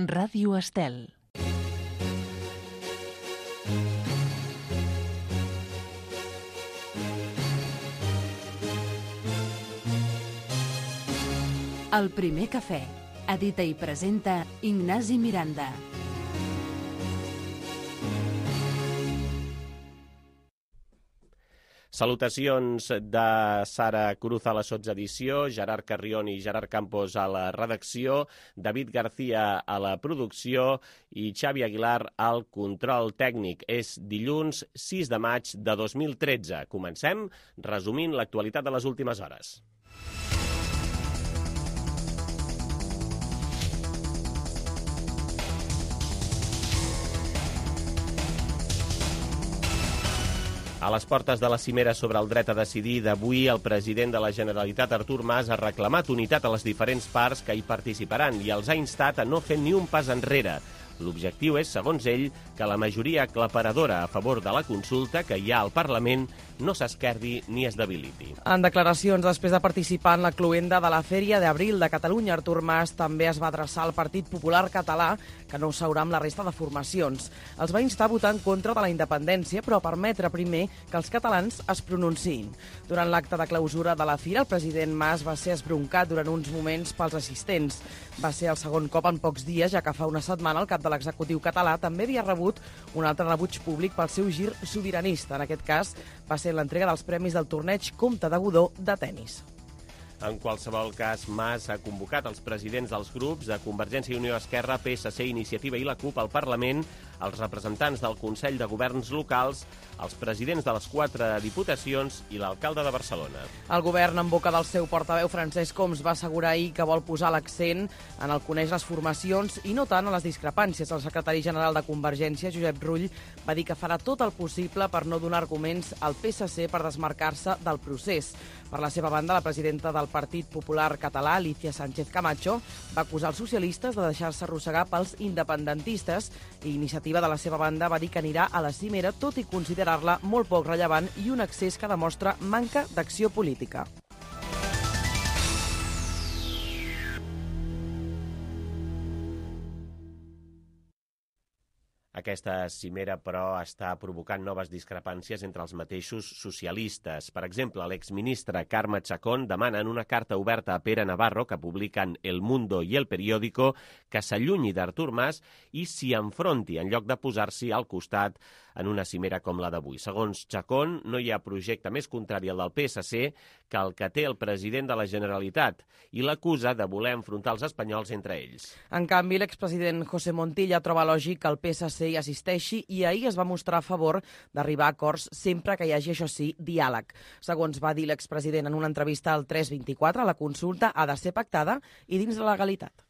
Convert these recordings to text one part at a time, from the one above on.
Ràdio Estel. El primer cafè. Edita i presenta Ignasi Miranda. Salutacions de Sara Cruz a la sotsedició, Gerard Carrion i Gerard Campos a la redacció, David García a la producció i Xavi Aguilar al control tècnic. És dilluns 6 de maig de 2013. Comencem resumint l'actualitat de les últimes hores. A les portes de la cimera sobre el dret a decidir d'avui, el president de la Generalitat, Artur Mas, ha reclamat unitat a les diferents parts que hi participaran i els ha instat a no fer ni un pas enrere. L'objectiu és, segons ell, que la majoria aclaparadora a favor de la consulta que hi ha al Parlament no s'esquerdi ni es debiliti. En declaracions després de participar en la cloenda de la Fèria d'Abril de Catalunya, Artur Mas també es va adreçar al Partit Popular Català, que no seurà amb la resta de formacions. Els va instar a votar en contra de la independència, però a permetre primer que els catalans es pronunciïn. Durant l'acte de clausura de la fira, el president Mas va ser esbroncat durant uns moments pels assistents. Va ser el segon cop en pocs dies, ja que fa una setmana el cap de l'executiu català també havia rebut un altre rebuig públic pel seu gir sobiranista. En aquest cas, va ser l'entrega dels premis del torneig Comte de Godó de tennis. En qualsevol cas, Mas ha convocat els presidents dels grups de Convergència i Unió, Esquerra, PSC, Iniciativa i la CUP al Parlament, els representants del Consell de Governs locals, els presidents de les 4 diputacions i l'alcalde de Barcelona. El govern, en boca del seu portaveu, Francesc Homs, va assegurar ahir que vol posar l'accent en el conèixer les formacions i no tant en les discrepàncies. El secretari general de Convergència, Josep Rull, va dir que farà tot el possible per no donar arguments al PSC per desmarcar-se del procés. Per la seva banda, la presidenta del Partit Popular Català, Alicia Sánchez Camacho, va acusar els socialistes de deixar-se arrossegar pels independentistes i Iniciativa, de la seva banda, va dir que anirà a la cimera, tot i considerar-la molt poc rellevant i un accés que demostra manca d'acció política. Aquesta cimera, però, està provocant noves discrepàncies entre els mateixos socialistes. Per exemple, l'exministre Carme Chacón demana en una carta oberta a Pere Navarro, que publiquen El Mundo i El Periódico, que s'allunyi d'Artur Mas i s'hi enfronti en lloc de posar-s'hi al costat en una cimera com la d'avui. Segons Chacón, no hi ha projecte més contrari al del PSC que el que té el president de la Generalitat i l'acusa de voler enfrontar els espanyols entre ells. En canvi, l'expresident José Montilla troba lògic que el PSC hi assisteixi i ahir es va mostrar a favor d'arribar a acords sempre que hi hagi, això sí, diàleg. Segons va dir l'expresident en una entrevista al 324, la consulta ha de ser pactada i dins de la legalitat.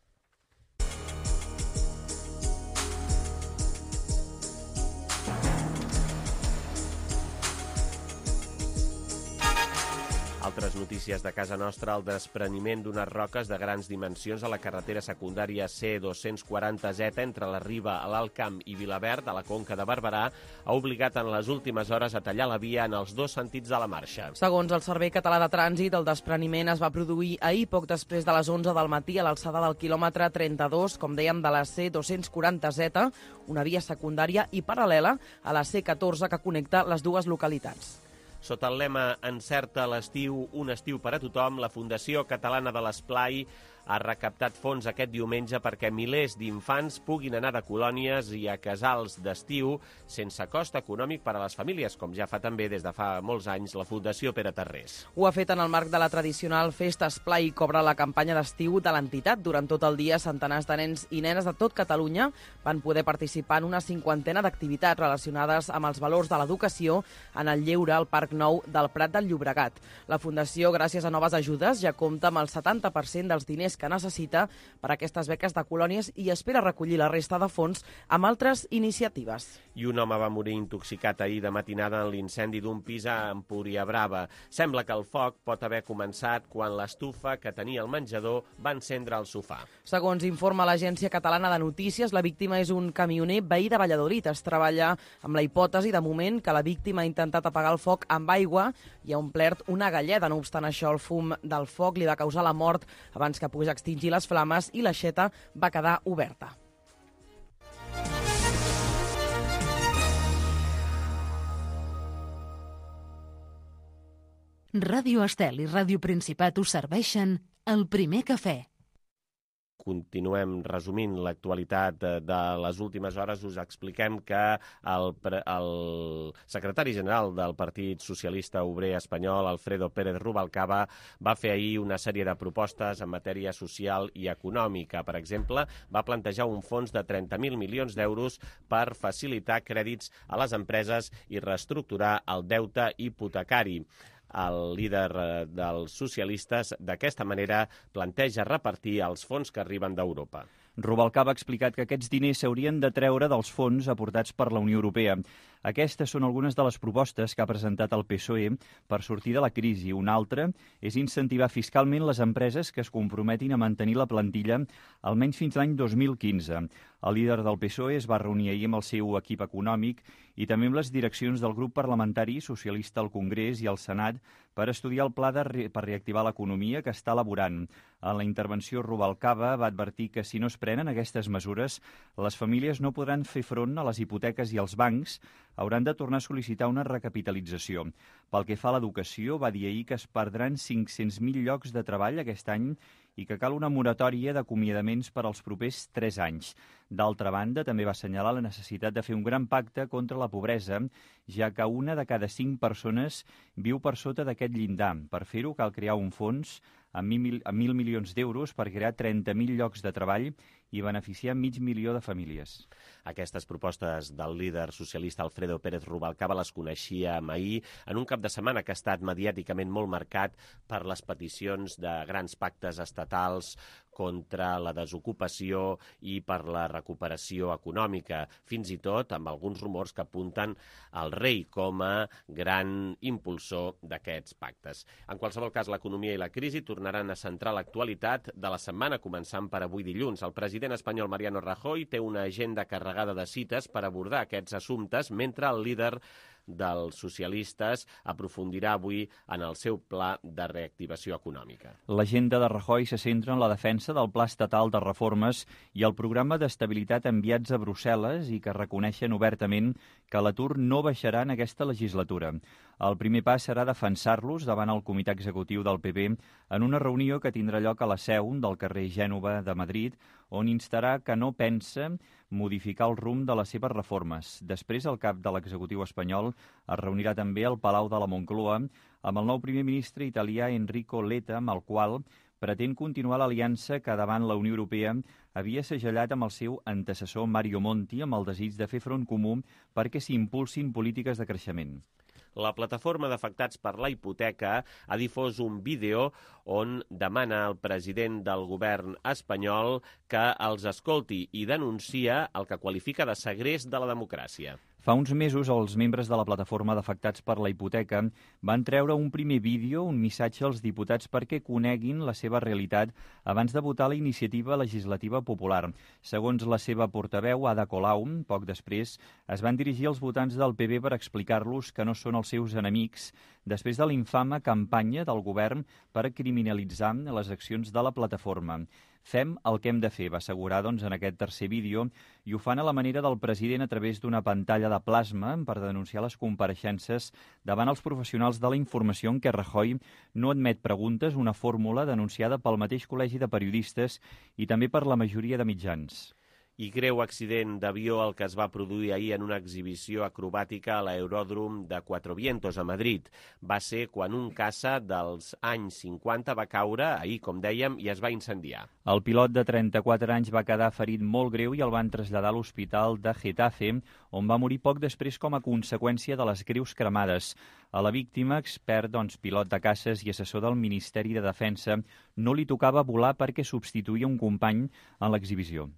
Altres notícies de casa nostra, el despreniment d'unes roques de grans dimensions a la carretera secundària C240Z entre la Riba, a l'Alt Camp i Vilaverd, a la Conca de Barberà, ha obligat en les últimes hores a tallar la via en els dos sentits de la marxa. Segons el Servei Català de Trànsit, el despreniment es va produir ahir poc després de les 11 del matí a l'alçada del quilòmetre 32, com dèiem, de la C240Z, una via secundària i paral·lela a la C14 que connecta les dues localitats. Sota el lema Encerta l'estiu, un estiu per a tothom, la Fundació Catalana de l'Esplai ha recaptat fons aquest diumenge perquè milers d'infants puguin anar de colònies i a casals d'estiu sense cost econòmic per a les famílies, com ja fa també des de fa molts anys la Fundació Pere Tarrés. Ho ha fet en el marc de la tradicional Festa Esplai i cobra la campanya d'estiu de l'entitat. Durant tot el dia, centenars de nens i nenes de tot Catalunya van poder participar en una 50ena d'activitats relacionades amb els valors de l'educació en el lleure al Parc Nou del Prat del Llobregat. La Fundació, gràcies a noves ajudes, ja compta amb el 70% dels diners que necessita per a aquestes beques de colònies i espera recollir la resta de fons amb altres iniciatives. I un home va morir intoxicat ahir de matinada en l'incendi d'un pis a Empuriabrava. Sembla que el foc pot haver començat quan l'estufa que tenia el menjador va encendre el sofà. Segons informa l'Agència Catalana de Notícies, la víctima és un camioner veí de Valladolid. Es treballa amb la hipòtesi, de moment, que la víctima ha intentat apagar el foc amb aigua i ha omplert una galleda. No obstant això, el fum del foc li va causar la mort abans que pogués extingir les flames i l'aixeta va quedar oberta. Ràdio Estel i Ràdio Principat us serveixen El Primer Cafè. Continuem resumint l'actualitat de les últimes hores. Us expliquem que el secretari general del Partit Socialista Obrer Espanyol, Alfredo Pérez Rubalcaba, va fer ahir una sèrie de propostes en matèria social i econòmica. Per exemple, va plantejar un fons de 30.000 milions d'euros per facilitar crèdits a les empreses i reestructurar el deute hipotecari. El líder dels socialistes d'aquesta manera planteja repartir els fons que arriben d'Europa. Rubalcaba ha explicat que aquests diners s'haurien de treure dels fons aportats per la Unió Europea. Aquestes són algunes de les propostes que ha presentat el PSOE per sortir de la crisi. Una altra és incentivar fiscalment les empreses que es comprometin a mantenir la plantilla almenys fins l'any 2015. El líder del PSOE es va reunir ahir amb el seu equip econòmic i també amb les direccions del grup parlamentari socialista al Congrés i al Senat per estudiar el pla per reactivar l'economia que està elaborant. En la intervenció, Rubalcaba va advertir que si no es prenen aquestes mesures, les famílies no podran fer front a les hipoteques i els bancs hauran de tornar a sol·licitar una recapitalització. Pel que fa a l'educació, va dir ahir que es perdran 500.000 llocs de treball aquest any i que cal una moratòria d'acomiadaments per als propers 3 anys. D'altra banda, també va assenyalar la necessitat de fer un gran pacte contra la pobresa, ja que una de cada 5 persones viu per sota d'aquest llindar. Per fer-ho, cal crear un fons amb 1.000 milions d'euros per crear 30.000 llocs de treball i beneficiar 500.000 de famílies. Aquestes propostes del líder socialista Alfredo Pérez Rubalcaba les coneixíem ahir en un cap de setmana que ha estat mediàticament molt marcat per les peticions de grans pactes estatals contra la desocupació i per la recuperació econòmica, fins i tot amb alguns rumors que apunten al rei com a gran impulsor d'aquests pactes. En qualsevol cas, l'economia i la crisi tornaran a centrar l'actualitat de la setmana, començant per avui dilluns. El president espanyol Mariano Rajoy té una agenda carregada de cites per abordar aquests assumptes, mentre el líder dels socialistes aprofundirà avui en el seu pla de reactivació econòmica. L'agenda de Rajoy se centra en la defensa del Pla Estatal de Reformes i el programa d'estabilitat enviats a Brussel·les i que reconeixen obertament que l'atur no baixarà en aquesta legislatura. El primer pas serà defensar-los davant el comitè executiu del PP en una reunió que tindrà lloc a la seu del carrer Gènova de Madrid, on instarà que no pensa modificar el rumb de les seves reformes. Després, el cap de l'executiu espanyol es reunirà també al Palau de la Moncloa amb el nou primer ministre italià Enrico Letta, amb el qual pretén continuar l'aliança que davant la Unió Europea havia segellat amb el seu antecessor Mario Monti amb el desig de fer front comú perquè s'impulsin polítiques de creixement. La plataforma d'afectats per la hipoteca ha difós un vídeo on demana al president del govern espanyol que els escolti i denuncia el que qualifica de segrest de la democràcia. Fa uns mesos, els membres de la plataforma d'afectats per la hipoteca van treure un primer vídeo, un missatge als diputats perquè coneguin la seva realitat abans de votar la iniciativa legislativa popular. Segons la seva portaveu, Ada Colau, poc després, es van dirigir als votants del PP per explicar-los que no són els seus enemics després de l'infame campanya del govern per criminalitzar les accions de la plataforma. Fem el que hem de fer, va assegurar en aquest tercer vídeo, i ho fan a la manera del president a través d'una pantalla de plasma per denunciar les compareixences davant els professionals de la informació en què Rajoy no admet preguntes, una fórmula denunciada pel mateix col·legi de periodistes i també per la majoria de mitjans. I greu accident d'avió el que es va produir ahir en una exhibició acrobàtica a l'aeròdrom de Cuatro Vientos, a Madrid. Va ser quan un caça dels anys 50 va caure, ahir, com dèiem, i es va incendiar. El pilot de 34 anys va quedar ferit molt greu i el van traslladar a l'hospital de Getafe, on va morir poc després com a conseqüència de les greus cremades. A la víctima, expert, pilot de caces i assessor del Ministeri de Defensa, no li tocava volar perquè substituïa un company en l'exhibició.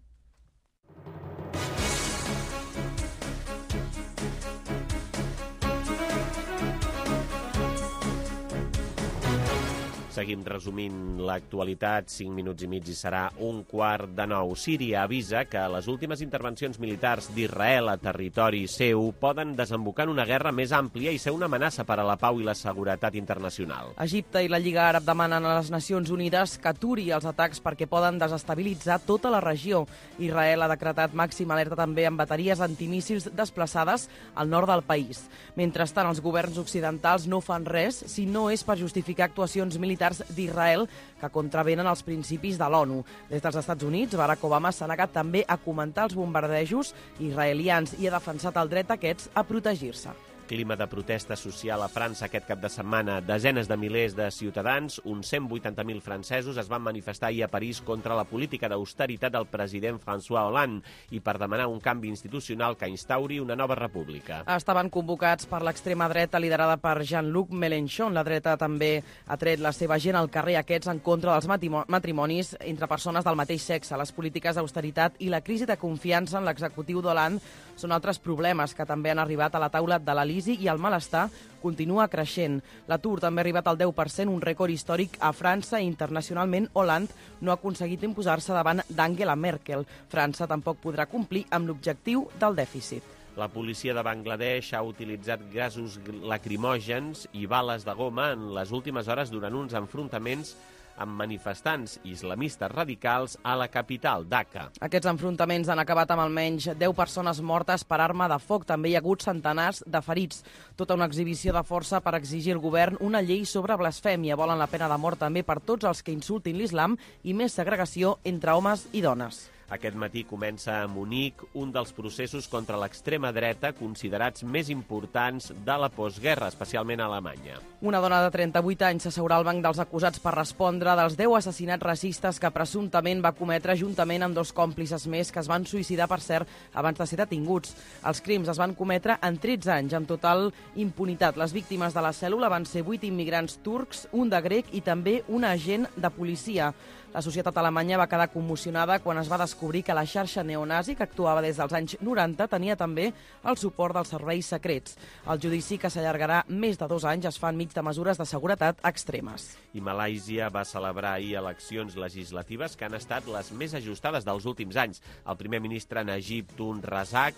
Seguim resumint l'actualitat, 5 minuts i mig i serà 8:45. Síria avisa que les últimes intervencions militars d'Israel a territori seu poden desembocar en una guerra més àmplia i ser una amenaça per a la pau i la seguretat internacional. Egipte i la Lliga Àrab demanen a les Nacions Unides que aturi els atacs perquè poden desestabilitzar tota la regió. Israel ha decretat màxima alerta també amb bateries antimíssils desplaçades al nord del país. Mentrestant, els governs occidentals no fan res si no és per justificar actuacions militars d'Israel que contravenen els principis de l'ONU. Des dels Estats Units, Barack Obama s'ha negat també a comentar els bombardejos israelians i ha defensat el dret d'aquests a protegir-se. Clima de protesta social a França aquest cap de setmana. Desenes de milers de ciutadans, uns 180.000 francesos, es van manifestar ahir a París contra la política d'austeritat del president François Hollande i per demanar un canvi institucional que instauri una nova república. Estaven convocats per l'extrema dreta liderada per Jean-Luc Mélenchon. La dreta també ha tret la seva gent al carrer, aquests en contra dels matrimonis entre persones del mateix sexe. Les polítiques d'austeritat i la crisi de confiança en l'executiu d'Hollande són altres problemes que també han arribat a la taula de la i el malestar continua creixent. L'atur també ha arribat al 10%, un rècord històric a França i internacionalment Hollande no ha aconseguit imposar-se davant d'Angela Merkel. França tampoc podrà complir amb l'objectiu del dèficit. La policia de Bangladesh ha utilitzat gasos lacrimògens i bales de goma en les últimes hores durant uns enfrontaments amb manifestants islamistes radicals a la capital, Dhaka. Aquests enfrontaments han acabat amb almenys 10 persones mortes per arma de foc. També hi ha hagut centenars de ferits. Tota una exhibició de força per exigir al govern una llei sobre blasfèmia. Volen la pena de mort també per tots els que insultin l'islam i més segregació entre homes i dones. Aquest matí comença a Munic un dels processos contra l'extrema dreta considerats més importants de la postguerra, especialment a Alemanya. Una dona de 38 anys s'asseurà al banc dels acusats per respondre dels 10 assassinats racistes que presumptament va cometre juntament amb 2 còmplices més que es van suïcidar, per cert, abans de ser detinguts. Els crims es van cometre en 13 anys, amb total impunitat. Les víctimes de la cèl·lula van ser 8 immigrants turcs, un de grec i també un agent de policia. La societat alemanya va quedar commocionada quan es va descobrir que la xarxa neonazi, que actuava des dels anys 90, tenia també el suport dels serveis secrets. El judici, que s'allargarà més de 2 anys, es fa enmig de mesures de seguretat extremes. I Malàisia va celebrar ahir eleccions legislatives que han estat les més ajustades dels últims anys. El primer ministre Najib Razak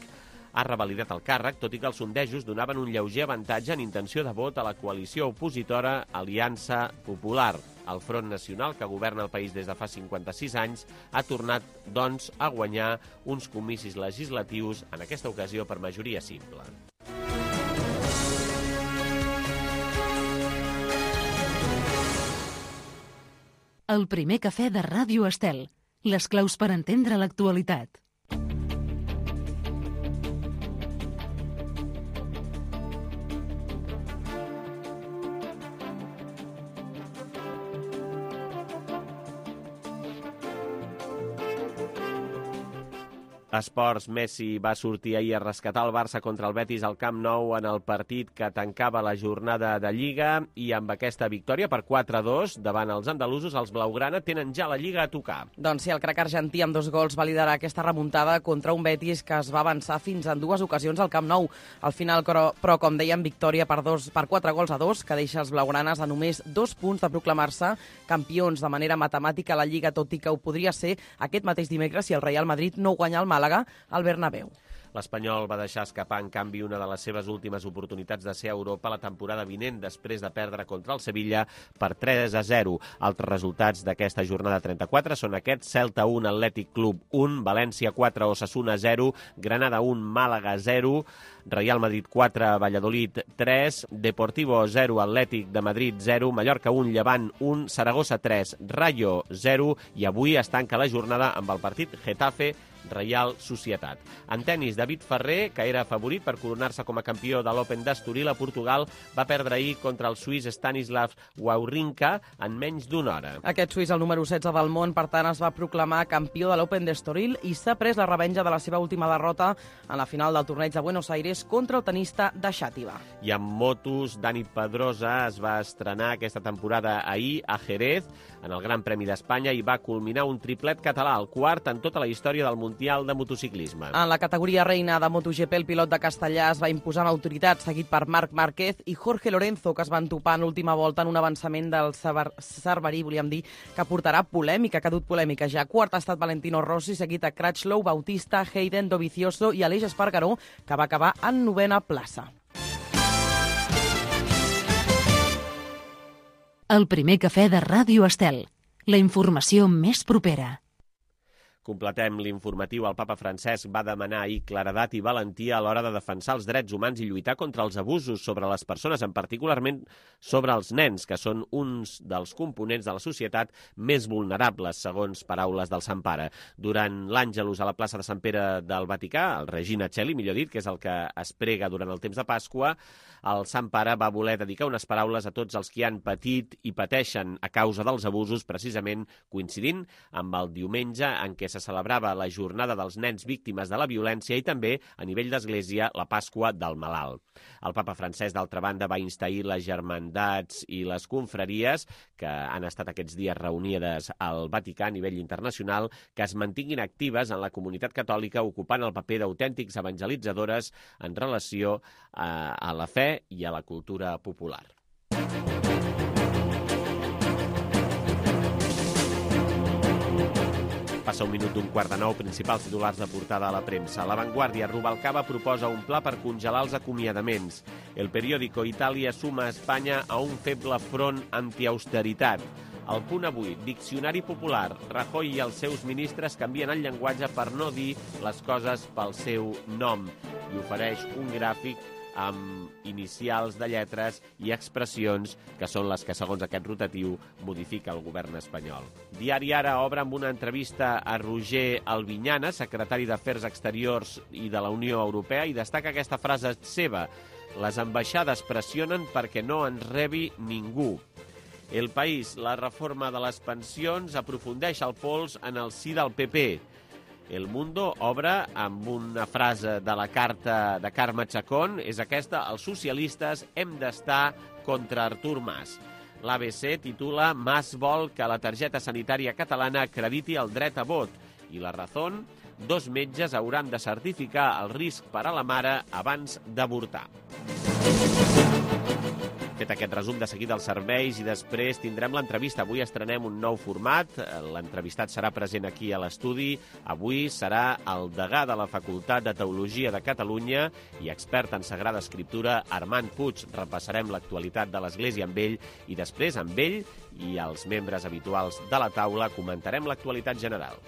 ha revalidat el càrrec, tot i que els sondejos donaven un lleuger avantatge en intenció de vot a la coalició opositora Aliança Popular. El Front Nacional, que governa el país des de fa 56 anys, ha tornat, doncs, a guanyar uns comicis legislatius, en aquesta ocasió per majoria simple. El primer cafè de Ràdio Estel. Les claus per entendre l'actualitat. Esports, Messi va sortir ahir a rescatar el Barça contra el Betis al Camp Nou en el partit que tancava la jornada de Lliga i amb aquesta victòria per 4-2 davant els andalusos, els blaugrana tenen ja la Lliga a tocar. Doncs sí, el crac argentí amb 2 gols va liderar aquesta remuntada contra un Betis que es va avançar fins en 2 ocasions al Camp Nou. Al final, però com dèiem, victòria per 4-2, que deixa els blaugranes a només 2 punts de proclamar-se campions de manera matemàtica a la Lliga, tot i que ho podria ser aquest mateix dimecres si el Real Madrid no guanya el Màlaga al Bernabéu. L'Espanyol va deixar escapar, en canvi, una de les seves últimes oportunitats de ser a Europa la temporada vinent, després de perdre contra el Sevilla per 3-0. Altres resultats d'aquesta jornada 34 són aquests: Celta 1, Atlètic Club 1, València 4, Osasuna 0, Granada 1, Màlaga 0, Real Madrid 4, Valladolid 3, Deportivo 0, Atlètic de Madrid 0, Mallorca 1, Llevant 1, Saragossa 3, Rayo 0, i avui es tanca la jornada amb el partit Getafe Reial Societat. En tenis, David Ferrer, que era favorit per coronar-se com a campió de l'Open d'Estoril a Portugal, va perdre ahir contra el suís Stanislav Wawrinka en menys d'una hora. Aquest suís, el número 16 del món, per tant, es va proclamar campió de l'Open d'Estoril i s'ha pres la revenja de la seva última derrota en la final del torneig de Buenos Aires contra el tenista de Xàtiva. I amb motos, Dani Pedrosa es va estrenar aquesta temporada ahir a Jerez, en el Gran Premi d'Espanya, i va culminar un triplet català, el quart en tota la història del Mundial Mundial de Motociclisme. En la categoria reina de MotoGP, el pilot de Castellà es va imposar amb autoritat, seguit per Marc Márquez i Jorge Lorenzo, que es van topar en l'última volta en un avançament del Cerverí, volíem dir, que portarà polèmica, que ha dut polèmica ja. Quart ha estat Valentino Rossi, seguit a Crutchlow, Bautista, Hayden, Dovizioso i Aleix Espargaró, que va acabar en 9a plaça. El primer cafè de Ràdio Estel. La informació més propera. Completem l'informatiu. El papa Francesc va demanar ahir claredat i valentia a l'hora de defensar els drets humans i lluitar contra els abusos sobre les persones, en particularment sobre els nens, que són uns dels components de la societat més vulnerables, segons paraules del Sant Pare. Durant l'Àngelus a la plaça de Sant Pere del Vaticà, el Regina Coeli, millor dit, que és el que es prega durant el temps de Pasqua, el Sant Pare va voler dedicar unes paraules a tots els que han patit i pateixen a causa dels abusos, precisament coincidint amb el diumenge en què se celebrava la jornada dels nens víctimes de la violència i també, a nivell d'Església, la Pasqua del Malalt. El papa Francesc, d'altra banda, va instair les germandats i les confraries, que han estat aquests dies reunides al Vaticà a nivell internacional, que es mantinguin actives en la comunitat catòlica, ocupant el paper d'autèntics evangelitzadores en relació a la fe i a la cultura popular. Passa un minut d'un 8:15, principals titulars de portada a la premsa. La Vanguardia, Rubalcaba proposa un pla per congelar els acomiadaments. El periòdico, Itàlia suma a Espanya a un feble front antiausteritat. El Punt Avui, Diccionari Popular. Rajoy i els seus ministres canvien el llenguatge per no dir les coses pel seu nom i ofereix un gràfic amb inicials de lletres i expressions que són les que, segons aquest rotatiu, modifica el govern espanyol. Diari Ara obre amb una entrevista a Roger Albinyana, secretari d'Afers Exteriors i de la Unió Europea, i destaca aquesta frase seva: les ambaixades pressionen perquè no ens rebi ningú. El País, la reforma de les pensions aprofundeix el pols en el si del PP. El Mundo obre amb una frase de la carta de Carme Chacón, és aquesta: els socialistes hem d'estar contra Artur Mas. L'ABC titula: Mas vol que la targeta sanitària catalana acrediti el dret a vot. I La Razón: 2 metges hauran de certificar el risc per a la mare abans d'avortar. Fet aquest resum, de seguida els serveis i després tindrem l'entrevista. Avui estrenem un nou format. L'entrevistat serà present aquí a l'estudi. Avui serà el degà de la Facultat de Teologia de Catalunya i expert en Sagrada Escriptura, Armand Puig. Repassarem l'actualitat de l'Església amb ell i després amb ell i els membres habituals de la taula comentarem l'actualitat general.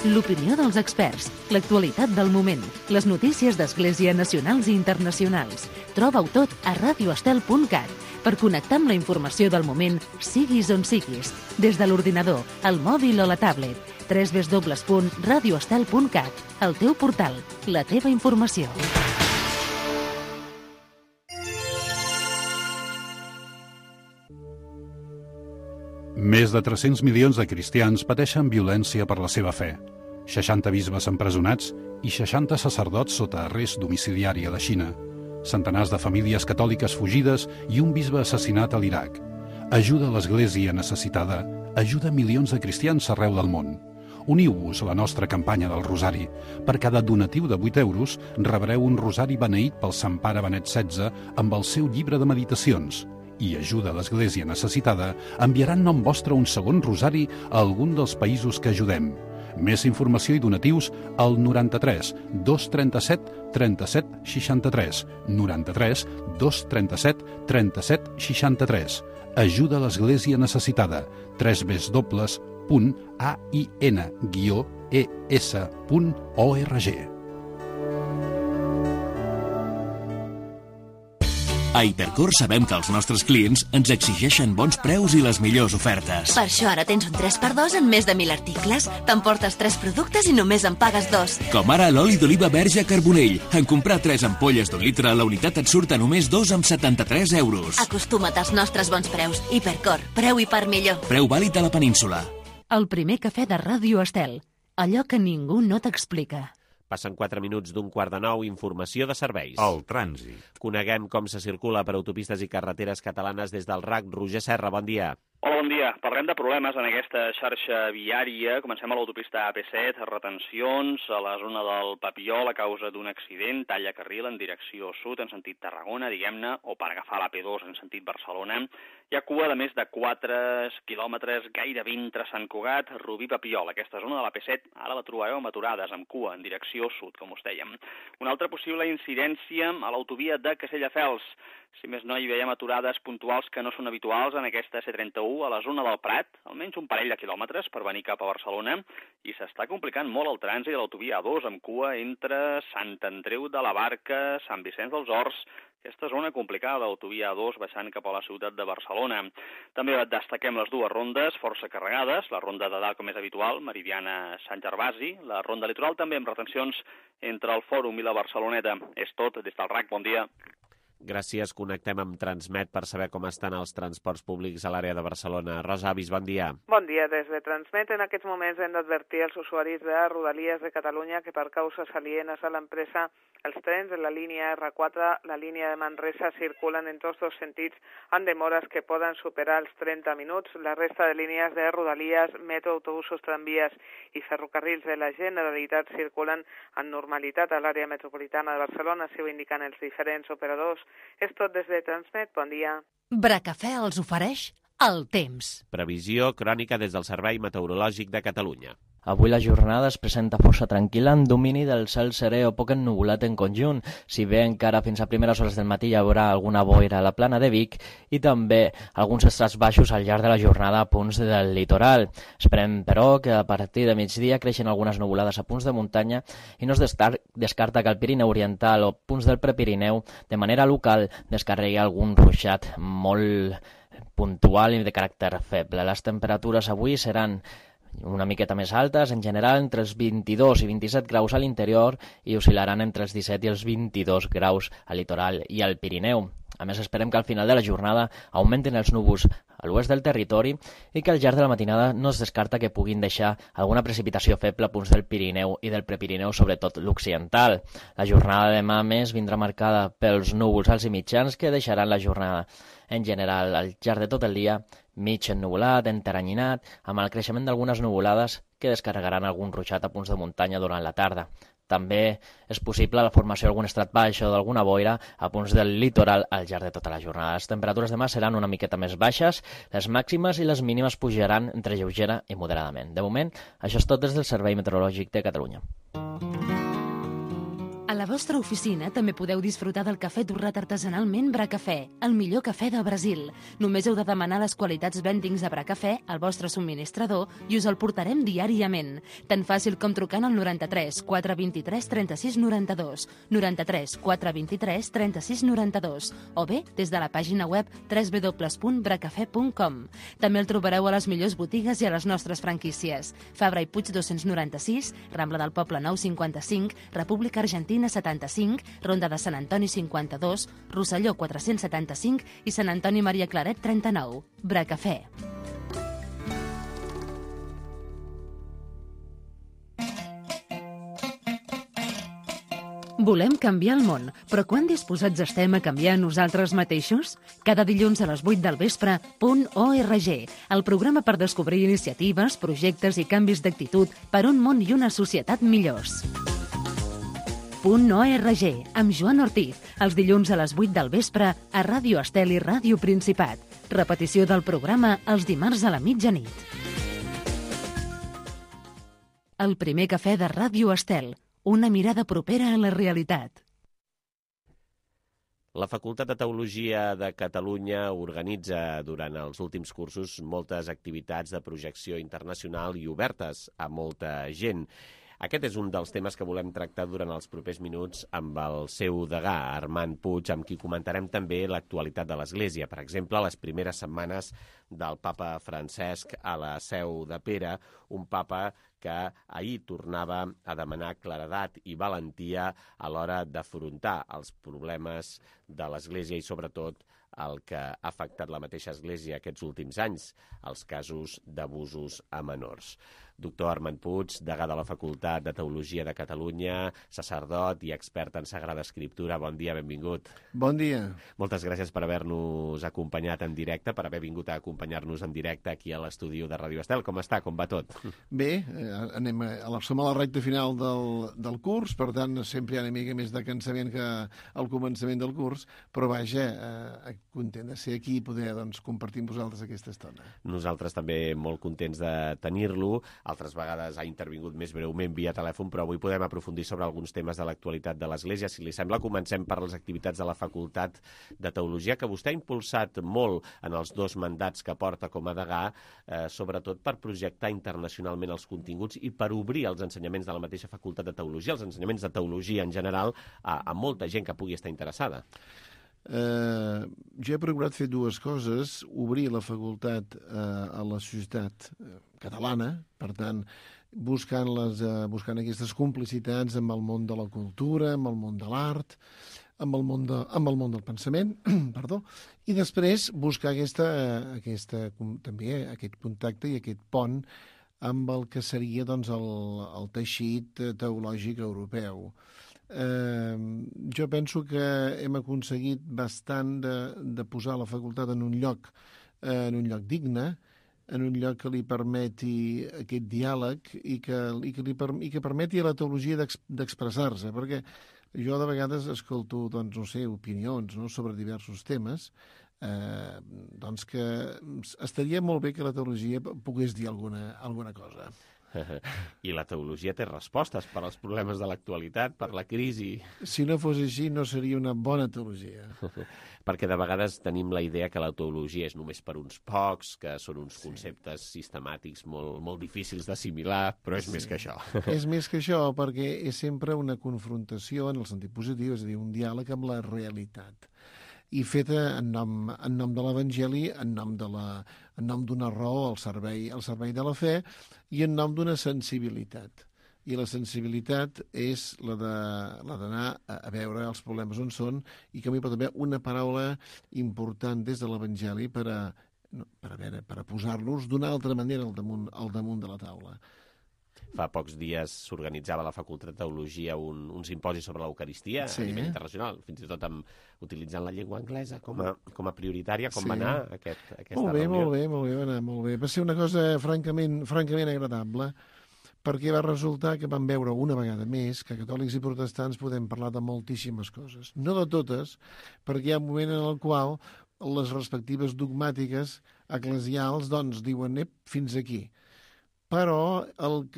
L'opinió dels experts, l'actualitat del moment, les notícies d'Església nacionals i internacionals. Troba-ho tot a radioestel.cat per connectar amb la informació del moment, siguis on siguis, des de l'ordinador, el mòbil o la tablet. www.radioestel.cat, el teu portal, la teva informació. Més de 300 milions de cristians pateixen violència per la seva fe. 60 bisbes empresonats i 60 sacerdots sota arrest domiciliari a la Xina. Centenars de famílies catòliques fugides i un bisbe assassinat a l'Iraq. Ajuda a l'Església necessitada, ajuda milions de cristians arreu del món. Uniu-vos a la nostra campanya del Rosari. Per cada donatiu de 8 euros rebreu un rosari beneït pel Sant Pare Benet XVI amb el seu llibre de meditacions. I ajuda a l'Església necessitada enviaran nom vostre un segon rosari a algun dels països que ajudem. Més informació i donatius al 93 237 37 63. 93 237 37 63. Ajuda a l'Església necessitada. www.ain-es.org. A Hipercor sabem que els nostres clients ens exigeixen bons preus i les millors ofertes. Per això ara tens un 3x2 en més de 1.000 articles. T'emportes 3 productes i només en pagues 2. Com ara l'oli d'oliva verge Carbonell. En comprar 3 ampolles d'1 litre, la unitat et surt a només 2,73 euros. Acostuma't als nostres bons preus. Hipercor, preu i part millor. Preu vàlid a la península. El primer cafè de Ràdio Estel. Allò que ningú no t'explica. Passen 4 minuts d'un 8:45, informació de serveis. El trànsit. Coneguem com se circula per autopistes i carreteres catalanes des del RAC. Roger Serra, bon dia. Hola, bon dia. Parlem de problemes en aquesta xarxa viària. Comencem a l'autopista AP7, retencions a la zona del Papiol a causa d'un accident, talla carril en direcció sud, en sentit Tarragona, diguem-ne, o per agafar l'AP2 en sentit Barcelona. Hi ha cua de més de 4 quilòmetres, gairebé entre Sant Cugat, Rubí, Papiol. Aquesta zona de l'AP7 ara la trobareu amb aturades, amb cua en direcció sud, com us dèiem. Una altra possible incidència a l'autovia de Castelldefels. Si més no, hi veiem aturades puntuals que no són habituals en aquesta C31 a la zona del Prat, almenys un parell de quilòmetres per venir cap a Barcelona, i s'està complicant molt el trànsit a l'autovia A2 amb cua entre Sant Andreu de la Barca, Sant Vicenç dels Horts, aquesta zona complicada, l'autovia A2 baixant cap a la ciutat de Barcelona. També destaquem les dues rondes força carregades, la ronda de dalt com és habitual, Meridiana Sant Gervasi, la ronda litoral també amb retencions entre el Fòrum i la Barceloneta. És tot, des del RAC, bon dia. Gràcies, connectem amb Transmet per saber com estan els transports públics a l'àrea de Barcelona. Rosa Avis, bon dia. Bon dia, des de Transmet. En aquests moments hem d'advertir als usuaris de Rodalies de Catalunya que per causes alienes a l'empresa els trens de la línia R4, la línia de Manresa, circulen en tots dos sentits amb demores que poden superar els 30 minuts. La resta de línies de Rodalies, metro, autobusos, tramvies i ferrocarrils de la Generalitat circulen amb normalitat a l'àrea metropolitana de Barcelona, si ho indiquen els diferents operadors. És tot des de Transmet. Bon dia. Bracafè els ofereix el temps. Previsió crònica des del Servei Meteorològic de Catalunya. Avui la jornada es presenta força tranquil·la amb domini del cel serè o poc ennuvolat en conjunt, si bé encara fins a primeres hores del matí hi haurà alguna boira a la plana de Vic i també alguns estrats baixos al llarg de la jornada a punts del litoral. Esperem, però, que a partir de migdia creixen algunes nuvolades a punts de muntanya i no es descarta que el Pirineu Oriental o punts del Prepirineu de manera local descarregui algun ruixat molt puntual i de caràcter feble. Les temperatures avui seran una miqueta més altes, en general entre els 22 i 27 graus a l'interior i oscil·laran entre els 17 i els 22 graus al litoral i al Pirineu. A més, esperem que al final de la jornada augmentin els núvols a l'oest del territori i que al llarg de la matinada no es descarta que puguin deixar alguna precipitació feble a punts del Pirineu i del Prepirineu, sobretot l'occidental. La jornada de demà, més, vindrà marcada pels núvols alts i mitjans que deixaran la jornada en general al llarg de tot el dia mig ennuvolat, enteranyinat, amb el creixement d'algunes nuvolades que descarregaran algun ruixat a punts de muntanya durant la tarda. També és possible la formació d'algun estrat baix o d'alguna boira a punts del litoral al llarg de tota la jornada. Les temperatures demà seran una miqueta més baixes, les màximes i les mínimes pujaran entre lleugera i moderadament. De moment, això és tot des del Servei Meteorològic de Catalunya. A la vostra oficina també podeu disfrutar del cafè torrat artesanalment Bracafè, el millor cafè del Brasil. Només heu de demanar les qualitats blendings de Bracafè al vostre subministrador i us el portarem diàriament. Tan fàcil com trucant al 93 423 36 92, 93 423 36 92, o bé des de la pàgina web www.bracafè.com. També el trobareu a les millors botigues i a les nostres franquícies. Fabra i Puig 296, Rambla del Poble Nou 55, República Argentina 75, Ronda de Sant Antoni 52, Rosselló 475 i Sant Antoni Maria Claret 39. Bracafè. Volem canviar el món, però quan disposats estem a canviar nosaltres mateixos? Cada dilluns a les 8 del vespre, .org, el programa per descobrir iniciatives, projectes i canvis d'actitud per un món i una societat millors. .org, amb Joan Ortiz, els dilluns a les 8 del vespre a Ràdio Estel i Ràdio Principat. Repetició del programa els dimarts a la mitjanit. El primer cafè de Ràdio Estel, una mirada propera a la realitat. La Facultat de Teologia de Catalunya organitza durant els últims cursos moltes activitats de projecció internacional i obertes a molta gent. Aquest és un dels temes que volem tractar durant els propers minuts amb el seu degà, Armand Puig, amb qui comentarem també l'actualitat de l'Església. Per exemple, les primeres setmanes del papa Francesc a la Seu de Pere, un papa que ahir tornava a demanar claredat i valentia a l'hora d'afrontar els problemes de l'Església i, sobretot, el que ha afectat la mateixa Església aquests últims anys, els casos d'abusos a menors. Doctor Armand Puig, degà de la Facultat de Teologia de Catalunya, sacerdot i expert en Sagrada Escriptura. Bon dia, benvingut. Bon dia. Moltes gràcies per haver-nos acompanyat en directe, per haver vingut a acompanyar-nos en directe aquí a l'estudi de Ràdio Estel. Com està? Com va tot? Bé, som a la recta final del curs, per tant, sempre hi ha una mica més de cansament que al començament del curs, però vaja, content de ser aquí i poder compartir amb vosaltres aquesta estona. Nosaltres també molt contents de tenir-lo. Altres vegades ha intervingut més breument via telèfon, però avui podem aprofundir sobre alguns temes de l'actualitat de l'Església. Si li sembla, comencem per les activitats de la Facultat de Teologia, que vostè ha impulsat molt en els 2 mandats que porta com a degà, sobretot per projectar internacionalment els continguts i per obrir els ensenyaments de la mateixa Facultat de Teologia, els ensenyaments de teologia en general, a molta gent que pugui estar interessada. Jo he procurat fer 2 coses: obrir la facultat a la societat catalana, per tant, buscant aquestes complicitats amb el món de la cultura, amb el món de l'art, amb el món del pensament, perdó, i després buscar també aquest contacte i aquest pont amb el que seria el teixit teològic europeu. Jo penso que hem aconseguit bastant de posar la facultat en un lloc digne, en un lloc que li permeti aquest diàleg i que permeti a la teologia d'expressar-se, perquè jo de vegades escolto, opinions sobre diversos temes, que estaria molt bé que la teologia pogués dir alguna cosa. I la teologia té respostes per als problemes de l'actualitat, per la crisi. Si no fos així, no seria una bona teologia. Perquè de vegades tenim la idea que la teologia és només per uns pocs, que són uns conceptes sistemàtics molt difícils d'assimilar, però és més que això. És més que això, perquè és sempre una confrontació en el sentit positiu, és a dir, un diàleg amb la realitat. I feta en nom de l'Evangeli, en nom d'una raó al servei de la fe i en nom d'una sensibilitat. I la sensibilitat és la d'anar a veure els problemes on són i que a mi pot haver una paraula important des de l'Evangeli per a posar-los d'una altra manera al damunt de la taula. Fa pocs dies s'organitzava a la Facultat de Teologia un simposi sobre l'Eucaristia a nivell internacional, fins i tot utilitzant la llengua anglesa com a prioritària. Com va anar aquesta reunió? Molt bé. Va ser una cosa francament agradable, perquè va resultar que vam veure una vegada més que catòlics i protestants podem parlar de moltíssimes coses. No de totes, perquè hi ha un moment en el qual les respectives dogmàtiques eclesials diuen fins aquí. Però el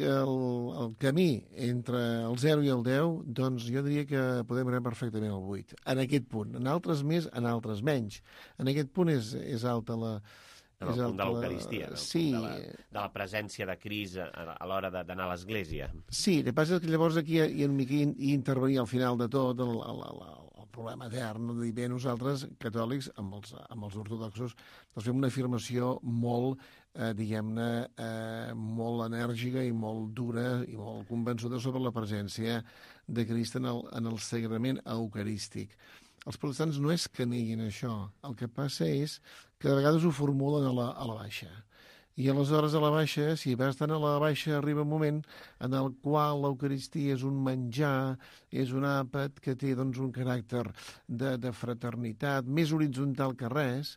camí entre el 0 i el 10, jo diria que podem anar perfectament al 8. En aquest punt. En altres més, en altres menys. En aquest punt és alta la... En el punt de l'Eucaristia, sí. De la presència de Crist a l'hora d'anar a l'Església. Sí, el que passa és que llavors aquí hi intervenia al final de tot el problema etern, de dir, bé, nosaltres, catòlics, amb els ortodoxos, fem una afirmació molt, molt enèrgica i molt dura i molt convençuda sobre la presència de Crist en el sagrament eucarístic. Els protestants no és que neguin això, el que passa és que de vegades ho formulen a la baixa. I aleshores a la baixa, si vas estar a la baixa, arriba un moment en el qual l'Eucaristia és un menjar, és un àpat que té un caràcter de fraternitat, més horitzontal que res,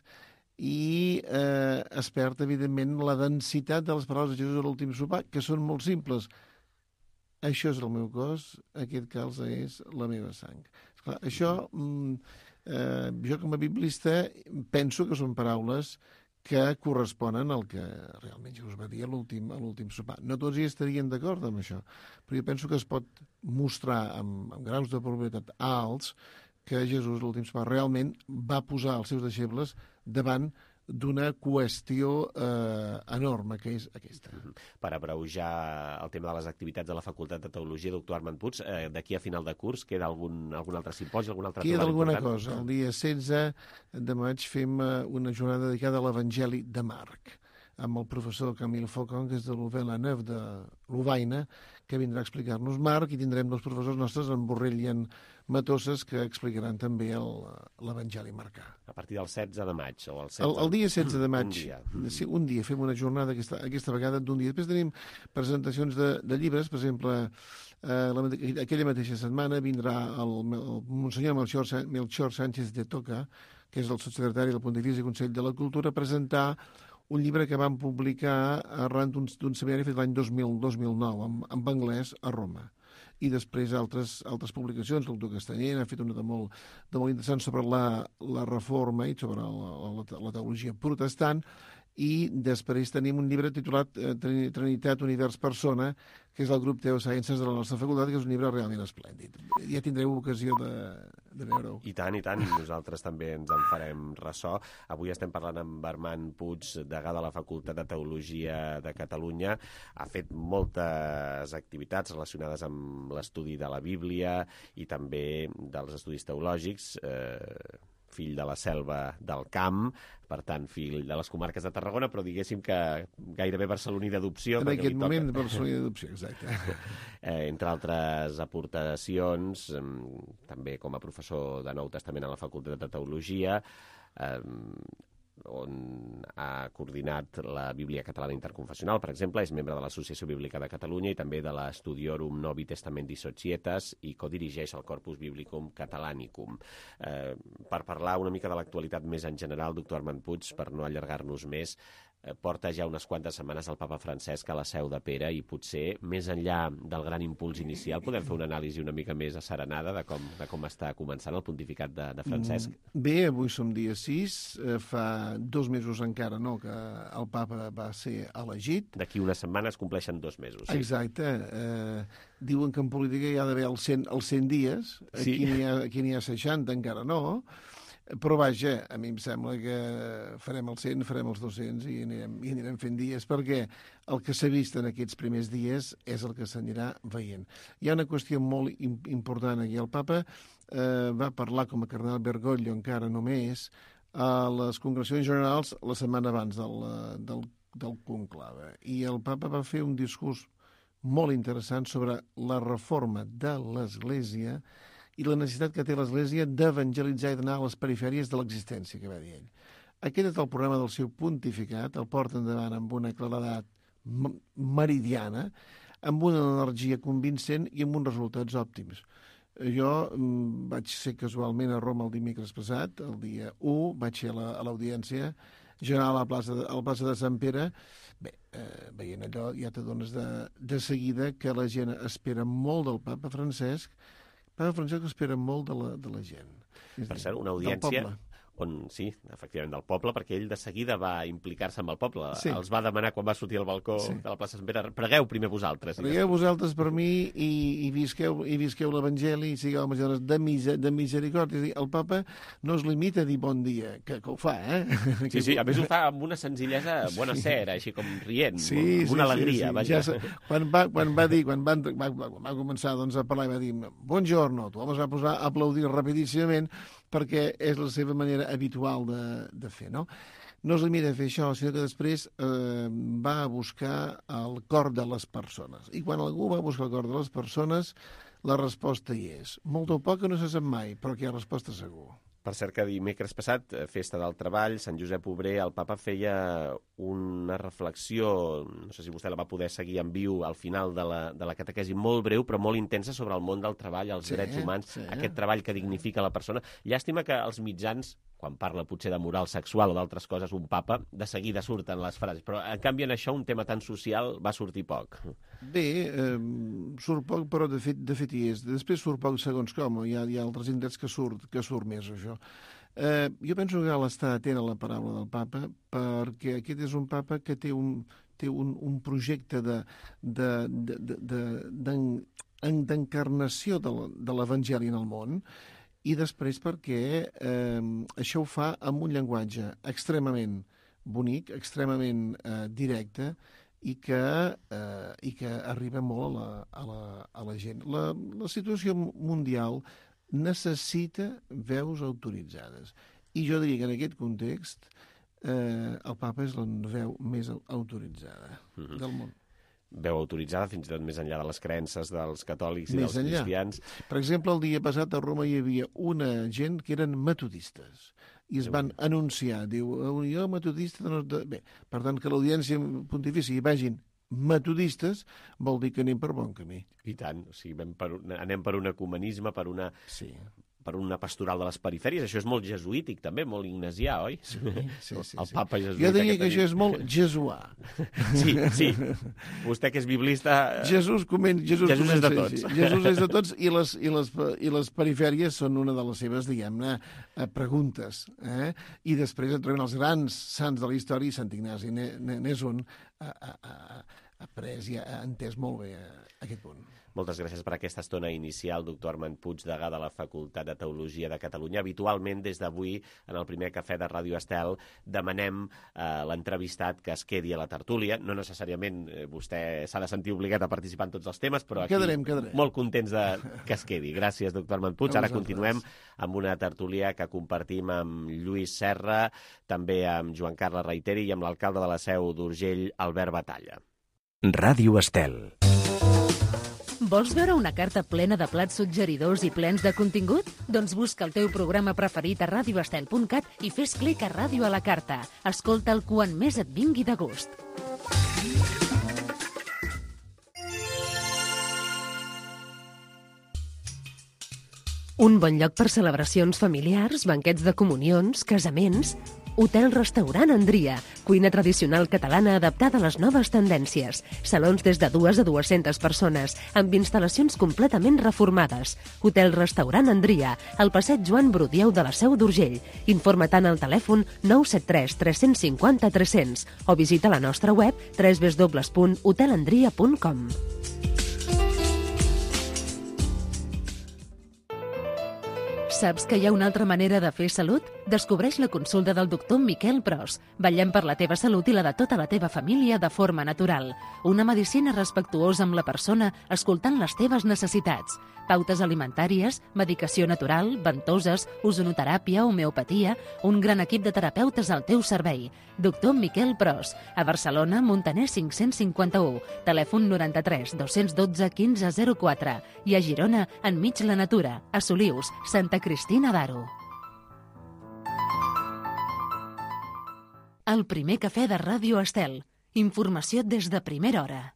i es perd, evidentment, la densitat de les paraules de Jesús a l'últim sopar, que són molt simples. Això és el meu cos, aquest calze és la meva sang. Esclar, això, jo com a biblista penso que són paraules que corresponen al que realment Jesús va dir a l'últim sopar. No tots hi estarien d'acord amb això, però jo penso que es pot mostrar amb graus de probabilitat alts que Jesús a l'últim sopar realment va posar els seus deixebles davant d'una qüestió enorme, que és aquesta. Per abreujar el tema de les activitats de la Facultat de Teologia, doctor Armand Puig, d'aquí a final de curs queda algun altre simposi, algun altre trobada important? Queda alguna cosa. El dia 16 de maig fem una jornada dedicada a l'Evangeli de Marc. amb el professor Camille Faucon, que és de l'Uve-la-Neuve de Lovaina, que vindrà a explicar-nos Marc, i tindrem dos professors nostres, en Borrell i en Matosses, que explicaran també l'Evangeli marcà. A partir del 16 de maig, o el 16... El dia 16 de maig. Un dia. Sí, un dia. Fem una jornada aquesta vegada d'un dia. Després tenim presentacions de llibres, per exemple, aquella mateixa setmana vindrà el monsenyor Melchor Sánchez de Toca, que és el sotssecretari del Pontifici Consell de la Cultura, a presentar un llibre que van publicar arran d'un seminari fet l'any 2009 en anglès a Roma. I després altres publicacions. El doctor Castanyer ha fet una de molt interessant sobre la reforma i sobre la teologia protestant. I després tenim un llibre titulat Trinitat, Univers, Persona, que és del grup Teosciences de la nostra facultat, que és un llibre realment esplèndid. Ja tindreu ocasió de veure-ho. I tant, i nosaltres també ens en farem ressò. Avui estem parlant amb Armand Puig, degà de la Facultat de Teologia de Catalunya. Ha fet moltes activitats relacionades amb l'estudi de la Bíblia i també dels estudis teològics, fill de la selva del camp, per tant, fill de les comarques de Tarragona, però diguéssim que gairebé barceloní d'adopció. En aquest moment, barceloní d'adopció, exacte. Entre altres aportacions, també com a professor de Nou Testament a la Facultat de Teologia, on ha coordinat la Bíblia Catalana Interconfessional, per exemple, és membre de l'Associació Bíblica de Catalunya i també de l'Studiorum Novi Testamenti Societas i codirigeix el Corpus Biblicum Catalanicum. Per parlar una mica de l'actualitat més en general, doctor Armand Puig, per no allargar-nos més, porta ja unes quantes setmanes el papa Francesc a la Seu de Pere i potser, més enllà del gran impuls inicial, podem fer una anàlisi una mica més asserenada de com està començant el pontificat de Francesc? Bé, avui som dia 6, fa 2 mesos encara que el papa va ser elegit. D'aquí unes setmanes compleixen 2 mesos. Sí. Exacte. Diuen que en política hi ha d'haver els 100 dies, sí. Aquí n'hi ha 60, encara no. Però vaja, a mi em sembla que farem els 100, farem els 200 i anirem fent dies, perquè el que s'ha vist en aquests primers dies és el que s'anirà veient. Hi ha una qüestió molt important aquí. El papa va parlar com a cardenal Bergoglio encara només a les congregacions generals la setmana abans del conclave. I el papa va fer un discurs molt interessant sobre la reforma de l'Església i la necessitat que té l'Església d'evangelitzar i d'anar a les perifèries de l'existència, que va dir ell. Aquest és el programa del seu pontificat, el porta endavant amb una claredat meridiana, amb una energia convincent i amb uns resultats òptims. Jo vaig ser casualment a Roma el dimecres passat, el dia 1, vaig ser a l'audiència general a la plaça de Sant Pere. Bé, veient allò ja t'adones de seguida que la gent espera molt del papa Francesc. Papa Francesc espera molt de la gent. Per cert, una audiència on, sí, efectivament, del poble, perquè ell de seguida va implicar-se amb el poble. Sí. Els va demanar quan va sortir al balcó de la plaça Sant Pere, pregueu primer vosaltres. Pregueu vosaltres per mi i visqueu l'Evangeli i sigueu dones de misericòrdia. El papa no es limita a dir bon dia, que ho fa, Sí, a més ho fa amb una senzillesa bona cera, així com rient, amb una alegria. Ja, quan va començar a parlar i va dir buongiorno, tothom es va posar a aplaudir rapidíssimament perquè és la seva manera habitual de fer, no? No es limita a fer això, sinó que després va a buscar el cor de les persones. I quan algú va a buscar el cor de les persones, la resposta hi és. Molt o poc no se sap mai, però que hi ha resposta segur. Per cert que dimecres passat, Festa del Treball, Sant Josep Obrer, el papa feia una reflexió, no sé si vostè la va poder seguir en viu al final de la catequesi, molt breu però molt intensa sobre el món del treball, els drets humans, aquest treball que dignifica la persona. Llàstima que els mitjans, quan parla potser de moral sexual o d'altres coses, un papa, de seguida surten les frases, però en canvi en això un tema tan social va sortir poc. Bé, surt poc, però de fet hi és. Després surt poc segons com, hi ha altres indrets que surt més això. Jo penso que cal estar atent a la paraula del papa, perquè aquest és un papa que té un projecte d'encarnació de l'Evangeli en el món, i després perquè això ho fa amb un llenguatge extremament bonic, extremament directe, i que arriba molt a la gent. La situació mundial necessita veus autoritzades. I jo diria que en aquest context el papa és la veu més autoritzada del món. Veu autoritzada fins i tot més enllà de les creences dels catòlics i dels cristians. Per exemple, el dia passat a Roma hi havia una gent que eren metodistes i es van anunciar, diu, jo metodista... Bé, per tant, que l'audiència pontifícia hi vagin metodistes vol dir que anem per bon camí. I tant, o sigui, anem per un ecumenisme, per una pastoral de les perifèries. Això és molt jesuític, també, molt ignasià, oi? Sí. El papa jesuïta. Jo diria que això és molt jesuà. Sí. Vostè que és biblista... Jesús és de tots. Jesús és de tots i les perifèries són una de les seves, diguem-ne, preguntes. I després et troben els grans sants de la història i Sant Ignasi n'és un après i ha entès molt bé aquest punt. Moltes gràcies per aquesta estona inicial, doctor Armand Puig, degà de la Facultat de Teologia de Catalunya. Habitualment, des d'avui, en el primer cafè de Ràdio Estel, demanem a l'entrevistat que es quedi a la tertúlia. No necessàriament vostè s'ha de sentir obligat a participar en tots els temes, però aquí quedarem. Molt contents que es quedi. Gràcies, doctor Armand Puig. Ara continuem amb una tertúlia que compartim amb Lluís Serra, també amb Joan Carles Reiteri i amb l'alcalde de la Seu d'Urgell, Albert Batalla. Ràdio Estel. Vols veure una carta plena de plats suggeridors i plens de contingut? Doncs busca el teu programa preferit a radioestel.cat i fes clic a Ràdio a la carta. Escolta'l quan més et vingui de gust. Un bon lloc per celebracions familiars, banquets de comunions, casaments... Hotel-restaurant Andria, cuina tradicional catalana adaptada a les noves tendències. Salons des de 2 a 200 persones, amb instal·lacions completament reformades. Hotel-restaurant Andria, al passeig Joan Brudieu de la Seu d'Urgell. Informa-te'n al telèfon 973 350 300 o visita la nostra web www.hotelandria.com. Saps que hi ha una altra manera de fer salut? Descobreix la consulta del doctor Miquel Pros. Vetllem per la teva salut i la de tota la teva família de forma natural. Una medicina respectuosa amb la persona, escoltant les teves necessitats. Pautes alimentàries, medicació natural, ventoses, ozonoteràpia, homeopatia... Un gran equip de terapeutes al teu servei. Doctor Miquel Pros. A Barcelona, Montaner 551. Telèfon 93 212 1504. I a Girona, enmig la natura. A Solius, Santa Cristina d'Aro. El primer cafè de Ràdio Estel. Informació des de primera hora.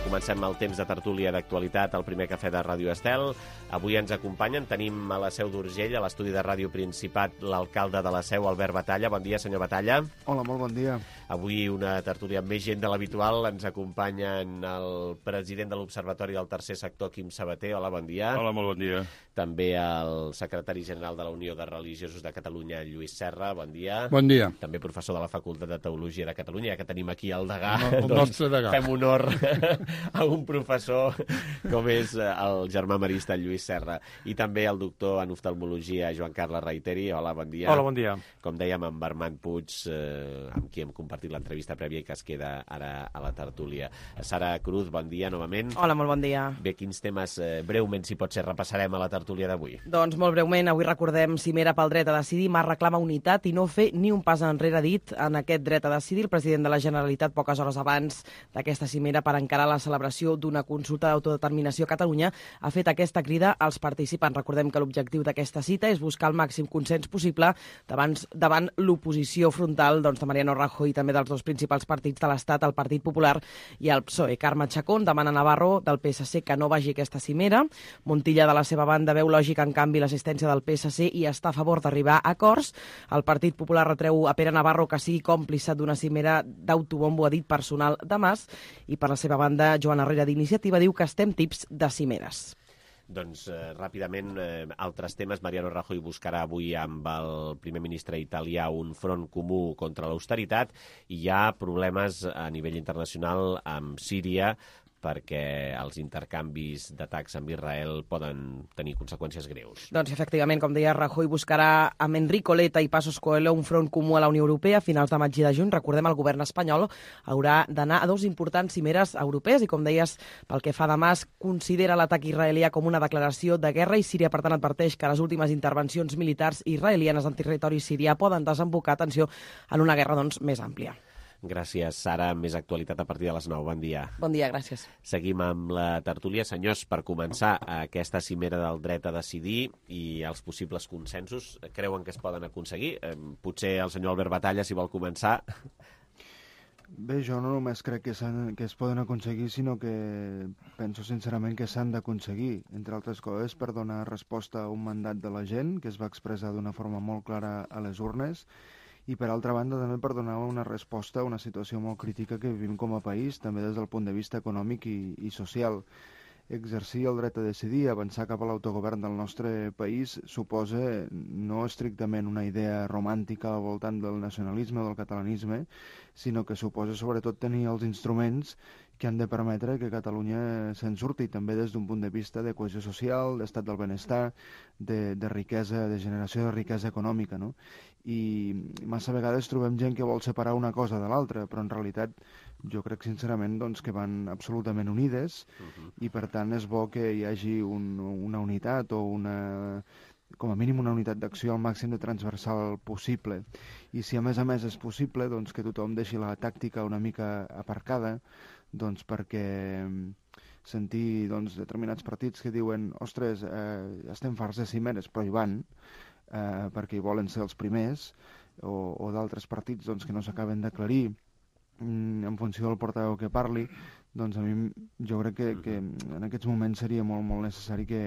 Comencem el temps de tertúlia d'actualitat al primer cafè de Ràdio Estel. Avui ens acompanyen, tenim a la Seu d'Urgell, a l'estudi de Ràdio Principat, l'alcalde de la Seu, Albert Batalla. Bon dia, senyor Batalla. Hola, molt bon dia. Avui una tertúlia amb més gent de l'habitual. Ens acompanyen el president de l'Observatori del Tercer Sector, Quim Sabater. Hola, bon dia. Hola, molt bon dia. També el secretari general de la Unió de Religiosos de Catalunya, Lluís Serra. Bon dia. Bon dia. També professor de la Facultat de Teologia de Catalunya, ja que tenim aquí el degà. El nostre degà. Fem honor a un professor com és el germà marista Lluís Serra. I també el doctor en oftalmologia Joan Carles Reiteri. Hola, bon dia. Hola, bon dia. Com dèiem, amb Armand Puig, amb qui hem compartit l'entrevista prèvia i que es queda ara a la tertúlia. Sara Cruz, bon dia novament. Hola, molt bon dia. Bé, quins temes breument, si pot ser, repassarem a la tertúlia d'avui? Doncs molt breument, avui recordem Cimera pel dret a decidir. Mas reclama unitat i no fer ni un pas enrere dit en aquest dret a decidir. El president de la Generalitat, poques hores abans d'aquesta cimera per encarar les celebració d'una consulta d'autodeterminació a Catalunya, ha fet aquesta crida als participants. Recordem que l'objectiu d'aquesta cita és buscar el màxim consens possible davant l'oposició frontal de Mariano Rajoy i també dels dos principals partits de l'Estat, el Partit Popular i el PSOE. Carme Chacón demana a Navarro del PSC que no vagi a aquesta cimera. Montilla, de la seva banda, veu lògica, en canvi, l'assistència del PSC i està a favor d'arribar a acords. El Partit Popular retreu a Pere Navarro que sigui còmplice d'una cimera d'autobombo, ha dit, personal de Mas, i per la seva banda, Joan Herrera d'Iniciativa diu que estem tips de cimeres. Doncs ràpidament, altres temes. Mariano Rajoy buscarà avui amb el primer ministre italià un front comú contra l'austeritat i hi ha problemes a nivell internacional amb Síria perquè els intercanvis d'atacs amb Israel poden tenir conseqüències greus. Doncs efectivament, com deia, Rajoy buscarà amb Enrico Letta i Passos Coelho un front comú a la Unió Europea a finals de maig i de juny. Recordem, el govern espanyol haurà d'anar a 2 importants cimeres europees i, com deies, pel que fa de Mas, considera l'atac israelià com una declaració de guerra i Síria, per tant, adverteix que les últimes intervencions militars israelianes en territori sirià poden desembocar, atenció, en una guerra doncs, més àmplia. Gràcies, Sara. Més actualitat a partir de les 9. Bon dia. Bon dia, gràcies. Seguim amb la tertúlia. Senyors, per començar, aquesta cimera del dret a decidir i els possibles consensos, creuen que es poden aconseguir? Potser el senyor Albert Batalla, si vol començar. Bé, jo no només crec que es poden aconseguir, sinó que penso sincerament que s'han d'aconseguir, entre altres coses, per donar resposta a un mandat de la gent, que es va expressar d'una forma molt clara a les urnes, i per altra banda també per donar una resposta a una situació molt crítica que vivim com a país, també des del punt de vista econòmic i social. Exercir el dret a decidir, avançar cap a l'autogovern del nostre país, suposa no estrictament una idea romàntica al voltant del nacionalisme o del catalanisme, sinó que suposa sobretot tenir els instruments que han de permetre que Catalunya se'n surti, també des d'un punt de vista de cohesió social, d'estat del benestar, de riquesa, de generació de riquesa econòmica, no? I massa vegades trobem gent que vol separar una cosa de l'altra, però en realitat jo crec sincerament doncs, que van absolutament unides i per tant és bo que hi hagi una unitat o com a mínim una unitat d'acció al màxim de transversal possible. I si a més és possible doncs, que tothom deixi la tàctica una mica aparcada, doncs perquè sentir determinats partits que diuen ostres, estem farts de cimeres, però hi van, perquè hi volen ser els primers, o d'altres partits que no s'acaben d'aclarir en funció del portaveu que parli, doncs a mi jo crec que en aquests moments seria molt, molt necessari que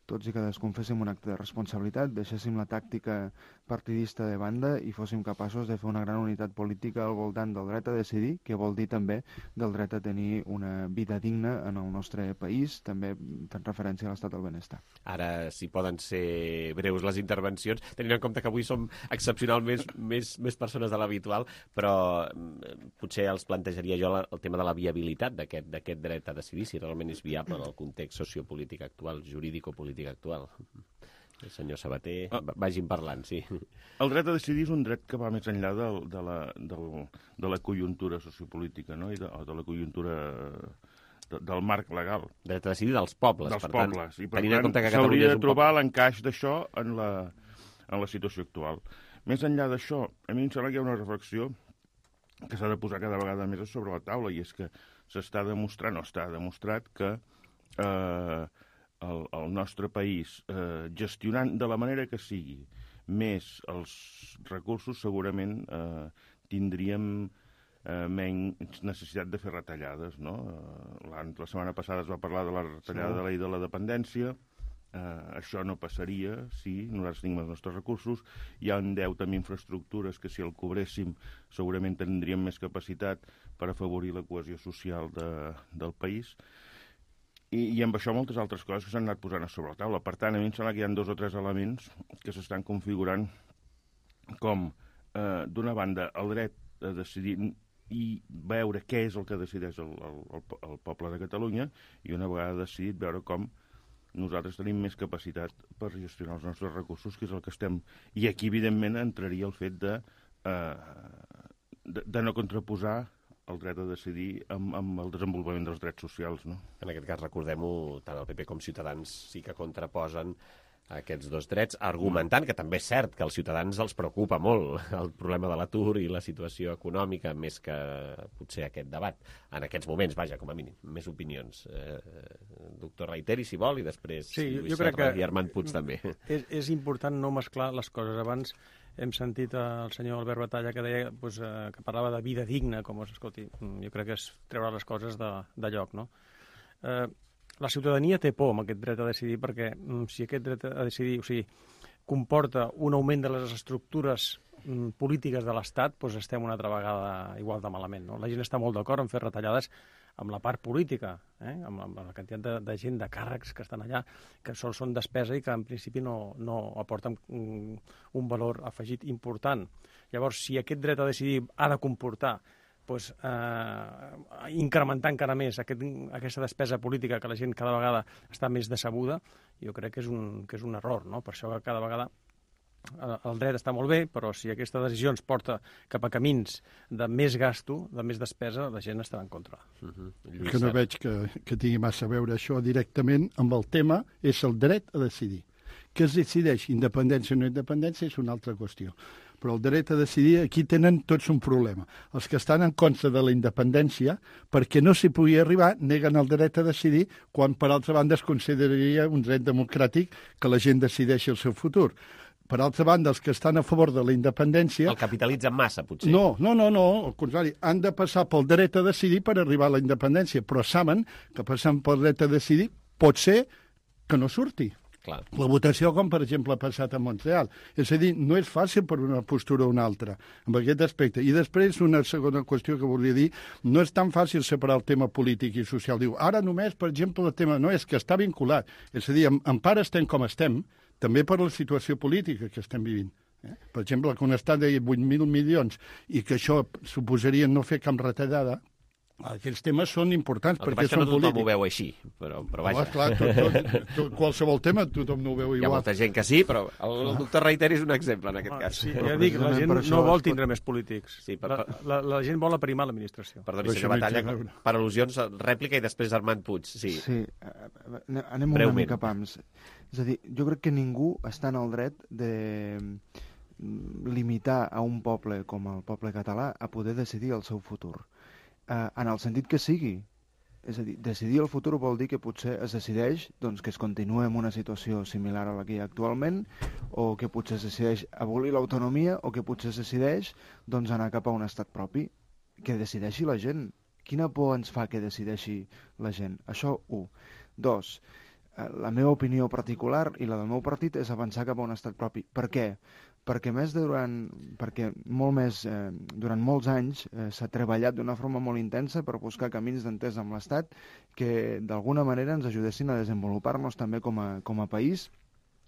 tots i cadascun féssim un acte de responsabilitat, deixéssim la tàctica partidista de banda i fóssim capaços de fer una gran unitat política al voltant del dret a decidir, que vol dir també del dret a tenir una vida digna en el nostre país, també fent referència a l'estat del benestar. Ara, si poden ser breus les intervencions, tenint en compte que avui som excepcionalment més persones de l'habitual, però potser els plantejaria jo el tema de la viabilitat d'aquest dret a decidir, si realment és viable en el context sociopolític actual, jurídico-polític actual. El senyor Sabater, vagin parlant, sí. El dret a decidir és un dret que va més enllà de la conjuntura sociopolítica, no? I de la conjuntura del marc legal. Dret a decidir dels pobles, dels per pobles. tant. I per tant, s'hauria de trobar l'encaix d'això en la situació actual. Més enllà d'això, a mi em sembla que hi ha una reflexió que s'ha de posar cada vegada més sobre la taula, i és que s'està demostrant, o està demostrat, que el nostre país, gestionant de la manera que sigui més els recursos, segurament tindríem menys necessitat de fer retallades, no? La setmana passada es va parlar de la retallada de la llei de la dependència. Això no passaria si nosaltres tenim els nostres recursos. Hi ha un deute amb infraestructures que si el cobréssim segurament tindríem més capacitat per afavorir la cohesió social del país. I amb això moltes altres coses que s'han anat posant a sobre la taula. Per tant, a mi em sembla que hi ha 2 o 3 elements que s'estan configurant com, d'una banda, el dret a decidir i veure què és el que decideix el poble de Catalunya, i una vegada decidit veure com nosaltres tenim més capacitat per gestionar els nostres recursos, que és el que estem. I aquí, evidentment, entraria el fet de no contraposar el dret a decidir amb el desenvolupament dels drets socials, no? En aquest cas, recordem-ho, tant el PP com Ciutadans sí que contraposen aquests dos drets, argumentant que també és cert que als ciutadans els preocupa molt el problema de l'atur i la situació econòmica, més que potser aquest debat. En aquests moments, vaja, com a mínim, més opinions. Doctor Reiteri, si vol, i després Lluís Serra i Armand Puig també. És important no mesclar les coses. Abans hem sentit el senyor Albert Batalla que deia que parlava de vida digna, com escolti, jo crec que és treure les coses de lloc, no? La ciutadania té por amb aquest dret a decidir perquè si aquest dret a decidir comporta un augment de les estructures polítiques de l'Estat, doncs estem una altra vegada igual de malament. No? La gent està molt d'acord en fer retallades amb la part política, amb la quantitat de gent, de càrrecs que estan allà, que sols són despesa i que en principi no aporten un valor afegit important. Llavors, si aquest dret a decidir ha de comportar incrementar encara més aquesta despesa política que la gent cada vegada està més decebuda, jo crec que és un error, no? Per això cada vegada el dret està molt bé, però si aquesta decisió ens porta cap a camins de més gasto, de més despesa, la gent estarà en contra. Que no veig que tingui massa a veure això directament amb el tema, és el dret a decidir. Que es decideix independència o no independència és una altra qüestió. Però el dret a decidir, aquí tenen tots un problema. Els que estan en contra de la independència, perquè no s'hi pugui arribar, neguen el dret a decidir, quan per altra banda es consideraria un dret democràtic que la gent decideixi el seu futur. Per altra banda, els que estan a favor de la independència... El capitalitzen massa, potser. No, al contrari. Han de passar pel dret a decidir per arribar a la independència, però saben que passant pel dret a decidir pot ser que no surti. Clar. La votació, com per exemple ha passat a Montreal. És a dir, no és fàcil per una postura o una altra, amb aquest aspecte. I després, una segona qüestió que volia dir, no és tan fàcil separar el tema polític i social. Diu, ara només, per exemple, el tema no és que està vinculat. És a dir, en part estem com estem, també per la situació política que estem vivint. Per exemple, que un estat de 8.000 milions i que això suposaria no fer cap retallada, aquests temes són importants perquè són polítics. No tothom ho veu així, però vaja. Clar, qualsevol tema tothom no ho veu igual. Hi ha molta gent que sí, però el doctor Reiteri és un exemple en aquest cas. Sí, ja dic, la gent no vol tindre més polítics. La gent vol aprimar l'administració. Perdoni, senyor Batalla, per al·lusions, rèplica i després Armand Puig. Sí, anem una mica pams. És a dir, jo crec que ningú està en el dret de limitar a un poble com el poble català a poder decidir el seu futur. En el sentit que sigui. És a dir, decidir el futur vol dir que potser es decideix que es continua en una situació similar a la que hi ha actualment, o que potser es decideix abolir l'autonomia, o que potser es decideix anar cap a un estat propi. Que decideixi la gent. Quina por ens fa que decideixi la gent? Això, 1. 2. La meva opinió particular i la del meu partit és avançar cap a un estat propi. Per què? Perquè durant molts anys s'ha treballat d'una forma molt intensa per buscar camins d'entesa amb l'Estat que d'alguna manera ens ajudessin a desenvolupar-nos també com a país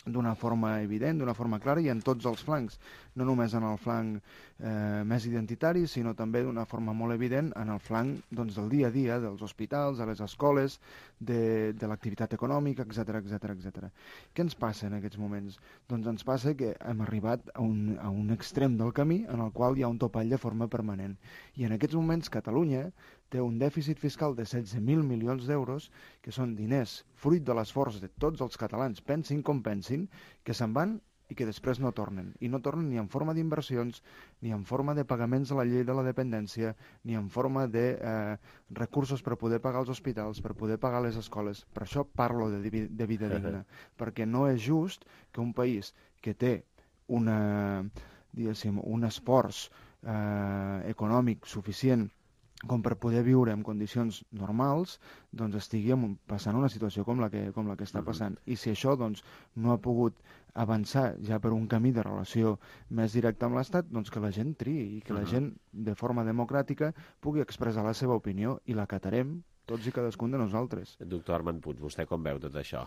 d'una forma evident, d'una forma clara i en tots els flancs, no només en el flanc més identitari, sinó també d'una forma molt evident en el flanc del dia a dia, dels hospitals, de les escoles, de l'activitat econòmica, etc. Què ens passa en aquests moments? Doncs ens passa que hem arribat a un extrem del camí en el qual hi ha un topall de forma permanent. I en aquests moments Catalunya té un dèficit fiscal de 16.000 milions d'euros, que són diners fruit de l'esforç de tots els catalans, pensin com pensin, que se'n van i que després no tornen. I no tornen ni en forma d'inversions, ni en forma de pagaments a la llei de la dependència, ni en forma de recursos per poder pagar els hospitals, per poder pagar les escoles. Per això parlo de vida digna, perquè no és just que un país que té un esforç econòmic suficient com per poder viure en condicions normals, estigui passant una situació com la que està passant. I si això no ha pogut avançar ja per un camí de relació més directe amb l'Estat, que la gent triï i que la gent, de forma democràtica, pugui expressar la seva opinió i l'acatarem tots i cadascun de nosaltres. Doctor Armand Puig, vostè com veu tot això?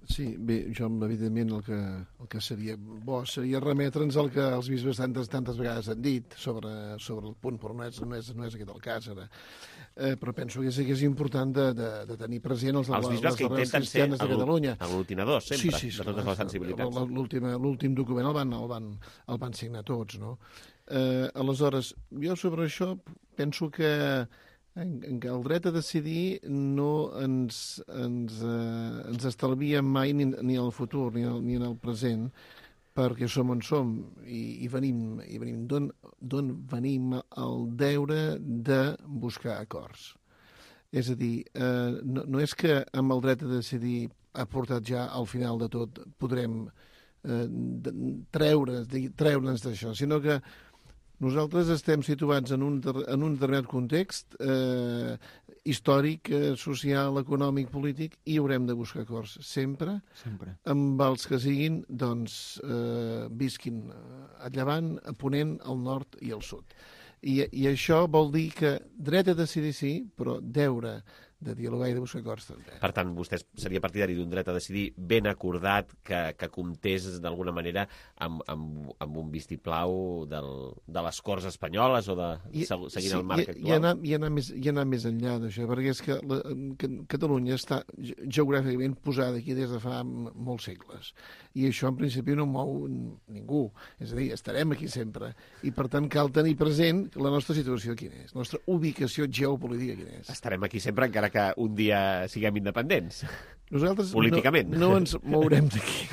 Sí, bé, jo evidentment el que seria bo seria remetre'ns al que els bisbes tantes vegades han dit sobre el punt, però no és aquest el cas ara. Però penso que és important de tenir present les bisbes que intenten ser aglutinadors sempre, sí, de totes les sensibilitats. L'últim document el van signar tots, no? Aleshores, jo sobre això penso que en què el dret a decidir no ens estalvia mai ni en el futur ni en el present, perquè som on som i venim d'on venim el deure de buscar acords. És a dir, no és que amb el dret a decidir aportat ja al final de tot podrem treure'ns d'això, sinó que nosaltres estem situats en un determinat context històric, social, econòmic, polític, i haurem de buscar acords sempre. Amb els que siguin, doncs, visquin a llevant, a ponent, al nord i al sud. I això vol dir que dret a decidir sí, però deure de dialogar i de buscar acords també. Per tant, vostè seria partidari d'un dret a decidir ben acordat que comptés d'alguna manera amb un vistiplau de les Corts espanyoles o seguint el marc actual? I anar més enllà d'això, perquè és que Catalunya està geogràficament posada aquí des de fa molts segles. I això en principi no mou ningú. És a dir, estarem aquí sempre. I per tant cal tenir present la nostra situació quina és, la nostra ubicació geopolítica quina és. Estarem aquí sempre encara que un dia siguem independents. Nosaltres políticament. No ens mourem d'aquí.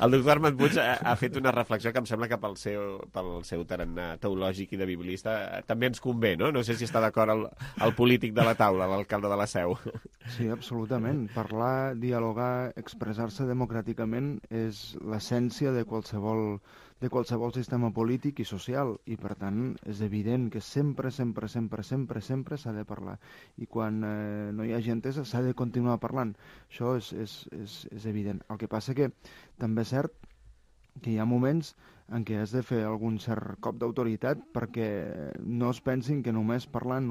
El doctor Armand Puig ha fet una reflexió que em sembla que pel seu tarannà teològic i de biblista també ens convé, no? No sé si està d'acord el polític de la taula, l'alcalde de la Seu. Sí, absolutament. Parlar, dialogar, expressar-se democràticament és l'essència de qualsevol sistema polític i social, i per tant és evident que sempre s'ha de parlar, i quan no hi ha entesa s'ha de continuar parlant. Això és evident. El que passa que també és cert que hi ha moments en què has de fer algun cert cop d'autoritat perquè no es pensin que només parlant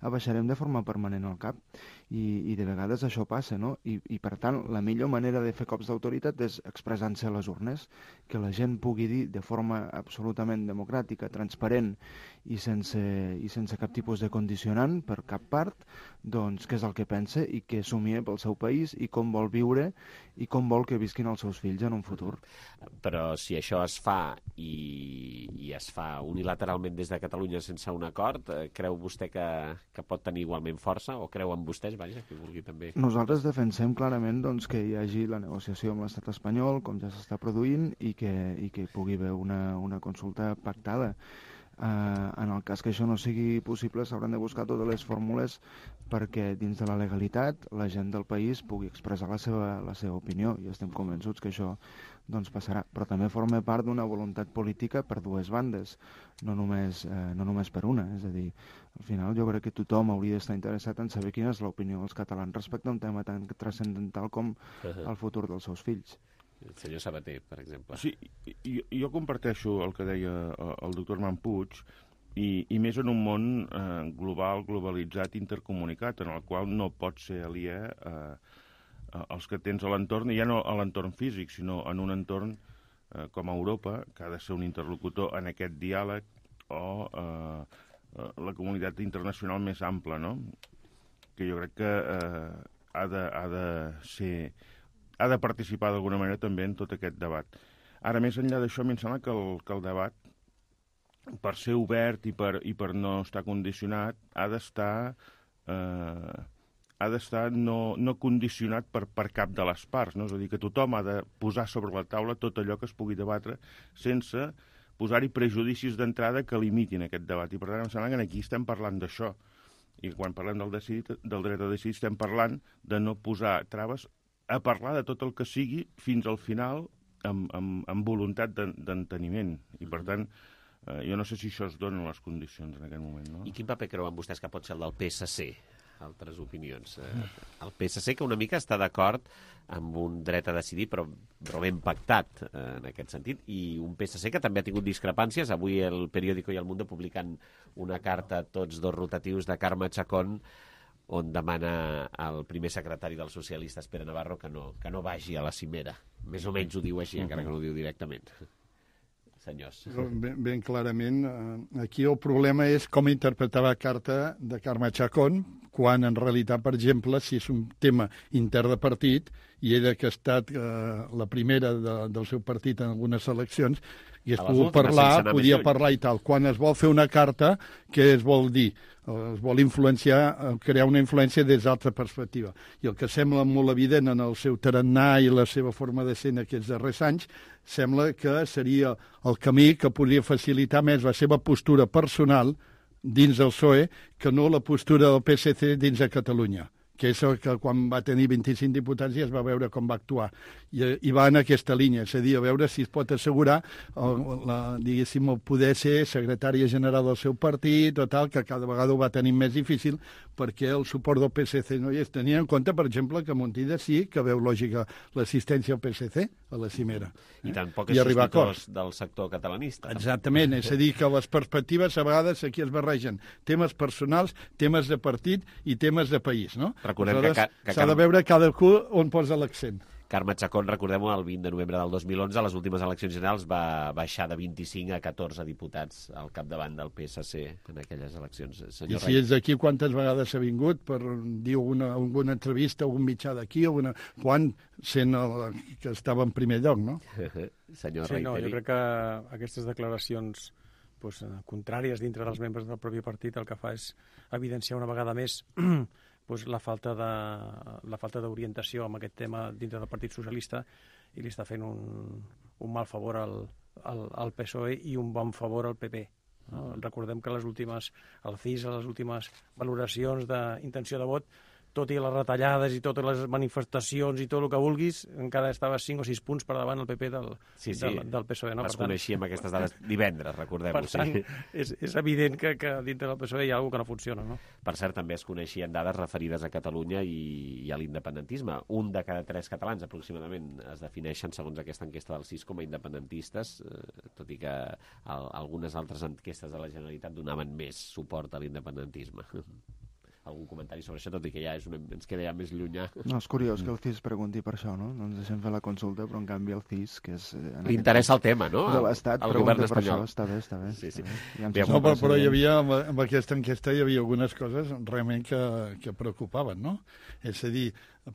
abaixarem de forma permanent el cap, i de vegades això passa, no? I per tant la millor manera de fer cops d'autoritat és expressant-se a les urnes, que la gent pugui dir de forma absolutament democràtica, transparent i sense cap tipus de condicionant per cap part, doncs què és el que pensa i què somia pel seu país i com vol viure i com vol que visquin els seus fills en un futur. Però si això es fa i es fa unilateralment des de Catalunya sense un acord, creu vostè que pot tenir igualment força, o creuen vostès, vaja, que vulgui també? Nosaltres defensem clarament doncs, que hi hagi la negociació amb l'estat espanyol, com ja s'està produint, i que pugui haver una consulta pactada. En el cas que això no sigui possible, s'hauran de buscar totes les fórmules perquè dins de la legalitat la gent del país pugui expressar la seva opinió, i estem convençuts que això doncs passarà, però també forma part d'una voluntat política per dues bandes, no només per una. És a dir, al final jo crec que tothom hauria d'estar interessat en saber quina és l'opinió dels catalans respecte a un tema tan transcendental com el futur dels seus fills. El senyor Sabater, per exemple. Sí, jo comparteixo el que deia el doctor Armand Puig, i més en un món globalitzat, intercomunicat, en el qual no pot ser aliè els que tens a l'entorn, i ja no a l'entorn físic, sinó en un entorn com Europa, que ha de ser un interlocutor en aquest diàleg, o la comunitat internacional més ampla, no? Que jo crec que ha de participar d'alguna manera també en tot aquest debat. Ara, més enllà d'això, a mi em sembla que el debat, per ser obert i per no estar condicionat, ha d'estar no condicionat per cap de les parts, no? És a dir, que tothom ha de posar sobre la taula tot allò que es pugui debatre sense posar-hi prejudicis d'entrada que limitin aquest debat. I per tant, em sembla que aquí estem parlant d'això. I quan parlem del dret a decidir, estem parlant de no posar traves a parlar de tot el que sigui fins al final amb voluntat d'enteniment. I per tant, jo no sé si això es dona les condicions en aquest moment, no? I quin paper creuen vostès que pot ser el del PSC? Altres opinions. El PSC, que una mica està d'acord amb un dret a decidir, però ben pactat en aquest sentit, i un PSC que també ha tingut discrepàncies. Avui el Periódico i el Mundo publicant una carta, tots dos rotatius, de Carme Chacón, on demana al primer secretari dels socialistes, Pere Navarro, que no vagi a la cimera. Més o menys ho diu així, encara que no ho diu directament. Senyors. Ben clarament, aquí el problema és com interpretar la carta de Carme Chacón, quan en realitat, per exemple, si és un tema intern de partit, i ella que ha estat la primera del seu partit en algunes eleccions, i es pogut parlar, podia parlar i tal. Quan es vol fer una carta, què es vol dir? Es vol influenciar, crear una influència des d'altra perspectiva. I el que sembla molt evident en el seu tarannà i la seva forma de ser en aquests darrers anys, sembla que seria el camí que podria facilitar més la seva postura personal dins del PSOE que no la postura del PSC dins de Catalunya, que és el que quan va tenir 25 diputats ja es va veure com va actuar. I va en aquesta línia, és a dir, a veure si es pot assegurar, diguéssim, el poder ser secretària general del seu partit o tal, que cada vegada ho va tenir més difícil perquè el suport del PSC no hi és. Tenia en compte, per exemple, que Montilla sí que veu lògica l'assistència al PSC a la cimera. I tampoc és sospitós del sector catalanista. Exactament, és a dir, que les perspectives a vegades aquí es barregen temes personals, temes de partit i temes de país, no? Recordem que s'ha de veure cadascú on posa l'accent. Carme Chacón, recordem-ho, el 20 de novembre del 2011, a les últimes eleccions generals va baixar de 25 a 14 diputats al capdavant del PSC en aquelles eleccions. I si és d'aquí, quantes vegades ha vingut per dir alguna entrevista, algun mitjà d'aquí, quan sent que estava en primer lloc, no? Senyor Reiteri. No, jo crec que aquestes declaracions contràries dintre dels membres del propi partit el que fa és evidenciar una vegada més la falta d'orientació amb aquest tema dintre del Partit Socialista i li està fent un mal favor al PSOE i un bon favor al PP. No? Recordem que el CIS, a les últimes valoracions d'intenció de vot, tot i les retallades i totes les manifestacions i tot el que vulguis, encara estava 5 o 6 punts per davant el PP del PSOE. No? Les coneixíem aquestes dades divendres, recordem-ho. Per tant, és evident que dintre del PSOE hi ha alguna cosa que no funciona. No? Per cert, també es coneixien dades referides a Catalunya i a l'independentisme. 1 de cada 3 catalans, aproximadament, es defineixen, segons aquesta enquesta del CIS, com a independentistes, tot i que algunes altres enquestes de la Generalitat donaven més suport a l'independentisme. Algun comentari sobre això, tot i que ja ens queda ja més llunyà. No, és curiós que el CIS pregunti per això, no? No ens deixem fer la consulta, però en canvi el CIS, que és... Li interessa el tema, no? De l'Estat, el govern espanyol. Està bé. Sí. No, però hi havia, amb aquesta enquesta hi havia algunes coses realment que preocupaven, no? És a dir,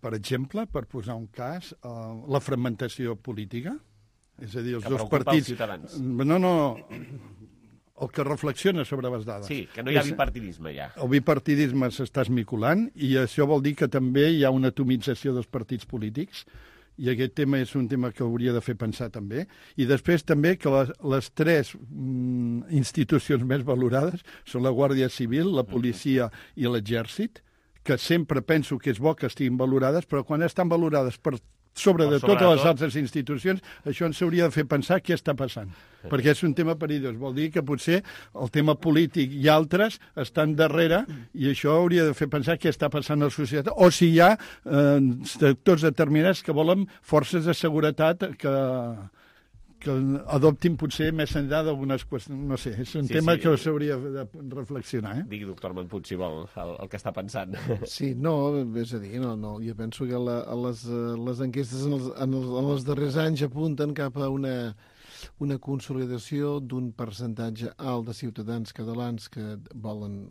per exemple, per posar un cas, la fragmentació política, és a dir, els dos partits... Que preocupa els ciutadans. No, el que reflexiona sobre les dades. Sí, que no hi ha bipartidisme ja. El bipartidisme s'està esmiculant i això vol dir que també hi ha una atomització dels partits polítics i aquest tema és un tema que hauria de fer pensar també. I després també que les 3 institucions més valorades són la Guàrdia Civil, la policia i l'exèrcit, que sempre penso que és bo que estiguin valorades, però quan estan valorades per sobre de totes les altres institucions, això ens hauria de fer pensar què està passant. Perquè és un tema perillós. Vol dir que potser el tema polític i altres estan darrere i això hauria de fer pensar què està passant a la societat. O si hi ha sectors determinats que volen forces de seguretat que adoptin potser més enllà d'algunes qüestions. No sé, és un tema que s'hauria de reflexionar. Digui, doctor Montpuig, si vol, el que està pensant. Sí, no, és a dir, no, jo penso que les enquestes en els darrers anys apunten cap a una consolidació d'un percentatge alt de ciutadans catalans que volen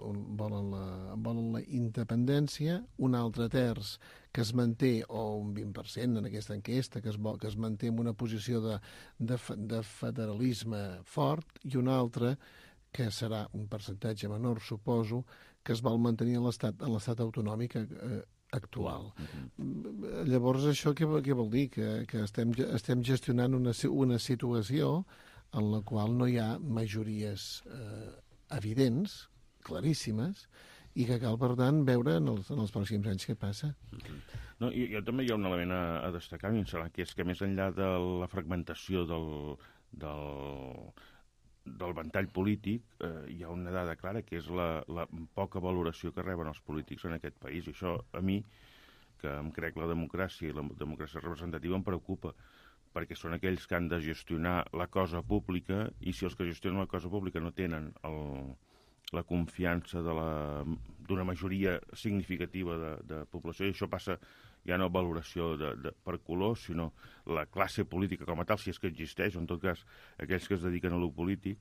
la independència, un altre terç que es manté, o un 20% en aquesta enquesta, que es manté en una posició de federalisme fort, i un altre, que serà un percentatge menor, suposo, que es vol mantenir en l'estat autonòmic actual. Llavors, això què vol dir? Que estem gestionant una situació en la qual no hi ha majories evidents, claríssimes, i que cal, per tant, veure en els pròxims anys què passa. No, jo també hi ha un element a destacar, que és que més enllà de la fragmentació del ventall polític, hi ha una dada clara, que és la poca valoració que reben els polítics en aquest país. I això, a mi, que em crec la democràcia i la democràcia representativa, em preocupa, perquè són aquells que han de gestionar la cosa pública, i si els que gestionen la cosa pública no tenen la confiança d'una majoria significativa de població, i això passa ja no valoració per color, sinó la classe política com a tal, si és que existeix, o en tot cas aquells que es dediquen a lo polític,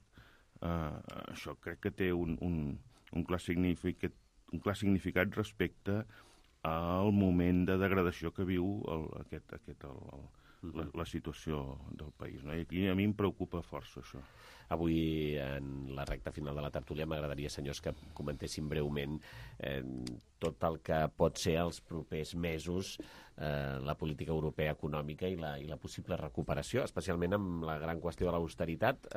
això crec que té un clar significat significat respecte al moment de degradació que viu la situació del país. No? I aquí a mi em preocupa força això. Avui, en la recta final de la tertúlia, m'agradaria, senyors, que comentéssim breument tot el que pot ser els propers mesos la política europea econòmica i la possible recuperació, especialment amb la gran qüestió de l'austeritat.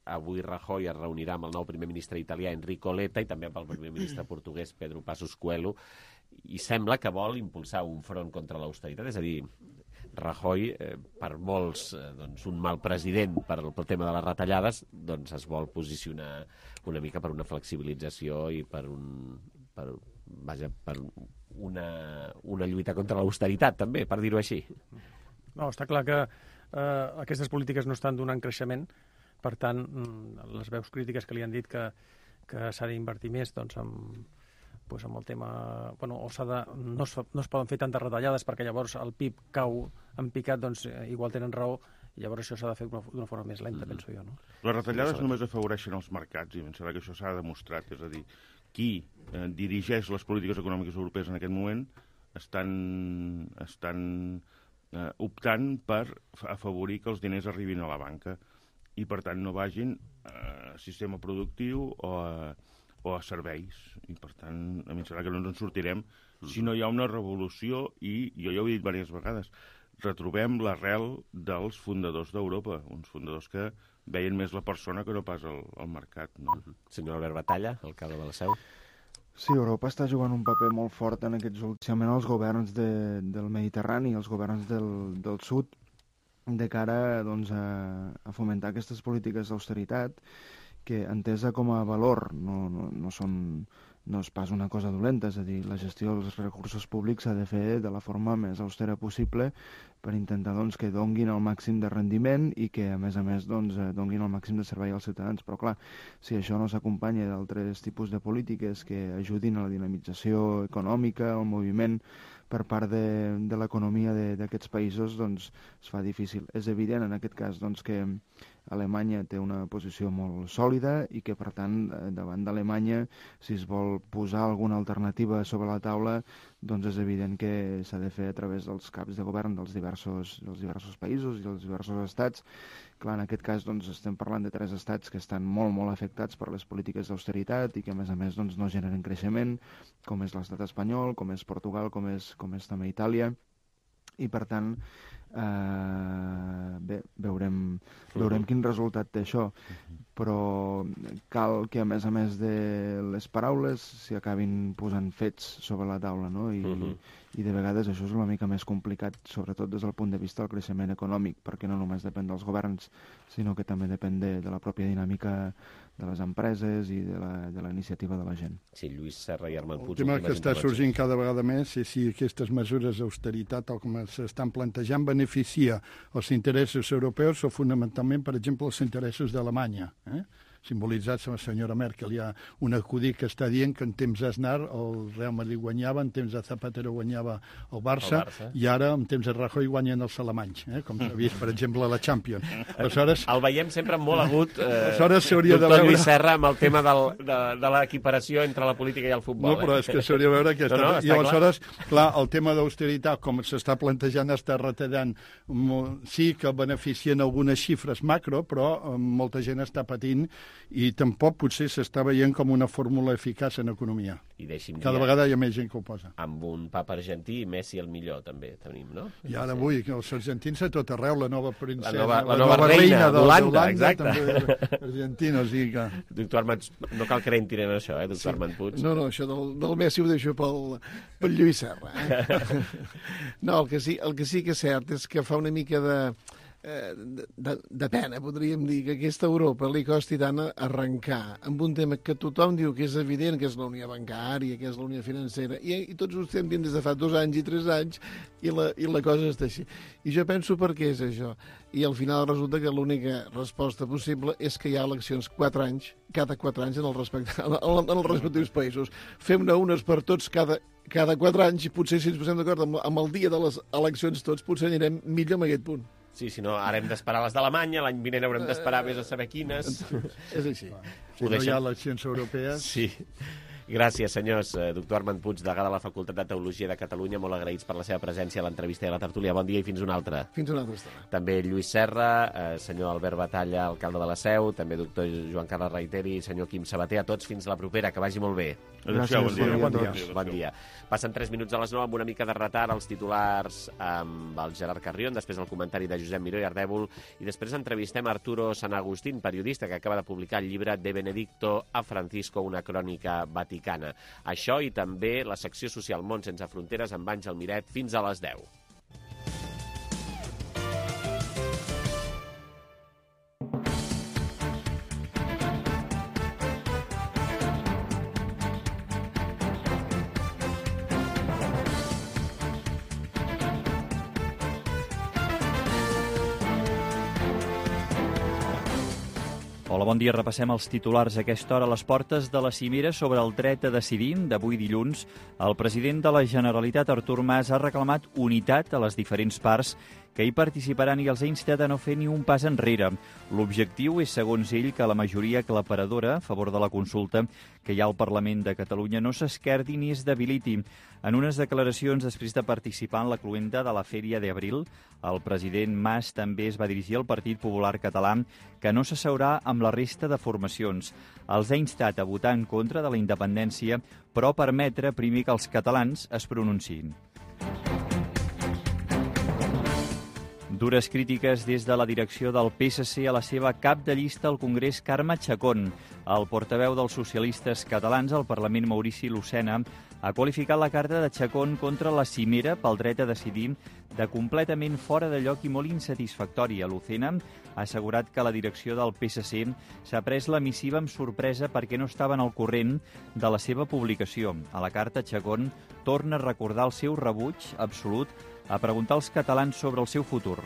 Avui Rajoy es reunirà amb el nou primer ministre italià, Enrico Letta, i també amb el primer ministre portuguès, Pedro Passos Coelho, i sembla que vol impulsar un front contra l'austeritat, és a dir, Rajoy, per molts un mal president pel tema de les retallades, doncs es vol posicionar una mica per una flexibilització i per una lluita contra l'austeritat, també, per dir-ho així. No, està clar que aquestes polítiques no estan donant creixement, per tant, les veus crítiques que li han dit que s'ha d'invertir més amb el tema... no es poden fer tantes retallades perquè llavors el PIB cau en picat, doncs igual tenen raó, i llavors això s'ha de fer d'una forma més lenta, penso jo. No? Les retallades només afavoreixen els mercats, i em sembla que això s'ha demostrat, és a dir, qui dirigeix les polítiques econòmiques europees en aquest moment estan optant per afavorir que els diners arribin a la banca i, per tant, no vagin a sistema productiu o a serveis, i per tant a mi em sembla que no ens en sortirem si no hi ha una revolució, i jo ja ho he dit diverses vegades, retrobem l'arrel dels fundadors d'Europa, uns fundadors que veien més la persona que no pas el mercat. No? Senyor Albert Batalla, alcalde de la Seu. Sí, Europa està jugant un paper molt fort en aquests últimament els governs del Mediterrani, els governs del sud, de cara a fomentar aquestes polítiques d'austeritat, que entesa com a valor no és pas una cosa dolenta, és a dir, la gestió dels recursos públics s'ha de fer de la forma més austera possible per intentar que donguin el màxim de rendiment i que, a més, donguin el màxim de servei als ciutadans. Però, clar, si això no s'acompanya d'altres tipus de polítiques que ajudin a la dinamització econòmica, al moviment per part de l'economia d'aquests països, doncs es fa difícil. És evident, en aquest cas, que Alemanya té una posició molt sòlida i que, per tant, davant d'Alemanya, si es vol posar alguna alternativa sobre la taula, doncs és evident que s'ha de fer a través dels caps de govern dels diversos països i dels diversos estats. Clar, en aquest cas estem parlant de 3 estats que estan molt, molt afectats per les polítiques d'austeritat i que, a més, no generen creixement, com és l'estat espanyol, com és Portugal, com és també Itàlia. I, per tant, veurem quin resultat té això. Però cal que, a més de les paraules, s'hi acabin posant fets sobre la taula, no? I de vegades això és una mica més complicat, sobretot des del punt de vista del creixement econòmic, perquè no només depèn dels governs, sinó que també depèn de la pròpia dinàmica de les empreses i de la iniciativa de la gent. Sí, Lluís Serra i Armand Puig. El tema que està sorgint cada vegada més és si aquestes mesures d'austeritat, tal com s'estan plantejant, beneficia els interessos europeus o fonamentalment, per exemple, els interessos d'Alemanya, simbolitzats amb la senyora Merkel. Hi ha un acudit que està dient que en temps d'Aznar el Real Madrid guanyava, en temps de Zapatero guanyava el Barça, i ara en temps de Rajoy guanyen els alemanys, com s'ha vist, per exemple, a la Champions. Aleshores, el veiem sempre molt agut, doctor Lluís Serra, amb el tema de l'equiparació entre la política i el futbol. No, però és que s'hauria de veure aquesta... No, i aleshores, clar, el tema d'austeritat, com s'està plantejant, està retallant. Sí que beneficien algunes xifres macro, però molta gent està patint i tampoc potser s'està veient com una fórmula eficaç en economia. Cada vegada hi ha més gent que ho posa. Amb un papa argentí i Messi el millor, també tenim, no? I ara avui, els argentins a tot arreu, la nova princesa, la nova reina d'Holanda, exacte. També argentina, o sigui que... Doctor Armand, no cal que rentin en això, doctor Armand Puig? No, això del Messi ho deixo pel Lluís Serra. No, el que sí que és cert és que fa una mica de pena, podríem dir, que aquesta Europa li costi tant arrencar amb un tema que tothom diu que és evident, que és la unió bancària, que és la unió financera, i tots ho estem dient des de fa 2 anys i 3 anys, i la cosa està així. I jo penso per què és això. I al final resulta que l'única resposta possible és que hi ha eleccions 4 anys, cada 4 anys en els respectius països. Fem-ne unes per tots cada 4 anys, i potser si ens posem d'acord amb el dia de les eleccions tots, potser anirem millor amb aquest punt. Sí, si no, ara hem d'esperar les d'Alemanya, l'any vinent haurem d'esperar més a saber quines. És així. Si no hi ha eleccions europees... Sí. Gràcies, senyors. Doctor Armand Puig, degà de la Facultat de Teologia de Catalunya, molt agraïts per la seva presència a l'entrevista i a la tertúlia. Bon dia i fins una altra. Fins una altra estona. També Lluís Serra, senyor Albert Batalla, alcalde de la Seu, també doctor Joan Carles Reiteri i senyor Quim Sabater. A tots, fins la propera. Que vagi molt bé. Gràcies, bon dia. Passen 3 minuts a les 9 amb una mica de retard, els titulars amb el Gerard Carrion, després el comentari de Josep Miró i Ardèvol, i després entrevistem Arturo San Agustín, periodista que acaba de publicar el llibre De Benedicto a Francisco, una crònica vaticana. Això i també la secció social Món sense fronteres amb Àngel Miret fins a les 10. Hola, bon dia. Repassem els titulars a aquesta hora. A les portes de la cimera sobre el dret a decidir d'avui dilluns, el president de la Generalitat, Artur Mas, ha reclamat unitat a les diferents parts que hi participaran i els ha instat a no fer ni un pas enrere. L'objectiu és, segons ell, que la majoria aclaparadora a favor de la consulta que hi ha al Parlament de Catalunya no s'esquerdi ni es debiliti. En unes declaracions després de participar en la cloenda de la Fèria d'Abril, el president Mas també es va dirigir al Partit Popular Català, que no s'asseurà amb la resta de formacions. Els ha instat a votar en contra de la independència, però permetre primer que els catalans es pronunciïn. Dures crítiques des de la direcció del PSC a la seva cap de llista al Congrés, Carme Chacón. El portaveu dels socialistes catalans al Parlament, Maurici Lucena, ha qualificat la carta de Chacón contra la cimera pel dret a decidir de completament fora de lloc i molt insatisfactòria. Lucena ha assegurat que la direcció del PSC s'ha pres la missiva amb sorpresa perquè no estaven al corrent de la seva publicació. A la carta, Chacón torna a recordar el seu rebuig absolut a preguntar als catalans sobre el seu futur.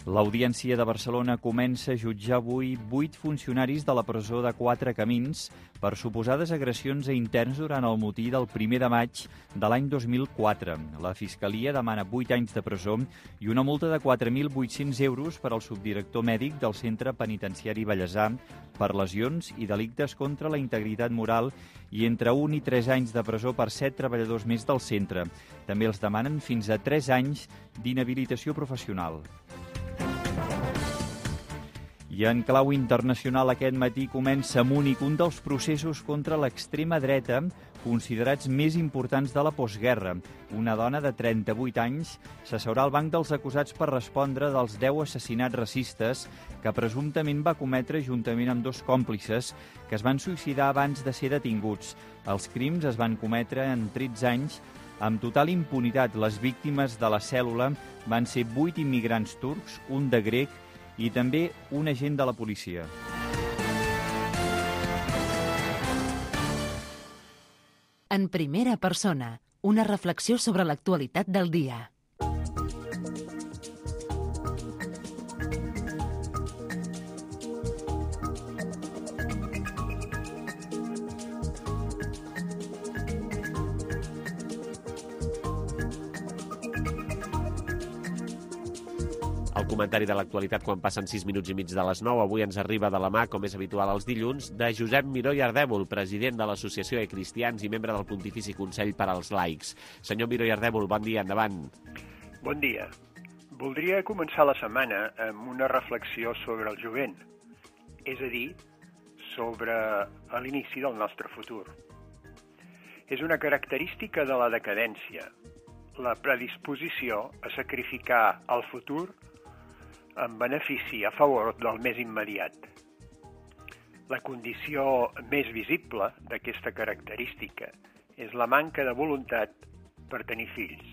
L'Audiència de Barcelona comença a jutjar avui 8 funcionaris de la presó de Quatre Camins per suposades agressions a interns durant el motí del 1 de maig de l'any 2004. La Fiscalia demana 8 anys de presó i una multa de 4.800 euros per al subdirector mèdic del Centre Penitenciari Bellesà per lesions i delictes contra la integritat moral i entre 1 i 3 anys de presó per 7 treballadors més del centre. També els demanen fins a 3 anys d'inhabilitació professional. I en clau internacional aquest matí comença a Múnich un dels processos contra l'extrema dreta considerats més importants de la postguerra. Una dona de 38 anys s'asseurà al banc dels acusats per respondre dels 10 assassinats racistes que presumptament va cometre juntament amb 2 còmplices que es van suïcidar abans de ser detinguts. Els crims es van cometre en 13 anys amb total impunitat. Les víctimes de la cèl·lula van ser 8 immigrants turcs, un de grec i també un agent de la policia. En primera persona, una reflexió sobre l'actualitat del dia. El comentari de l'actualitat quan passen 6 minuts i mig de les 9. Avui ens arriba de la mà, com és habitual els dilluns, de Josep Miró i Ardèvol, president de l'Associació de Cristians i membre del Pontifici Consell per als Laics. Senyor Miró i Ardèvol, bon dia, endavant. Bon dia. Voldria començar la setmana amb una reflexió sobre el jovent, és a dir, sobre l'inici del nostre futur. És una característica de la decadència, la predisposició a sacrificar el futur en benefici a favor del més immediat. La condició més visible d'aquesta característica és la manca de voluntat per tenir fills.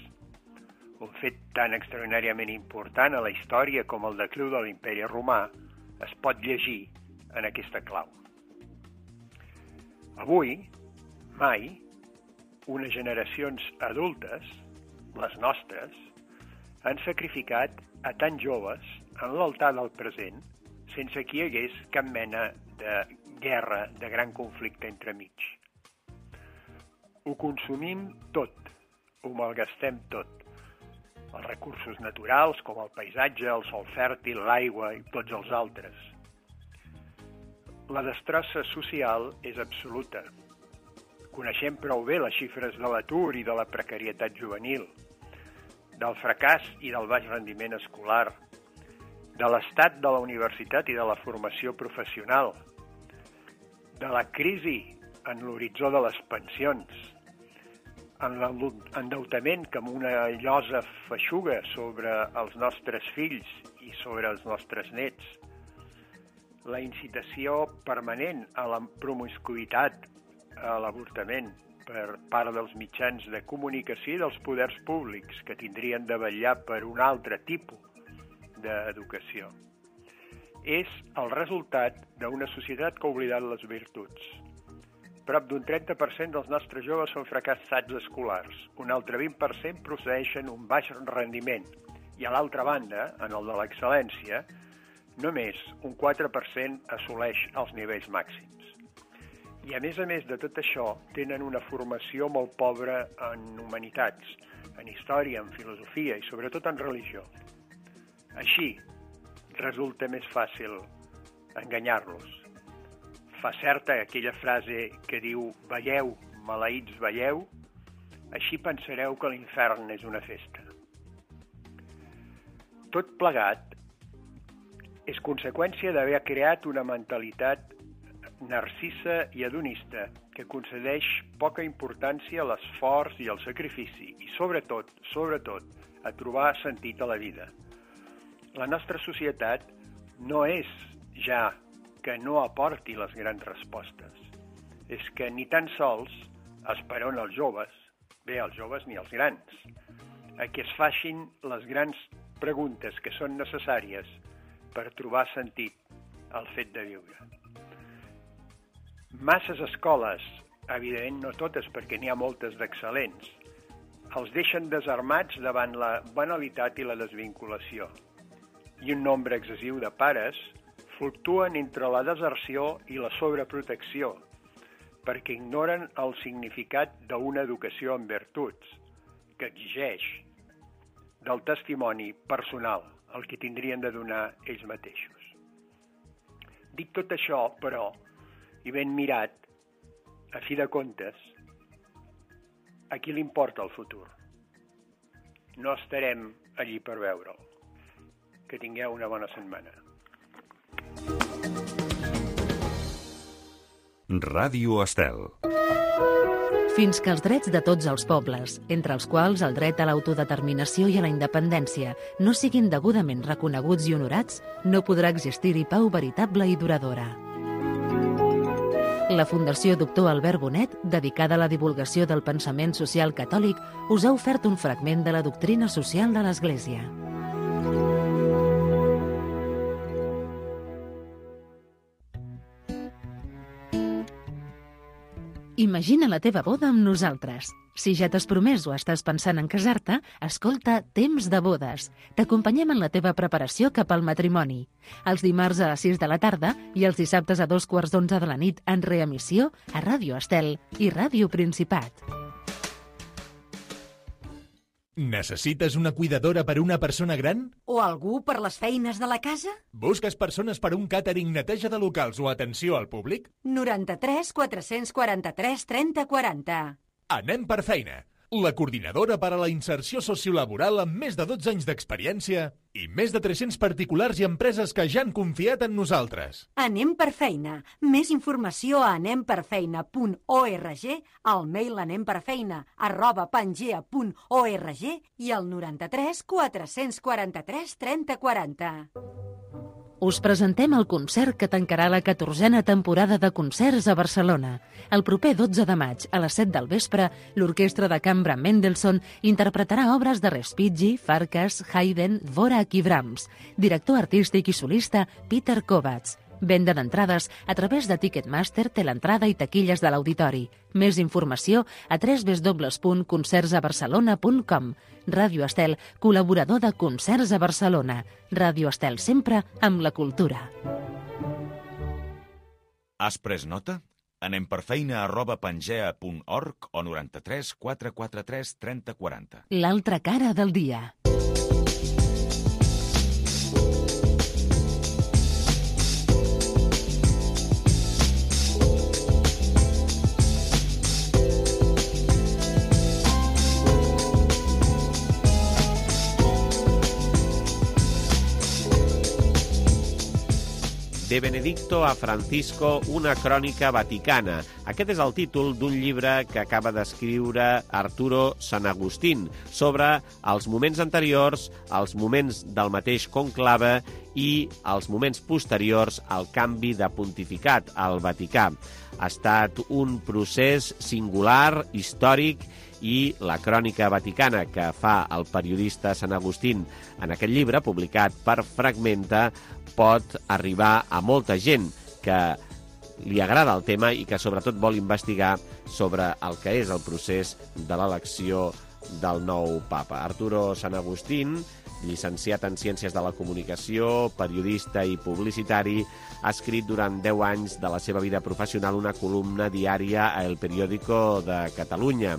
Un fet tan extraordinàriament important a la història com el decliu de l'Imperi Romà es pot llegir en aquesta clau. Avui, mai, unes generacions adultes, les nostres, han sacrificat a tan joves en l'altar del present sense que hi hagués cap mena de guerra, de gran conflicte entremig. Ho consumim tot, ho malgastem tot. Els recursos naturals, com el paisatge, el sòl fèrtil, l'aigua i tots els altres. La destrossa social és absoluta. Coneixem prou bé les xifres de l'atur i de la precarietat juvenil, del fracàs i del baix rendiment escolar, de l'estat de la universitat i de la formació professional, de la crisi en l'horitzó de les pensions, en l'endeutament com una llosa feixuga sobre els nostres fills i sobre els nostres nets, la incitació permanent a la promiscuïtat, a l'avortament per part dels mitjans de comunicació i dels poders públics que tindrien de vetllar per un altre tipus d'educació. És el resultat d'una societat que ha oblidat les virtuts. Prop d'un 30% dels nostres joves són fracassats escolars, un altre 20% procedeixen un baix rendiment i a l'altra banda, en el de l'excel·lència, només un 4% assoleix els nivells màxims. I a més de tot això, tenen una formació molt pobra en humanitats, en història, en filosofia i sobretot en religió. Així, resulta més fàcil enganyar-los. Fa certa aquella frase que diu «Veieu, maleïts, veieu», així pensareu que l'infern és una festa. Tot plegat és conseqüència d'haver creat una mentalitat narcissa i hedonista que concedeix poca importància a l'esforç i al sacrifici i, sobretot, a trobar sentit a la vida. La nostra societat no és ja que no aporti les grans respostes. És que ni tan sols esperon els joves, bé, els joves ni els grans, a que es facin les grans preguntes que són necessàries per trobar sentit al fet de viure. Masses escoles, evidentment no totes perquè n'hi ha moltes d'excel·lents, els deixen desarmats davant la banalitat i la desvinculació. I un nombre excessiu de pares fluctuen entre la deserció i la sobreprotecció, perquè ignoren el significat d'una educació en virtuts, que exigeix del testimoni personal, el que tindrien de donar ells mateixos. Dic tot això, però, i ben mirat, a fi de comptes, a qui li importa el futur? No estarem allí per veure'l. Que tingueu una bona setmana. Ràdio Estel. Fins que els drets de tots els pobles, entre els quals el dret a l'autodeterminació i a la independència, no siguin degudament reconeguts i honorats, no podrà existir-hi pau veritable i duradora. La Fundació Doctor Albert Bonet, dedicada a la divulgació del pensament social catòlic, us ha ofert un fragment de la doctrina social de l'Església. Imagina la teva boda amb nosaltres. Si ja t'has promès o estàs pensant en casar-te, escolta Temps de bodes. T'acompanyem en la teva preparació cap al matrimoni. Els dimarts a les 6 de la tarda i els dissabtes a 11:15 de la nit en reemissió a Ràdio Estel i Ràdio Principat. Necessites una cuidadora per a una persona gran? O algú per les feines de la casa? Busques persones per un càtering, neteja de locals o atenció al públic? 93 443 30 40. Anem per feina. La coordinadora per a la inserció sociolaboral amb més de 12 anys d'experiència i més de 300 particulars i empreses que ja han confiat en nosaltres. Anem per feina. Més informació a anemperfeina.org, al mail anemperfeina@pangea.org i al 93 443 30 40. Us presentem el concert que tancarà la 14a temporada de concerts a Barcelona. El proper 12 de maig, a les 7 del vespre, l'Orquestra de Cambra Mendelssohn interpretarà obres de Respighi, Farkas, Haydn, Dvorak i Brahms. Director artístic i solista, Peter Kovacs. Venda d'entrades a través de Ticketmaster, Teleentrada i taquilles de l'auditori. Més informació a www.concertsabarcelona.com. Ràdio Estel, col·laborador de Concerts a Barcelona. Ràdio Estel sempre amb la cultura. Has pres nota? Anem per feina@pangea.org o 93 443 30 40. L'altra cara del dia. De Benedicto a Francisco, una crònica vaticana. Aquest és el títol d'un llibre que acaba d'escriure Arturo Sanagustín sobre els moments anteriors, els moments del mateix conclave i els moments posteriors al canvi de pontificat al Vaticà. Ha estat un procés singular, històric, i la crònica vaticana que fa el periodista Sanagustín en aquest llibre, publicat per Fragmenta, pot arribar a molta gent que li agrada el tema i que sobretot vol investigar sobre el que és el procés de l'elecció del nou papa. Arturo Sanagustín, llicenciat en Ciències de la Comunicació, periodista i publicitari, ha escrit durant 10 anys de la seva vida professional una columna diària a El Periódico de Catalunya.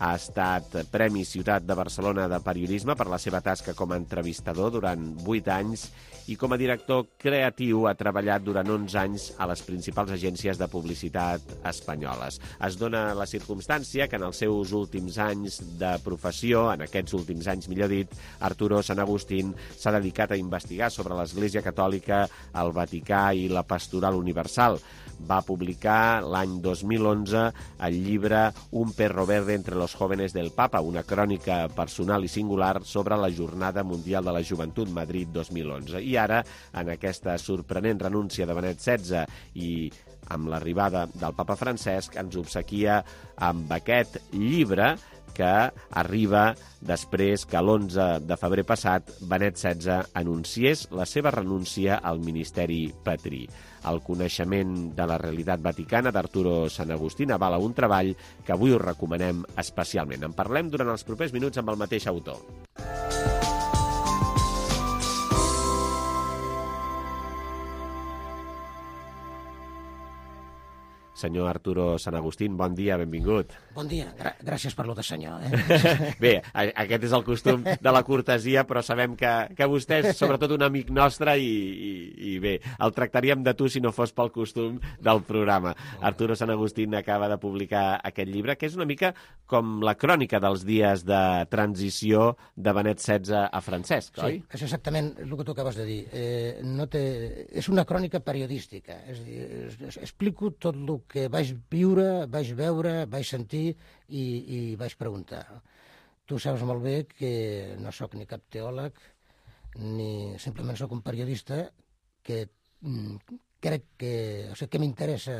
Ha estat Premi Ciutat de Barcelona de Periodisme per la seva tasca com a entrevistador durant 8 anys i com a director creatiu ha treballat durant 11 anys a les principals agències de publicitat espanyoles. Es dona la circumstància que en els seus últims anys de professió, en aquests últims anys millor dit, Arturo Sanagustín s'ha dedicat a investigar sobre l'Església Catòlica, el Vaticà i la Pastoral Universal. Va publicar l'any 2011 el llibre Un perro verde entre los jóvenes del Papa, una crònica personal i singular sobre la Jornada Mundial de la Joventut Madrid 2011. I ara, en aquesta sorprenent renúncia de Benet XVI i amb l'arribada del papa Francesc, ens obsequia amb aquest llibre que arriba després que l'11 de febrer passat Benet XVI anunciés la seva renúncia al ministeri patrí. El coneixement de la realitat vaticana d'Arturo Sanagustín avala un treball que avui us recomanem especialment. En parlem durant els propers minuts amb el mateix autor. Senyor Arturo Sanagustín, bon dia, benvingut. Bon dia, gràcies per lo de senyor. Bé, aquest és el costum de la cortesia, però sabem que vostè és sobretot un amic nostre i bé, el tractaríem de tu si no fos pel costum del programa. Arturo Sanagustín acaba de publicar aquest llibre, que és una mica com la crònica dels dies de transició de Benet XVI a Francesc, oi? Sí, és exactament el que tu acabes de dir. És una crònica periodística. És a dir, explico tot el que vaig viure, vaig veure, vaig sentir i vaig preguntar. Tu saps molt bé que no sóc ni cap teòleg, ni simplement sóc un periodista que crec que m'interessa,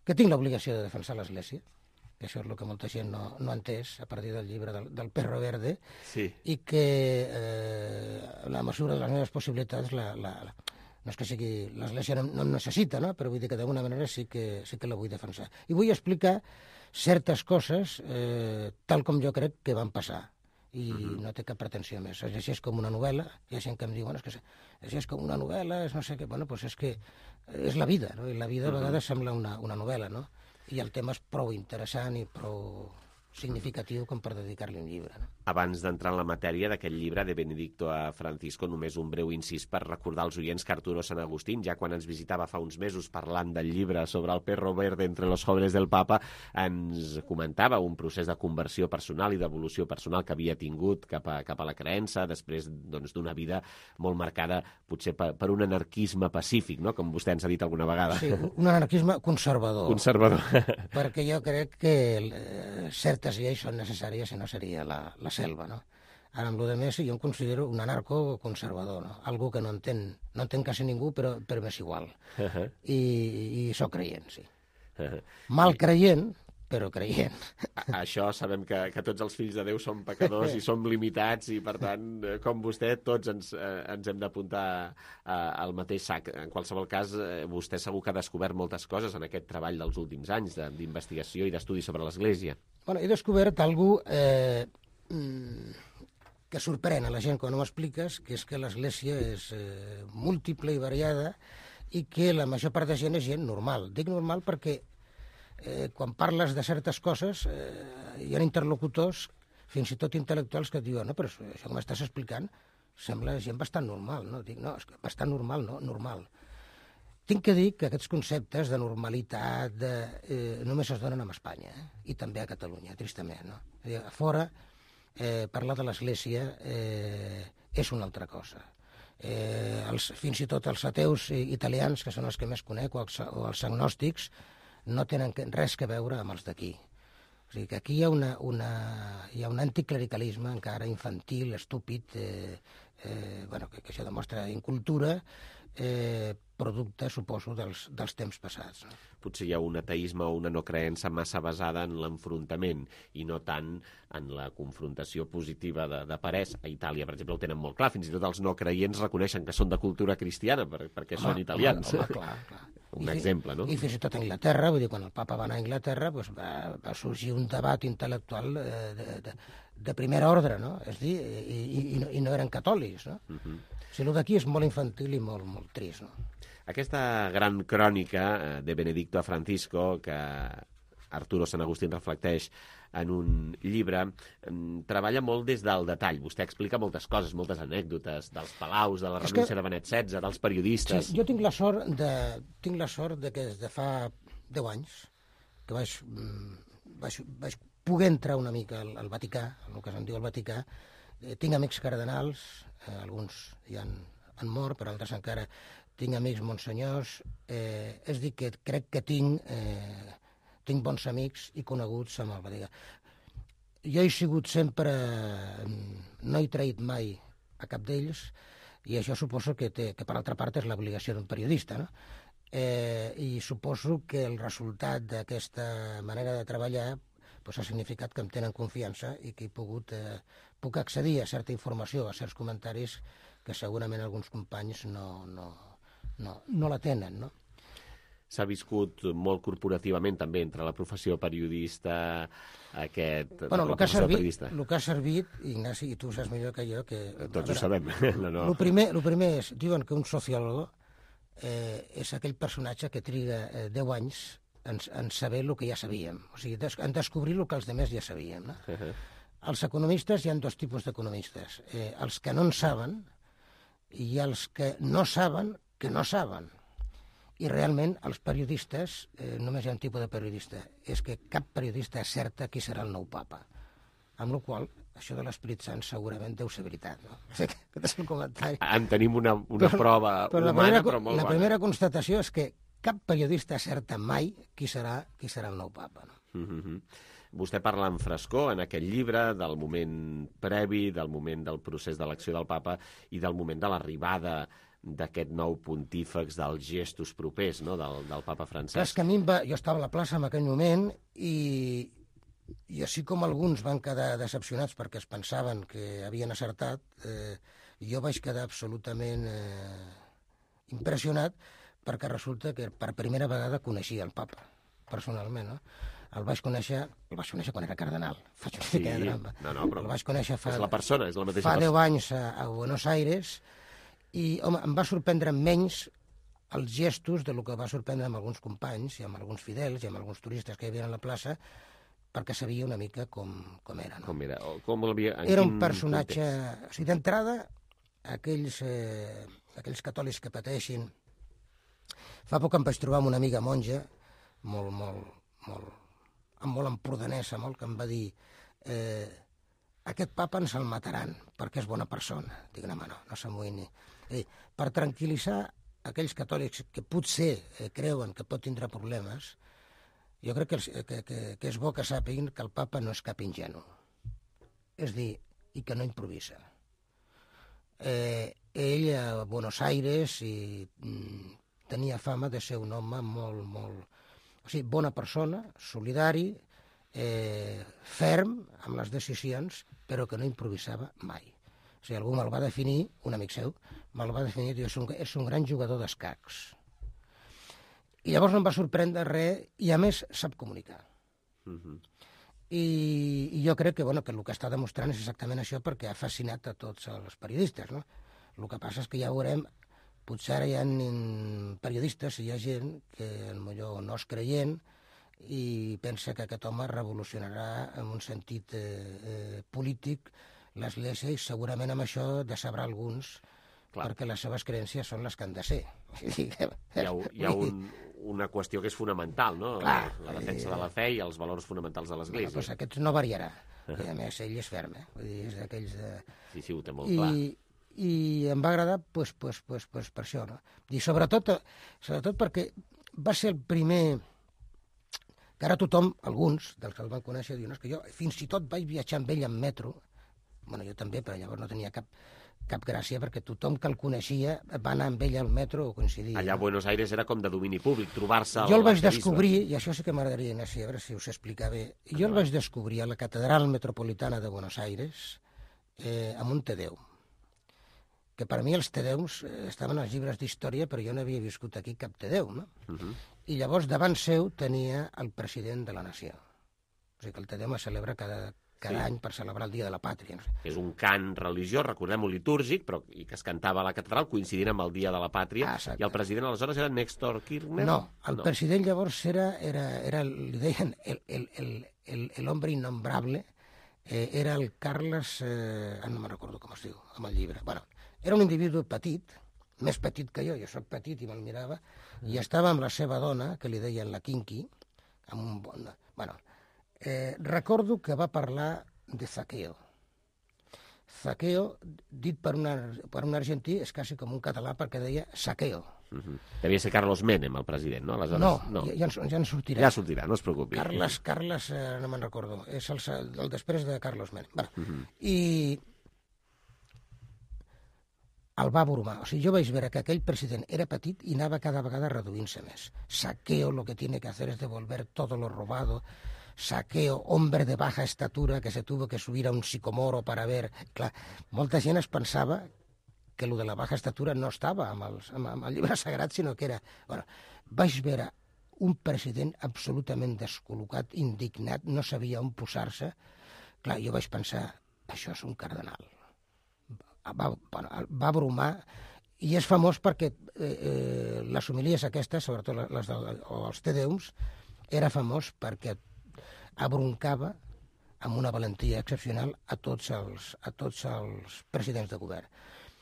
que tinc l'obligació de defensar l'Església, que això és el que molta gent no ha entès a partir del llibre del Perro Verde, sí. I que en la mesura de les meves possibilitats no és que sigui l'Església no em necessita, no? Però vull dir que d'alguna manera sí que la vull defensar. I vull explicar certes coses tal com jo crec que van passar. I no té cap pretensió més. Es llegeix com una novel·la. Hi ha gent que em diu, bueno, és que es llegeix com una novel·la, és no sé què. Bueno, doncs és que és la vida, no? I la vida a vegades sembla una novel·la, no? I el tema és prou interessant i prou significatiu com per dedicar-li un llibre, no? Abans d'entrar en la matèria d'aquest llibre de Benedicto a Francisco, només un breu incís per recordar als oients que Arturo Sanagustín, ja quan ens visitava fa uns mesos parlant del llibre sobre el perro verde entre los jóvenes del Papa, ens comentava un procés de conversió personal i d'evolució personal que havia tingut cap a la creença, després d'una vida molt marcada potser per un anarquisme pacífic, no? Com vostè ens ha dit alguna vegada. Sí, un anarquisme conservador. Conservador. Perquè jo crec que certes lleis són necessàries i no seria la selva, no? Ara, amb el més, jo em considero un anarcoconservador, no? Algú que no entén quasi ningú, però m'és igual. I soc creient, sí. Mal creient, però creient. Això sabem que tots els fills de Déu som pecadors i som limitats i, per tant, com vostè, tots ens hem d'apuntar al mateix sac. En qualsevol cas, vostè segur que ha descobert moltes coses en aquest treball dels últims anys d'investigació i d'estudi sobre l'Església. Bueno, he descobert algú que sorprèn a la gent quan ho expliques, que és que l'Església és múltiple i variada i que la major part de gent és gent normal. Dic normal perquè quan parles de certes coses hi ha interlocutors, fins i tot intel·lectuals, que et diuen, no, però això que m'estàs explicant sembla gent bastant normal, no? Dic, no, és que bastant normal, no, normal. Tinc que dir que aquests conceptes de normalitat només es donen a Espanya, i també a Catalunya, tristament, no? A fora, parlar de l'Església és una altra cosa. Fins i tot els ateus italians, que són els que més conec, o els agnòstics, no tenen res a veure amb els d'aquí. O sigui que aquí hi ha un anticlericalisme encara infantil, estúpid, que això demostra incultura, producte, suposo, dels temps passats. Potser hi ha un ateisme o una no creença massa basada en l'enfrontament i no tant en la confrontació positiva de parers. A Itàlia, per exemple, ho tenen molt clar. Fins i tot els no creients reconeixen que són de cultura cristiana perquè són italians. Clar. Un exemple, no? I fins i tot a Anglaterra, vull dir, quan el papa va anar a Anglaterra, va sorgir un debat intel·lectual de primer ordre, no? És dir, i no eren catòlics, no? O sigui, el d'aquí és molt infantil i molt trist, no? Aquesta gran crònica de Benedicto a Francisco, que Arturo Sant Agustín reflecteix en un llibre, treballa molt des del detall. Vostè explica moltes coses, moltes anècdotes, dels palaus, de la renúncia de Benet XVI, dels periodistes... Sí, jo tinc la sort de que des de fa 10 anys que vaig poder entrar una mica al Vaticà, el que se'n diu el Vaticà. Tinc amics cardenals, alguns ja han mort, però altres encara tinc amics monsenyors. És dir, que crec que tinc bons amics i coneguts amb el Vaticà. Jo he sigut sempre... No he traït mai a cap d'ells, i això suposo que per altra part és l'obligació d'un periodista, no? I suposo que el resultat d'aquesta manera de treballar ha significat que em tenen confiança i que puc accedir a certa informació, a certs comentaris que segurament alguns companys no la tenen, no? S'ha viscut molt corporativament també entre la professió periodista, el que ha servit, Ignasi, i tu ho saps millor que jo, que... Tots ho sabem. El primer és, diuen que un sociólogo és aquell personatge que triga 10 anys en saber el que ja sabíem, o sigui, en descobrir el que els altres ja sabíem, no? Els economistes, hi ha 2 tipus d'economistes, els que no en saben i els que no saben que no saben. I realment els periodistes, només hi ha un tipus de periodista, és que cap periodista acerta qui serà el nou papa. Amb la qual cosa, això de l'Esperit Sant segurament deu ser veritat, no? Aquest és el comentari. En tenim una prova humana, però molt bona. La primera constatació és que cap periodista acerta mai qui serà el nou papa, no? Vostè parla en frescor en aquest llibre del moment previ, del moment del procés d'elecció del papa i del moment de l'arribada d'aquest nou pontífex, dels gestos propers, no?, del papa Francesc. És que a mi jo estava a la plaça en aquell moment i així com alguns van quedar decepcionats perquè es pensaven que havien acertat, jo vaig quedar absolutament impressionat perquè resulta que per primera vegada coneixia el papa, personalment, no? El vaig conèixer quan era cardenal. Faig una mica de drama. Però el vaig conèixer és la persona, és la mateixa persona. Fa 10 anys a Buenos Aires i, home, em va sorprendre menys els gestos del que va sorprendre amb alguns companys i amb alguns fidels i amb alguns turistes que hi havia a la plaça, perquè sabia una mica com era. No? Com era? Era un personatge... O sigui, d'entrada, aquells catòlics que pateixin... Fa poc em vaig trobar amb una amiga monja, molt empordanesa, que em va dir aquest papa ens el mataran perquè és bona persona. Dic, no s'amoïni. Per tranquil·litzar aquells catòlics que potser creuen que pot tindre problemes, jo crec que és bo que sàpiguen que el papa no és cap ingenu. És dir, i que no improvisa. Ell a Buenos Aires tenia fama de ser un home molt... O sigui, bona persona, solidari, ferm amb les decisions, però que no improvisava mai. O sigui, algú me'l va definir, un amic seu, me'l va definir, diu, és un gran jugador d'escacs. I llavors no em va sorprendre res, i a més sap comunicar. I jo crec que el que està demostrant és exactament això, perquè ha fascinat a tots els periodistes, no? El que passa és que ja veurem, potser ara hi ha periodistes i hi ha gent que potser no és creient i pensa que aquest home revolucionarà en un sentit polític l'Església i segurament amb això decebrà alguns, perquè les seves creences són les que han de ser. Hi ha una qüestió que és fonamental, no? La defensa de la fe i els valors fonamentals de l'Església. Doncs aquest no variarà. I a més, ell és ferm, vull dir, és d'aquells de... Sí, ho té molt clar. i em va agradar pues, per això, no? I sobretot perquè va ser el primer que ara tothom, alguns dels que el van conèixer, diuen que jo fins i tot vaig viatjar amb ell en metro, bueno, jo també, però llavors no tenia cap gràcia, perquè tothom que el coneixia va anar amb ell al metro o coincidia. Allà a Buenos Aires era com de domini públic, trobar-se... Jo el vaig descobrir, i això sí que m'agradaria, Ignasi, a veure si us explica bé, jo el vaig descobrir a la Catedral Metropolitana de Buenos Aires amb un Te Deum, que per mi els Te Deums estaven als llibres d'història, però jo no havia viscut aquí cap Te Deum, no? I llavors davant seu tenia el president de la nació. O sigui que el Te Deum es celebra cada any per celebrar el Dia de la Pàtria. No sé. És un cant religiós, recordem-ho, litúrgic, però i que es cantava a la catedral coincidint amb el Dia de la Pàtria. I el president aleshores era Néstor Kirchner? No, el president llavors era li deien el hombre innombrable, era el Carles, no me'n recordo com es diu, amb el llibre. Bueno, era un individu petit, més petit que jo soc petit i me'l mirava, i estava amb la seva dona, que li deien la Kinky, amb un bon... Bueno, recordo que va parlar de Zaqueo. Zaqueo, dit per un argentí, és quasi com un català perquè deia saqueo. Devia ser Carlos Menem, el president, no? Aleshores, no, ja en sortirà. Ja sortirà, no es preocupi. Carles, no me'n recordo, és el després de Carlos Menem. Bueno, i el va abrumar. O sigui, jo vaig veure que aquell president era petit i anava cada vegada reduint-se més. Saqueo lo que tiene que hacer es devolver todo lo robado. Saqueo, hombre de baja estatura que se tuvo que subir a un sicomoro para ver... Clar, molta gent es pensava que lo de la baja estatura no estava amb el llibre sagrat, sinó que era... Bueno, vaig veure un president absolutament descol·locat, indignat, no sabia on posar-se. Clar, jo vaig pensar, això és un cardenal. Va abrumar, i és famós perquè les homilies aquestes, sobretot els Te Deums, era famós perquè abroncava amb una valentia excepcional a tots els presidents de govern.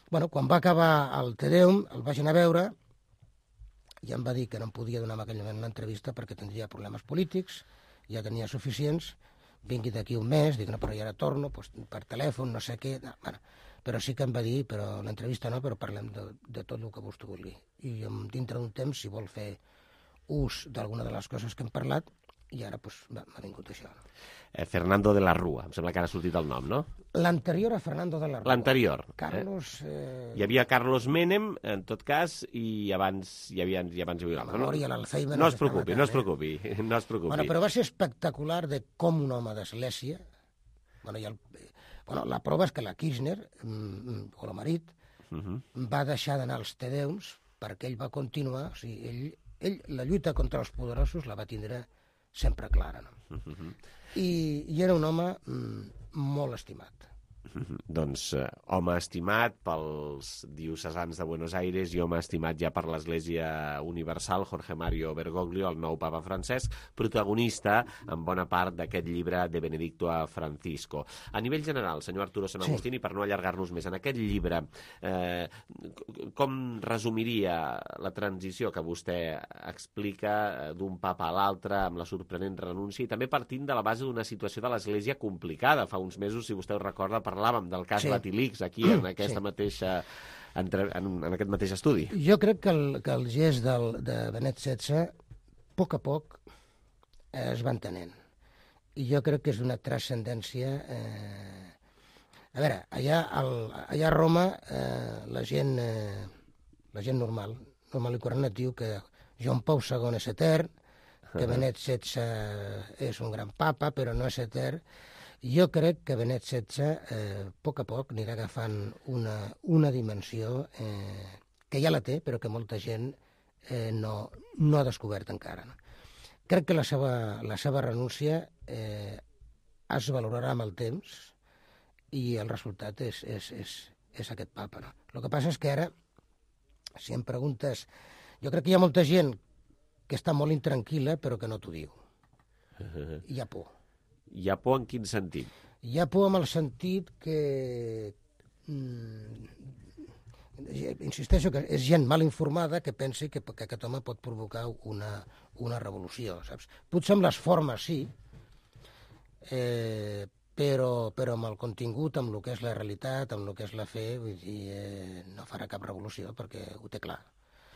Bueno, quan va acabar el Te Deum, el vaig anar a veure i em va dir que no em podia donar en aquell moment una entrevista perquè tindria problemes polítics, ja tenia suficients, vingui d'aquí un mes, dic, no, però ja ara torno, per telèfon, no sé què... Bueno, però sí que em va dir, però l'entrevista no, però parlem de tot el que vostè vulgui. I dintre d'un temps, si vol fer ús d'alguna de les coses que hem parlat, i ara m'ha vingut això. Fernando de la Rúa, em sembla que ara ha sortit el nom, no? L'anterior a Fernando de la Rúa. L'anterior. Carlos... Hi havia Carlos Menem, en tot cas, i abans hi havia... La memòria, l'Alzheimer... No es preocupi. Bueno, però va ser espectacular de com un home d'església... la prova és que la Kirchner, o el marit, va deixar d'anar als Te Deums perquè ell va continuar... O sigui, ell la lluita contra els poderosos la va tindre sempre clara, no? I era un home molt estimat. Doncs home estimat pels diocesans de Buenos Aires i home estimat ja per l'Església Universal, Jorge Mario Bergoglio, el nou papa Francesc, protagonista en bona part d'aquest llibre de Benedicto a Francisco. A nivell general, senyor Arturo San Agustín, i per no allargar-nos més, en aquest llibre, com resumiria la transició que vostè explica d'un papa a l'altre amb la sorprenent renúncia i també partint de la base d'una situació de l'Església complicada? Fa uns mesos, si vostè ho recorda, parlàvem del cas Batilix aquí en aquesta mateixa en aquest mateix estudi. Jo crec que el gest de Benet XVI a poc es va entenent. I jo crec que és d'una transcendència... A veure, allà a Roma la gent normal i corrent et diu que Joan Pau II és etern, que Benet XVI és un gran papa, però no és etern. Jo crec que Benet XVI, a poc, anirà agafant una dimensió que ja la té, però que molta gent no ha descobert encara. Crec que la seva renúncia es valorarà amb el temps i el resultat és aquest papa. No? El que passa és que ara, si em preguntes... Jo crec que hi ha molta gent que està molt intranquil·la, però que no t'ho diu. Hi ha por. Hi ha por en quin sentit? Hi ha por en el sentit que... insisteixo que és gent mal informada que pensi que aquest home pot provocar una revolució, saps? Potser amb les formes sí, però amb el contingut, amb el que és la realitat, amb el que és la fe, vull dir, no farà cap revolució perquè ho té clar.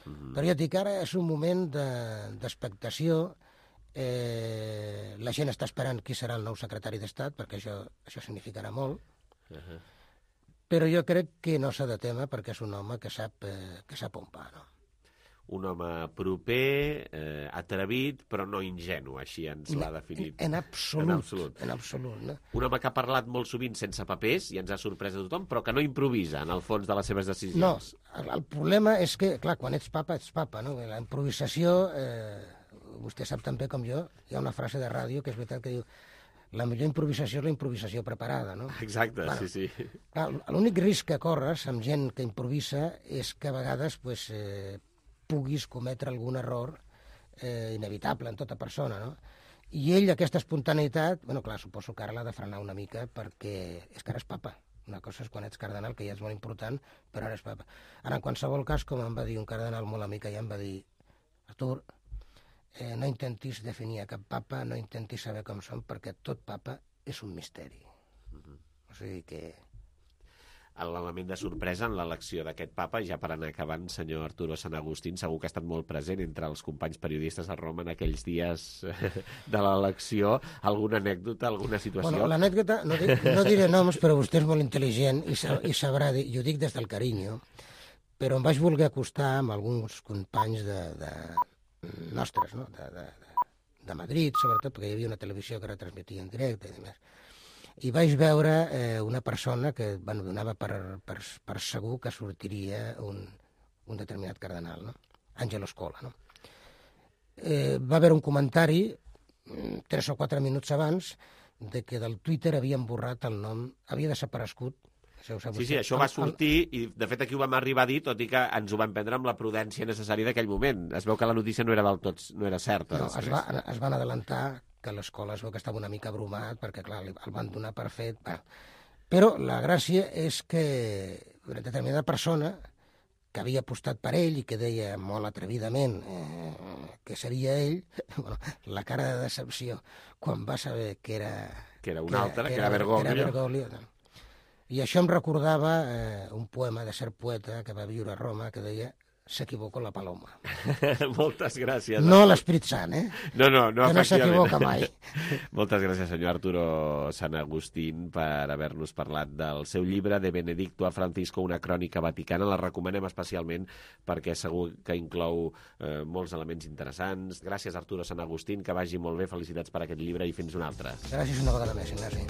Però ja et dic, ara és un moment d'expectació. La gent està esperant qui serà el nou secretari d'Estat, perquè això significarà molt. Però jo crec que no s'ha de témer perquè és un home que sap on va, no? Un home proper, atrevit, però no ingenu, així ens l'ha definit. En absolut. No? Un home que ha parlat molt sovint sense papers i ens ha sorprès a tothom, però que no improvisa en el fons de les seves decisions. No, el problema és que, clar, quan ets papa, no? La improvisació, vostè sap tan bé com jo, hi ha una frase de ràdio que és veritat que diu la millor improvisació és la improvisació preparada, no? Exacte, bueno, sí. L'únic risc que corres amb gent que improvisa és que a vegades puguis cometre algun error inevitable en tota persona, no? I ell, aquesta espontaneïtat, bueno, clar, suposo que ara l'ha de frenar una mica perquè és que ara és papa. Una cosa és quan ets cardenal, que ja és molt important, però ara és papa. Ara, en qualsevol cas, com em va dir un cardenal molt amic, ja em va dir, Artur, no intentis definir a cap papa, no intentis saber com són, perquè tot papa és un misteri. O sigui que... L'element de sorpresa en l'elecció d'aquest papa, ja per anar acabant, senyor Arturo Sant Agustín, segur que ha estat molt present entre els companys periodistes a Roma en aquells dies de l'elecció. Alguna anècdota, alguna situació? Bueno, l'anècdota, no diré noms, però vostè és molt intel·ligent i sabrà dir, i ho dic des del carinyo, però em vaig voler acostar amb alguns companys nostres, no? de Madrid, sobretot, perquè hi havia una televisió que retransmetia en directe i demés. I vaig veure una persona que donava per segur que sortiria un determinat cardenal, no? Angelo Scola, no? Va haver un comentari 3 o 4 minuts abans de que del Twitter havien borrat el nom, havia desaparegut. Sí, això va sortir i de fet aquí ho vam arribar a dir, tot i que ens ho vam prendre amb la prudència necessària d'aquell moment. Es veu que la notícia no era del tot, no era certa. No, es van adelantar que l'escola es veu que estava una mica abrumat, perquè, clar, el van donar per fet. Però la gràcia és que una determinada persona que havia apostat per ell i que deia molt atrevidament que seria ell, bueno, la cara de decepció quan va saber que era... Que era una altra, que era Bergoglio. I això em recordava un poema de cert poeta que va viure a Roma que deia s'equivoca la paloma. Moltes gràcies. No l'Esprit Sant, No, que no s'equivoca mai. Moltes gràcies, senyor Arturo Sant Agustín, per haver-nos parlat del seu llibre De Benedicto a Francisco, una crònica vaticana. La recomanem especialment perquè segur que inclou molts elements interessants. Gràcies, Arturo Sant Agustín, que vagi molt bé. Felicitats per aquest llibre i fins una altra. Gràcies una vegada més, Ignasi.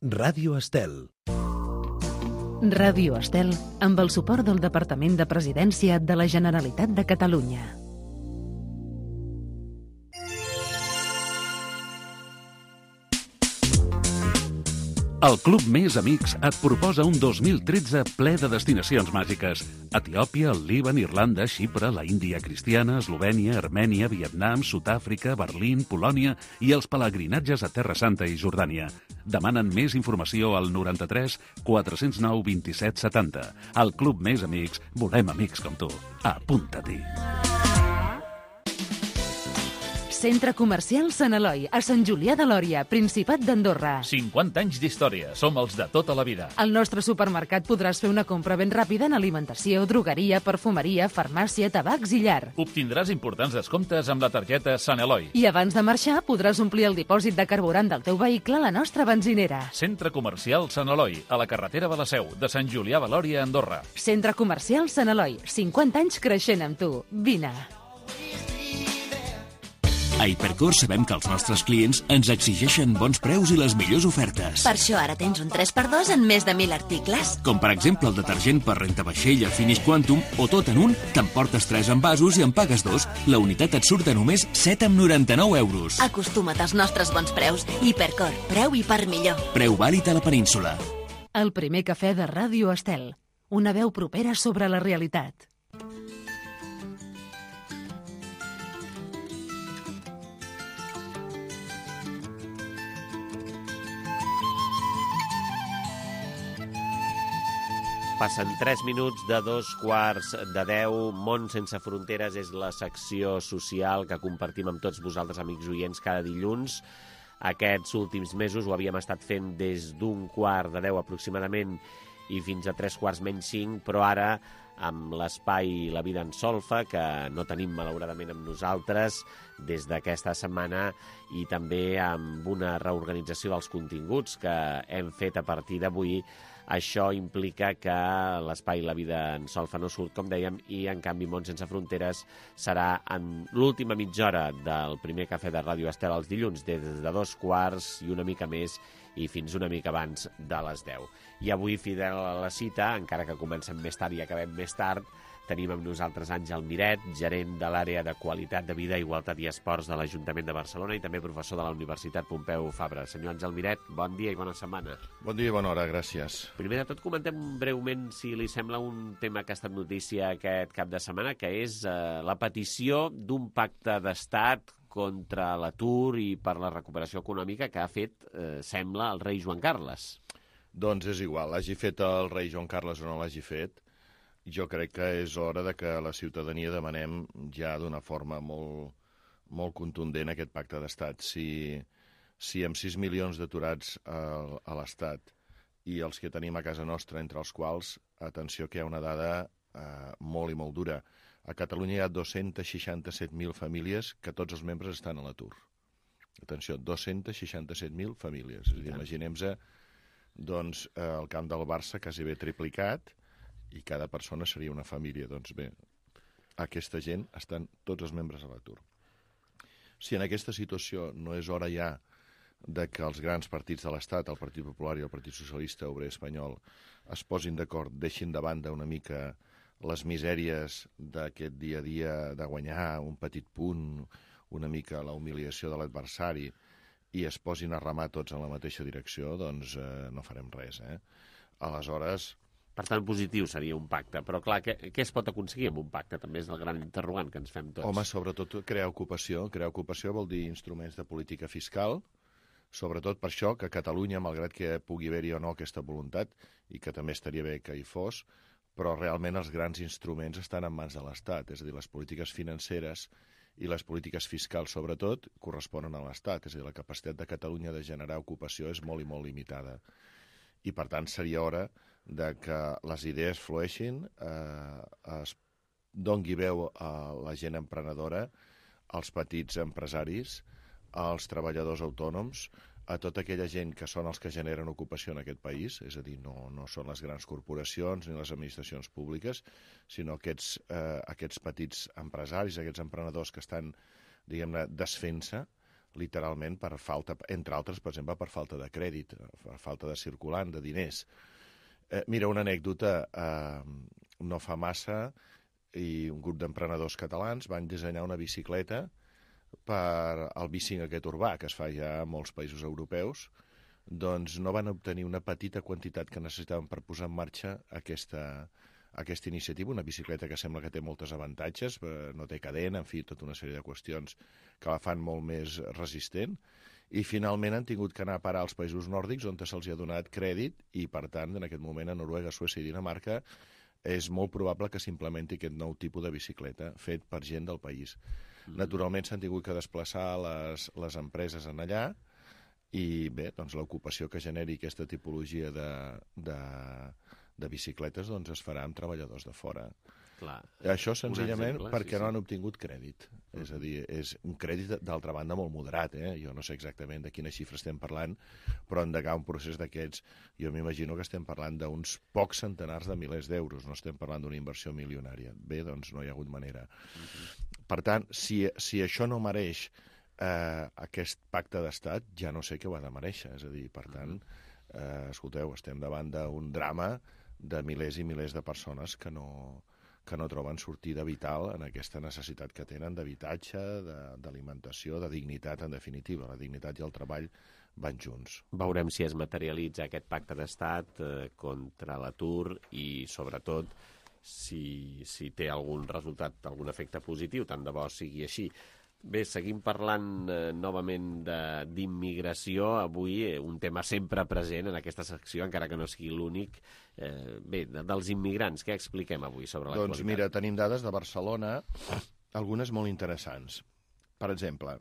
Ràdio Estel. Ràdio Estel, amb el suport del Departament de Presidència de la Generalitat de Catalunya. El Club Més Amics et proposa un 2013 ple de destinacions màgiques. Etiòpia, el Líban, Irlanda, Xipre, la Índia cristiana, Eslovènia, Armènia, Vietnam, Sud-àfrica, Berlín, Polònia i els pelegrinatges a Terra Santa i Jordània. Demanen més informació al 93 409 27 70. Al Club Més Amics volem amics com tu. Apunta-t'hi. Centre Comercial Sant Eloi, a Sant Julià de Lòria, Principat d'Andorra. 50 anys d'història, som els de tota la vida. Al nostre supermercat podràs fer una compra ben ràpida en alimentació, drogueria, perfumeria, farmàcia, tabacs i llar. Obtindràs importants descomptes amb la targeta Sant Eloi. I abans de marxar podràs omplir el dipòsit de carburant del teu vehicle a la nostra benzinera. Centre Comercial Sant Eloi, a la carretera de la Seu, de Sant Julià de Lòria, Andorra. Centre Comercial Sant Eloi, 50 anys creixent amb tu. Vine. A Hipercor sabem que els nostres clients ens exigeixen bons preus i les millors ofertes. Per això ara tens un 3x2 en més de 1.000 articles. Com per exemple el detergent per rentavaixella Finish Quantum o tot en un, t'emportes 3 envasos i en pagues 2. La unitat et surt a només 7,99 €. Acostuma't als nostres bons preus. Hipercor, preu i per millor. Preu vàlid a la península. El primer cafè de Ràdio Estel. Una veu propera sobre la realitat. Passen 3 minuts de 2:15. Món sense fronteres és la secció social que compartim amb tots vosaltres, amics oients, cada dilluns. Aquests últims mesos ho havíem estat fent des d'1:15 aproximadament i fins a 3:45, però ara amb l'espai La Vida en Solfa, que no tenim malauradament amb nosaltres des d'aquesta setmana, i també amb una reorganització dels continguts que hem fet a partir d'avui. Això implica que l'espai La Vida en Solfa no surt, com dèiem, i en canvi Món sense fronteres serà en l'última mitja hora del primer cafè de Ràdio Estel els dilluns, des de 2:15 i una mica més i fins una mica abans de les 10. I avui, fidel a la cita, encara que comencem més tard i acabem més tard, tenim amb nosaltres Àngel Miret, gerent de l'àrea de Qualitat de Vida, Igualtat i Esports de l'Ajuntament de Barcelona i també professor de la Universitat Pompeu Fabra. Senyor Àngel Miret, bon dia i bona setmana. Bon dia i bona hora, gràcies. Primer de tot, comentem breument, si li sembla, un tema que ha estat notícia aquest cap de setmana, que és la petició d'un pacte d'estat contra l'atur i per la recuperació econòmica que ha fet, sembla, el rei Joan Carles. Doncs és igual, l'hagi fet el rei Joan Carles o no l'hagi fet. Jo crec que és hora de que la ciutadania demanem ja d'una forma molt contundent aquest pacte d'estat. Si amb 6 milions d'aturats a l'Estat i els que tenim a casa nostra, entre els quals, atenció que hi ha una dada molt i molt dura. A Catalunya hi ha 267.000 famílies que tots els membres estan a l'atur. Atenció, 267.000 famílies. És a dir, imaginem-se doncs, el camp del Barça quasi bé triplicat i cada persona seria una família. Doncs bé, aquesta gent estan tots els membres a l'atur. Si en aquesta situació no és hora ja de que els grans partits de l'Estat, el Partit Popular i el Partit Socialista Obrer Espanyol, es posin d'acord, deixin de banda una mica les misèries d'aquest dia a dia de guanyar un petit punt, una mica la humiliació de l'adversari, i es posin a remar tots en la mateixa direcció, doncs no farem res. Aleshores... Per tant, positiu seria un pacte. Però, clar, què es pot aconseguir amb un pacte? També és el gran interrogant que ens fem tots. Home, sobretot crear ocupació. Crear ocupació vol dir instruments de política fiscal, sobretot per això que Catalunya, malgrat que pugui haver-hi o no aquesta voluntat, i que també estaria bé que hi fos, però realment els grans instruments estan en mans de l'Estat. És a dir, les polítiques financeres i les polítiques fiscals, sobretot, corresponen a l'Estat. És a dir, la capacitat de Catalunya de generar ocupació és molt i molt limitada. I, per tant, seria hora de que les idees flueixin, es doni veu a la gent emprenedora, als petits empresaris, als treballadors autònoms, a tota aquella gent que són els que generen ocupació en aquest país, és a dir, no són les grans corporacions ni les administracions públiques, sinó aquests petits empresaris, aquests emprenedors que estan, diguem-ne, desfent-se, literalment, per falta, entre altres, per exemple, per falta de crèdit, per falta de circulant, de diners. Mira, una anècdota, no fa massa, i un grup d'emprenedors catalans van dissenyar una bicicleta per al bicing aquest urbà, que es fa ja a molts països europeus, doncs no van obtenir una petita quantitat que necessitaven per posar en marxa aquesta iniciativa, una bicicleta que sembla que té molts avantatges, no té cadena, en fi, tota una sèrie de qüestions que la fan molt més resistent, i finalment han tingut que anar a parar als països nòrdics on se'ls ha donat crèdit i, per tant, en aquest moment a Noruega, Suècia i Dinamarca és molt probable que s'implementi aquest nou tipus de bicicleta fet per gent del país. Naturalment s'han tingut que desplaçar les empreses en allà i bé, doncs l'ocupació que generi aquesta tipologia de bicicletes doncs es farà amb treballadors de fora. Clar. Això senzillament perquè no han obtingut crèdit. És a dir, és un crèdit d'altra banda molt moderat, jo no sé exactament de quina xifra estem parlant, però endegar un procés d'aquests, jo m'imagino que estem parlant d'uns pocs centenars de milers d'euros, no estem parlant d'una inversió milionària. Bé, doncs no hi ha hagut manera. Per tant, si això no mereix aquest pacte d'estat, ja no sé què ho ha de mereixer. És a dir, per tant, escolteu, estem davant d'un drama de milers i milers de persones que no troben sortida vital en aquesta necessitat que tenen d'habitatge, d'alimentació, de dignitat, en definitiva. La dignitat i el treball van junts. Veurem si es materialitza aquest pacte d'estat contra l'atur i, sobretot, si té algun resultat, algun efecte positiu, tant de bo sigui així. Bé, seguim parlant novament d'immigració. Avui un tema sempre present en aquesta secció, encara que no sigui l'únic. Bé, dels immigrants, què expliquem avui sobre l'actualitat? Doncs mira, tenim dades de Barcelona, algunes molt interessants. Per exemple,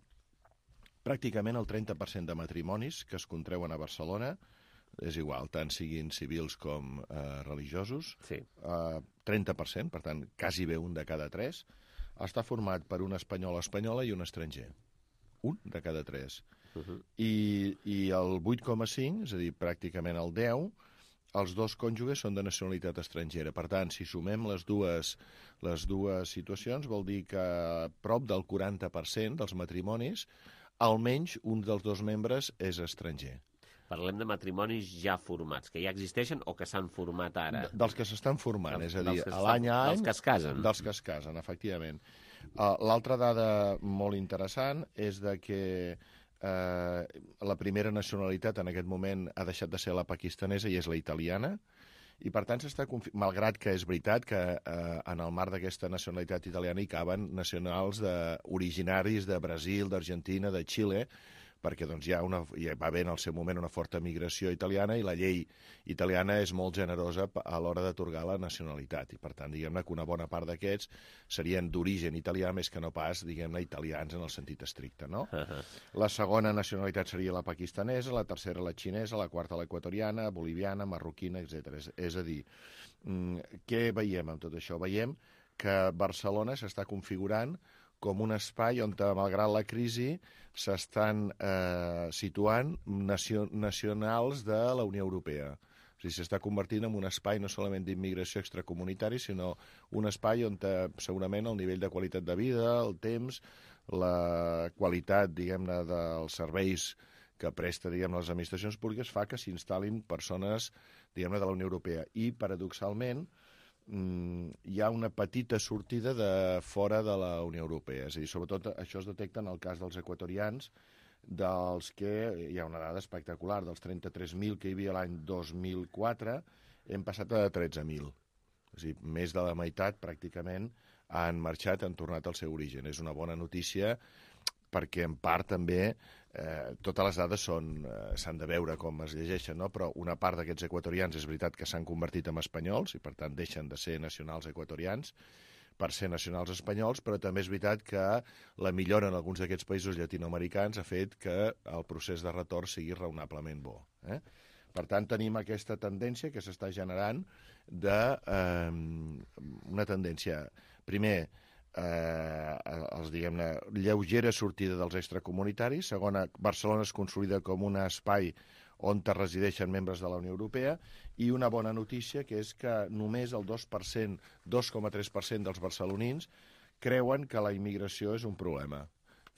pràcticament el 30% de matrimonis que es contreuen a Barcelona, és igual, tant siguin civils com religiosos, 30%, per tant, quasi bé un de cada 3, està format per un espanyol o espanyola i un estranger. Un de cada 3. I el 8,5, és a dir, pràcticament el 10, els dos cònjuges són de nacionalitat estrangera. Per tant, si sumem les dues situacions, vol dir que prop del 40% dels matrimonis, almenys un dels dos membres és estranger. Parlem de matrimonis ja formats, que ja existeixen o que s'han format ara? Dels que s'estan formant, és a dir, l'any a any... Dels que es casen. Dels que es casen, efectivament. L'altra dada molt interessant és que la primera nacionalitat en aquest moment ha deixat de ser la pakistanesa i és la italiana, i per tant malgrat que és veritat que en el marc d'aquesta nacionalitat italiana hi caben nacionals originaris de Brasil, d'Argentina, de Xile, perquè doncs, hi va haver en el seu moment una forta migració italiana i la llei italiana és molt generosa a l'hora d'atorgar la nacionalitat. I per tant, diguem-ne que una bona part d'aquests serien d'origen italià més que no pas, diguem-ne, italians en el sentit estricte, no? La segona nacionalitat seria la pakistanesa, la tercera la xinesa, la quarta l'equatoriana, boliviana, marroquina, etc. És a dir, què veiem amb tot això? Veiem que Barcelona s'està configurant com un espai on, malgrat la crisi, s'estan situant nacionals de la Unió Europea. O sigui, s'està convertint en un espai no solament d'immigració extracomunitari, sinó un espai on segurament el nivell de qualitat de vida, el temps, la qualitat, diguem-ne, dels serveis que presta, diguem-ne, les administracions públiques fa que s'instal·lin persones, diguem-ne, de la Unió Europea. I, paradoxalment, hi ha una petita sortida de fora de la Unió Europea. És a dir, sobretot això es detecta en el cas dels equatorians, dels que hi ha una dada espectacular, dels 33.000 que hi havia l'any 2004, hem passat a 13.000. És a dir, més de la meitat, pràcticament, han marxat, han tornat al seu origen. És una bona notícia perquè, en part, també totes les dades s'han de veure com es llegeixen, no? Però una part d'aquests equatorians és veritat que s'han convertit en espanyols i per tant deixen de ser nacionals equatorians per ser nacionals espanyols, però també és veritat que la millora en alguns d'aquests països llatinoamericans ha fet que el procés de retorn sigui raonablement bo. Per tant, tenim aquesta tendència que s'està generant una tendència, primer, diguem-ne, lleugera sortida dels extracomunitaris. Segona, Barcelona es consolida com un espai on resideixen membres de la Unió Europea, i una bona notícia, que és que només el 2,3% dels barcelonins creuen que la immigració és un problema.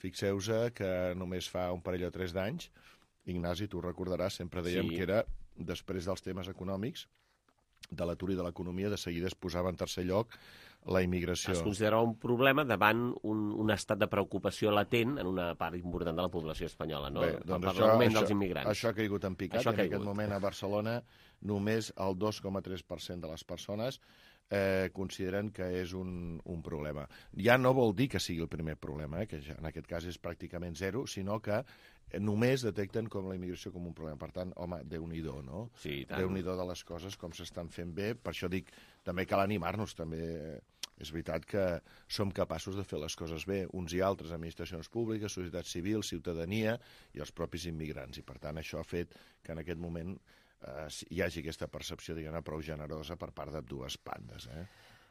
Fixeu-vos que només fa un parell o 3 d'anys, Ignasi, tu recordaràs, sempre dèiem que era, després dels temes econòmics, de l'atur i de l'economia, de seguida es posava en tercer lloc la immigració. Es considerava un problema davant un estat de preocupació latent en una part important de la població espanyola, no? Bé, doncs per l'augment dels immigrants. Això ha caigut en picat, i en aquest moment a Barcelona només el 2,3% de les persones consideren que és un problema. Ja no vol dir que sigui el primer problema, que en aquest cas és pràcticament zero, sinó que només detecten com la immigració com un problema. Per tant, home, Déu-n'hi-do, no? Sí, tant. Déu-n'hi-do de les coses, com s'estan fent bé. Per això dic, també cal animar-nos, també. És veritat que som capaços de fer les coses bé, uns i altres, administracions públiques, societat civil, ciutadania i els propis immigrants. I, per tant, això ha fet que en aquest moment hi hagi aquesta percepció, diguem-ne, prou generosa per part de dues bandes,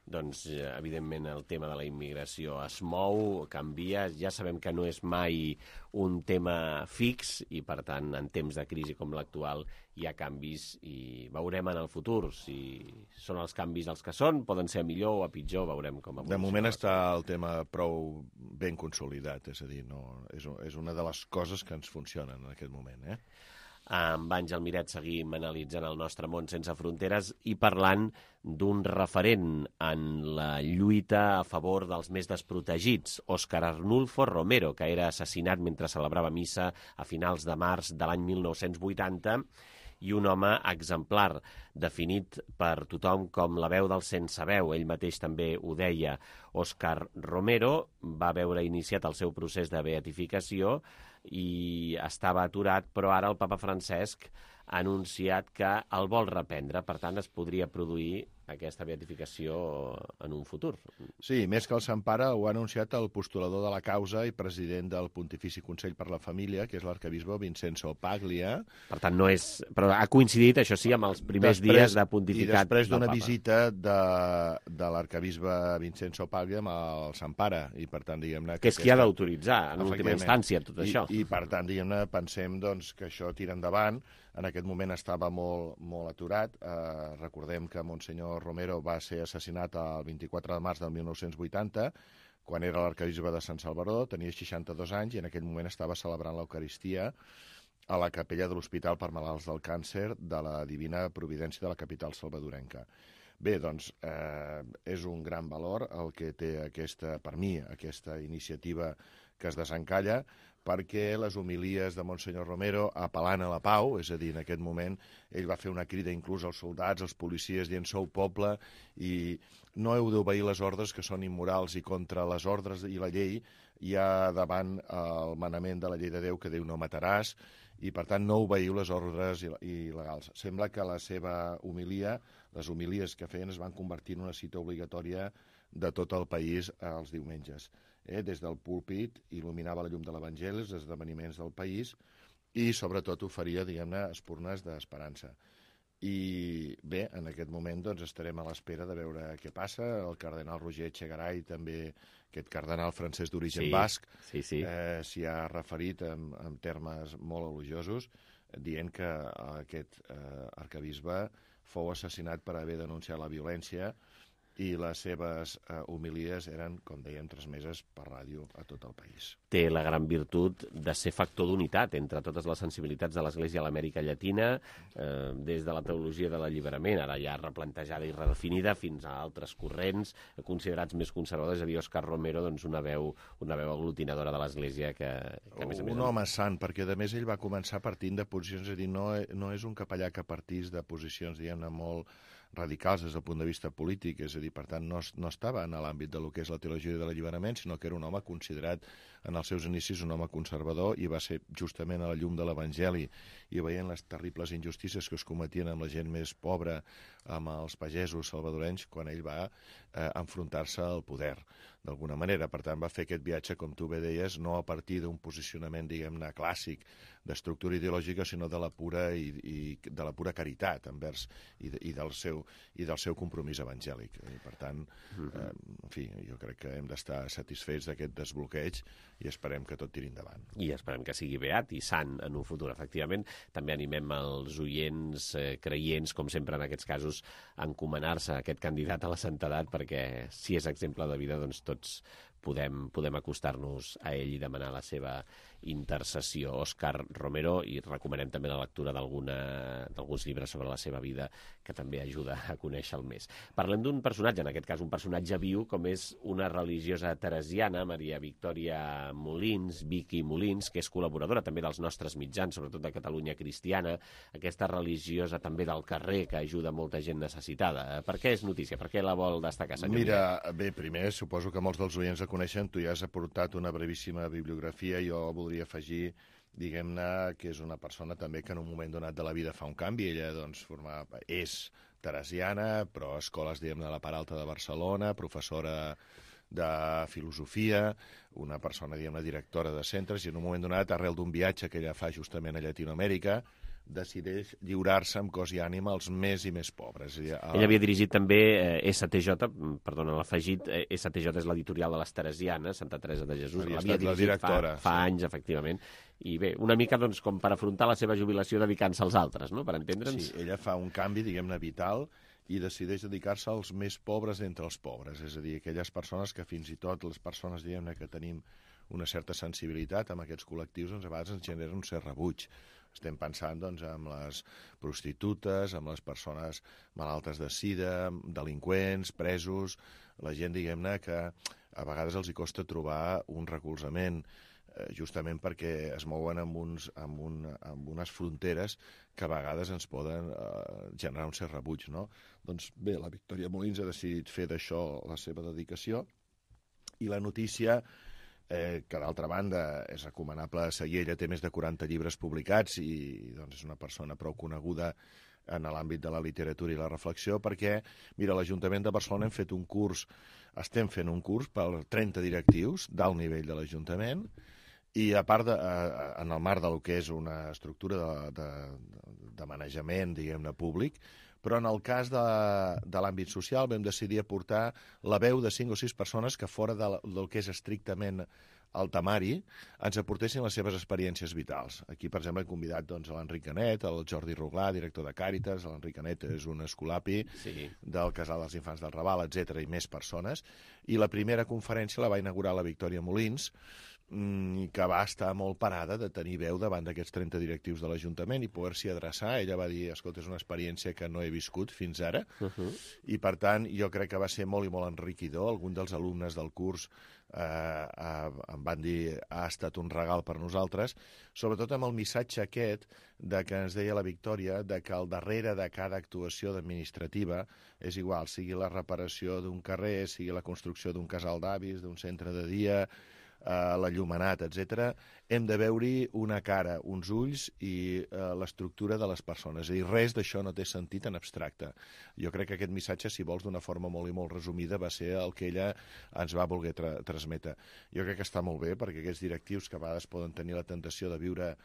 Doncs, evidentment, el tema de la immigració es mou, canvia, ja sabem que no és mai un tema fix i, per tant, en temps de crisi com l'actual hi ha canvis i veurem en el futur si són els canvis els que són, poden ser a millor o a pitjor, veurem com evoluciona. De moment està el tema prou ben consolidat, és a dir, no, és una de les coses que ens funcionen en aquest moment, Amb Àngel Miret seguim analitzant el nostre món sense fronteres i parlant d'un referent en la lluita a favor dels més desprotegits, Óscar Arnulfo Romero, que era assassinat mentre celebrava missa a finals de març de l'any 1980 i un home exemplar, definit per tothom com la veu del sense veu. Ell mateix també ho deia. Òscar Romero va veure iniciat el seu procés de beatificació i estava aturat, però ara el papa Francesc ha anunciat que el vol reprendre. Per tant, es podria produir aquesta beatificació en un futur. Sí, més que el Sant Pare, ho ha anunciat el postulador de la causa i president del Pontifici Consell per la Família, que és l'arcabisbe Vincenzo Paglia. Per tant, no és... Però ha coincidit, això sí, amb els primers dies de pontificat. I després d'una visita de l'arcabisbe Vincenzo Paglia amb el Sant Pare. I per tant, diguem-ne... Que és qui ha d'autoritzar, en última instància, tot això. I per tant, diguem-ne, pensem doncs, que això tira endavant. En aquest moment estava molt aturat. Recordem que Monsenyor Romero va ser assassinat el 24 de març del 1980, quan era l'arcabisbe de Sant Salvador, tenia 62 anys i en aquell moment estava celebrant l'Eucaristia a la capella de l'Hospital per Malalts del Càncer de la Divina Providència de la capital salvadorenca. Bé, doncs, és un gran valor el que té per mi, aquesta iniciativa que es desencalla, perquè les homilies de Monsenyor Romero apel·lant a la pau, és a dir, en aquest moment ell va fer una crida inclús als soldats, als policies, dient sou poble i no heu d'obeir les ordres que són immorals i contra les ordres i la llei hi ha davant el manament de la llei de Déu que Déu no mataràs i per tant no obeiu les ordres il·legals. Sembla que la seva homilia, les homilies que feien es van convertir en una cita obligatòria de tot el país els diumenges. Des del púlpit il·luminava la llum de l'Evangeli, els esdeveniments del país i sobretot oferia, diguem-ne, espurnes d'esperança. I bé, en aquest moment doncs, estarem a l'espera de veure què passa. El cardenal Roger Echegaray, també aquest cardenal francès d'origen basc, s'hi ha referit en termes molt elogiosos, dient que aquest arcabisbe fou assassinat per haver denunciat la violència i les seves homilies eren, com dèiem, transmeses per ràdio a tot el país. Té la gran virtut de ser factor d'unitat entre totes les sensibilitats de l'Església a l'Amèrica Llatina, des de la teologia de l'alliberament, ara ja replantejada i redefinida, fins a altres corrents considerats més conservadors. És a dir, Òscar Romero, doncs, una veu aglutinadora de l'Església que a més a més... Un home sant, perquè a més ell va començar partint de posicions, és a dir, no és un capellà que partís de posicions, diguem-ne, molt radicals des del punt de vista polític, és a dir, per tant, no estava en l'àmbit del que és la teologia de l'alliberament, sinó que era un home considerat en els seus inicis un home conservador i va ser justament a la llum de l'Evangeli i veient les terribles injustícies que es cometien amb la gent més pobra, amb els pagesos salvadorenys, quan ell va enfrontar-se al poder, d'alguna manera. Per tant, va fer aquest viatge, com tu bé deies, no a partir d'un posicionament, diguem-ne, clàssic d'estructura ideològica, sinó de la pura caritat envers i del seu compromís evangèlic. I, per tant, en fi, jo crec que hem d'estar satisfets d'aquest desbloqueig i esperem que tot tiri endavant. I esperem que sigui beat i sant en un futur, efectivament. També animem els oients creients, com sempre en aquests casos, a encomanar-se a aquest candidat a la santedat, perquè si és exemple de vida, doncs tots podem acostar-nos a ell i demanar la seva intercessió. Òscar Romero, i recomanem també la lectura d'alguns llibres sobre la seva vida, que també ajuda a conèixer-lo més. Parlem d'un personatge, en aquest cas un personatge viu, com és una religiosa teresiana, Maria Victòria Molins, Vicky Molins, que és col·laboradora també dels nostres mitjans, sobretot de Catalunya Cristiana, aquesta religiosa també del carrer que ajuda molta gent necessitada. Per què és notícia? Per què la vol destacar, senyor? Mira, bé, primer, suposo que molts dels oients la coneixen, tu ja has aportat una brevíssima bibliografia, jo voldria afegir, diguem-ne, que és una persona també que en un moment donat de la vida fa un canvi. Ella, doncs, és teresiana, però a escoles, diguem-ne, de la part alta de Barcelona, professora de filosofia, una persona, diguem-ne, directora de centres, i en un moment donat, arrel d'un viatge que ella fa justament a Llatinoamèrica, decideix lliurar-se amb cos i ànima als més i més pobres. Ella havia dirigit també STJ, perdona, l'ha afegit, STJ és l'editorial de les Teresianes, Santa Teresa de Jesús, l'havia dirigit fa anys, efectivament, i bé, una mica doncs, com per afrontar la seva jubilació dedicant-se als altres, no?, per entendre'ns. Sí, ella fa un canvi, diguem-ne, vital, i decideix dedicar-se als més pobres entre els pobres, és a dir, aquelles persones que fins i tot les persones, diguem-ne, que tenim una certa sensibilitat amb aquests col·lectius, doncs a vegades ens genera un cert rebuig. Estem pensant, doncs, en les prostitutes, en les persones malaltes de sida, delinqüents, presos, la gent, diguem-ne, que a vegades els hi costa trobar un recolzament. justament perquè es mouen amb unes fronteres que a vegades ens poden generar un cert rebuig, no? Doncs bé, la Victòria Molins ha decidit fer d'això la seva dedicació, i la notícia, que d'altra banda és recomanable seguir, ella té més de 40 llibres publicats i doncs, és una persona prou coneguda en l'àmbit de la literatura i la reflexió, perquè, mira, l'Ajuntament de Barcelona estem fent un curs per 30 directius d'alt nivell de l'Ajuntament, i a part, en el marc del que és una estructura de manejament, diguem-ne, públic, però en el cas de l'àmbit social vam decidir aportar la veu de 5 o 6 persones que fora del que és estrictament el temari ens aportessin les seves experiències vitals. Aquí, per exemple, hem convidat l'Enric Canet, el Jordi Ruglà, director de Càritas. L'Enric Canet és un escolapi del Casal dels Infants del Raval, etc., i més persones. I la primera conferència la va inaugurar la Victòria Molins, que va estar molt parada de tenir veu davant d'aquests 30 directius de l'Ajuntament i poder-s'hi adreçar. Ella va dir, escolta, és una experiència que no he viscut fins ara, i per tant jo crec que va ser molt i molt enriquidor. Alguns dels alumnes del curs em van dir ha estat un regal per nosaltres, sobretot amb el missatge aquest de que ens deia la Victòria, de que al darrere de cada actuació administrativa és igual, sigui la reparació d'un carrer, sigui la construcció d'un casal d'avis, d'un centre de dia, l'enllumenat, etc., hem de veure-hi una cara, uns ulls i l'estructura de les persones. I res d'això no té sentit en abstracte. Jo crec que aquest missatge, si vols, d'una forma molt i molt resumida, va ser el que ella ens va voler transmetre. Jo crec que està molt bé, perquè aquests directius que a vegades poden tenir la tentació de viure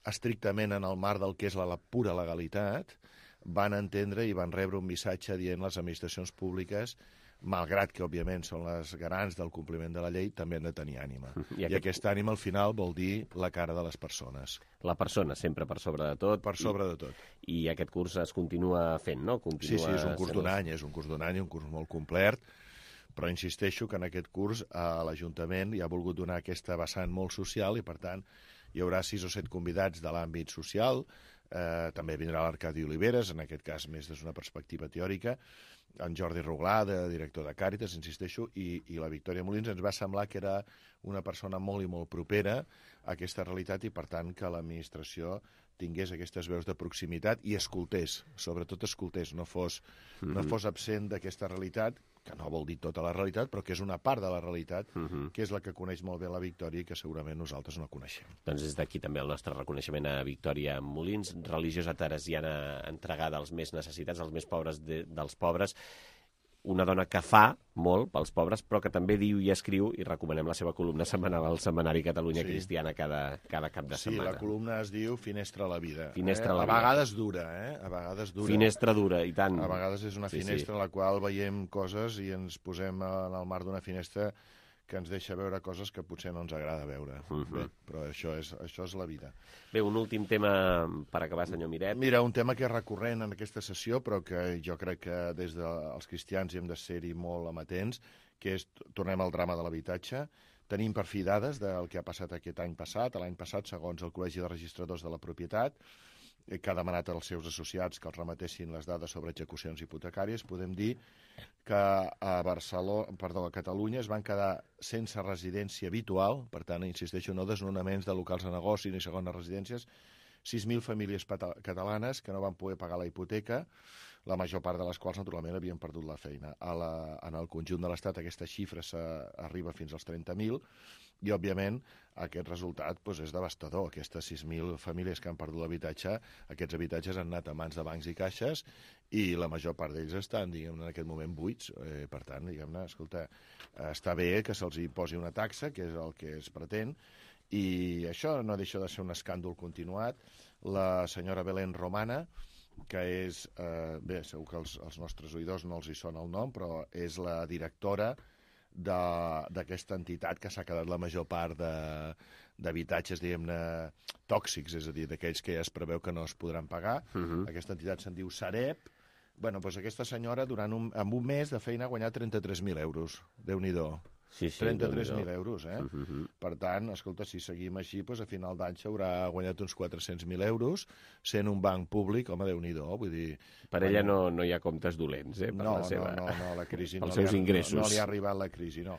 estrictament en el marc del que és la pura legalitat, van entendre i van rebre un missatge dient les administracions públiques, malgrat que, òbviament, són les garants del compliment de la llei, també han de tenir ànima. I aquesta ànima, al final, vol dir la cara de les persones. La persona, sempre per sobre de tot. Per sobre de tot. I aquest curs es continua fent, no? Sí, és un curs d'un any, un curs molt complet, però insisteixo que en aquest curs l'Ajuntament hi ha volgut donar aquesta vessant molt social i, per tant, hi haurà 6 o 7 convidats de l'àmbit social. També vindrà l'Arcadi Oliveres, en aquest cas més des d'una perspectiva teòrica, en Jordi Ruglà, director de Càritas, insisteixo, i la Victòria Molins. Ens va semblar que era una persona molt i molt propera a aquesta realitat i, per tant, que l'administració tingués aquestes veus de proximitat i escoltés, sobretot escoltés, no fos absent d'aquesta realitat, que no vol dir tota la realitat, però que és una part de la realitat, que és la que coneix molt bé la Victòria i que segurament nosaltres no coneixem. Doncs des d'aquí també el nostre reconeixement a Victòria Molins, religiosa teresiana entregada als més necessitats, als més pobres dels pobres, una dona que fa molt pels pobres, però que també diu i escriu, i recomanem la seva columna setmanal al Setmanari Catalunya Cristiana cada cap de setmana. Sí, la columna es diu Finestra a la vida. Finestra a la vida. A vegades dura, A vegades dura. Finestra dura, i tant. A vegades és una finestra en la qual veiem coses i ens posem en el marc d'una finestra que ens deixa veure coses que potser no ens agrada veure. Bé, però això és la vida. Bé, un últim tema per acabar, senyor Miret. Mira, un tema que és recurrent en aquesta sessió, però que jo crec que des dels cristians hi hem de ser-hi molt amatents, que és, tornem al drama de l'habitatge. Tenim per fi dades del que ha passat aquest any passat. L'any passat, segons el Col·legi de Registradors de la Propietat, que ha demanat als seus associats que els remetessin les dades sobre execucions hipotecàries, podem dir que a Catalunya es van quedar sense residència habitual, per tant, insisteixo, no desnonaments de locals de negoci ni segones residències, 6.000 famílies catalanes que no van poder pagar la hipoteca, la major part de les quals, naturalment, havien perdut la feina. En el conjunt de l'Estat aquesta xifra arriba fins als 30.000 i, òbviament, aquest resultat és devastador. Aquestes 6.000 famílies que han perdut l'habitatge, aquests habitatges han anat a mans de bancs i caixes i la major part d'ells estan, diguem-ne, en aquest moment buits. Per tant, diguem-ne, escolta, està bé que se'ls posi una taxa, que és el que es pretén, i això no deixa de ser un escàndol continuat. La senyora Belén Romana, que és, bé, segur que als nostres oïdors no els hi sona el nom, però és la directora d'aquesta entitat que s'ha quedat la major part d'habitatges, diguem-ne, tòxics, és a dir, d'aquells que ja es preveu que no es podran pagar. Aquesta entitat se'n diu Sareb. Bueno, doncs aquesta senyora, en un mes de feina, ha guanyat 33.000 euros. Déu-n'hi-do. Sí, 33.000 euros, Per tant, escolta, si seguim així, a final d'any s'haurà guanyat uns 400.000 euros, sent un banc públic, home, Déu-n'hi-do, vull dir... Per ella no hi ha comptes dolents, per la seva... No, la crisi els seus ingressos. No li ha arribat la crisi, no.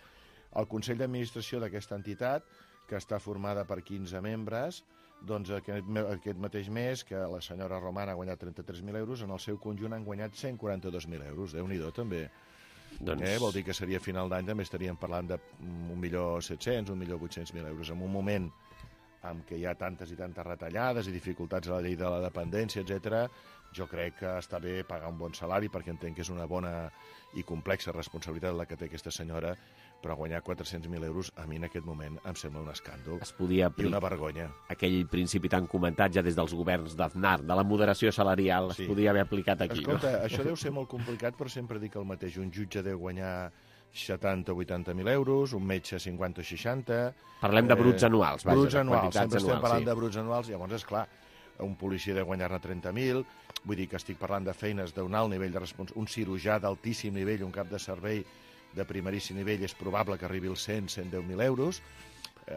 El Consell d'Administració d'aquesta entitat que està formada per 15 membres, doncs aquest mateix mes, que la senyora Romana ha guanyat 33.000 euros, en el seu conjunt han guanyat 142.000 euros. Déu-n'hi-do, també. Vol dir que seria a final d'any, també estaríem parlant de 1.700.000, 1.800.000 euros. En un moment en què hi ha tantes i tantes retallades i dificultats a la llei de la dependència, etc., jo crec que està bé pagar un bon salari, perquè entenc que és una bona i complexa responsabilitat la que té aquesta senyora, però guanyar 400.000 euros a mi en aquest moment em sembla un escàndol i una vergonya. Aquell principi tan comentat ja des dels governs d'Aznar, de la moderació salarial, es podia haver aplicat aquí. Escolta, això deu ser molt complicat, però sempre dic el mateix. Un jutge deu guanyar 70 o 80.000 euros, un metge 50 o 60... Parlem de bruts anuals. Bruts anuals, sempre estem parlant de bruts anuals, llavors, esclar, un policia deu guanyar-ne 30.000, vull dir que estic parlant de feines d'un alt nivell de responsabilitat, un cirurgià d'altíssim nivell, un cap de servei de primeríssim nivell, és probable que arribi als 110.000 euros.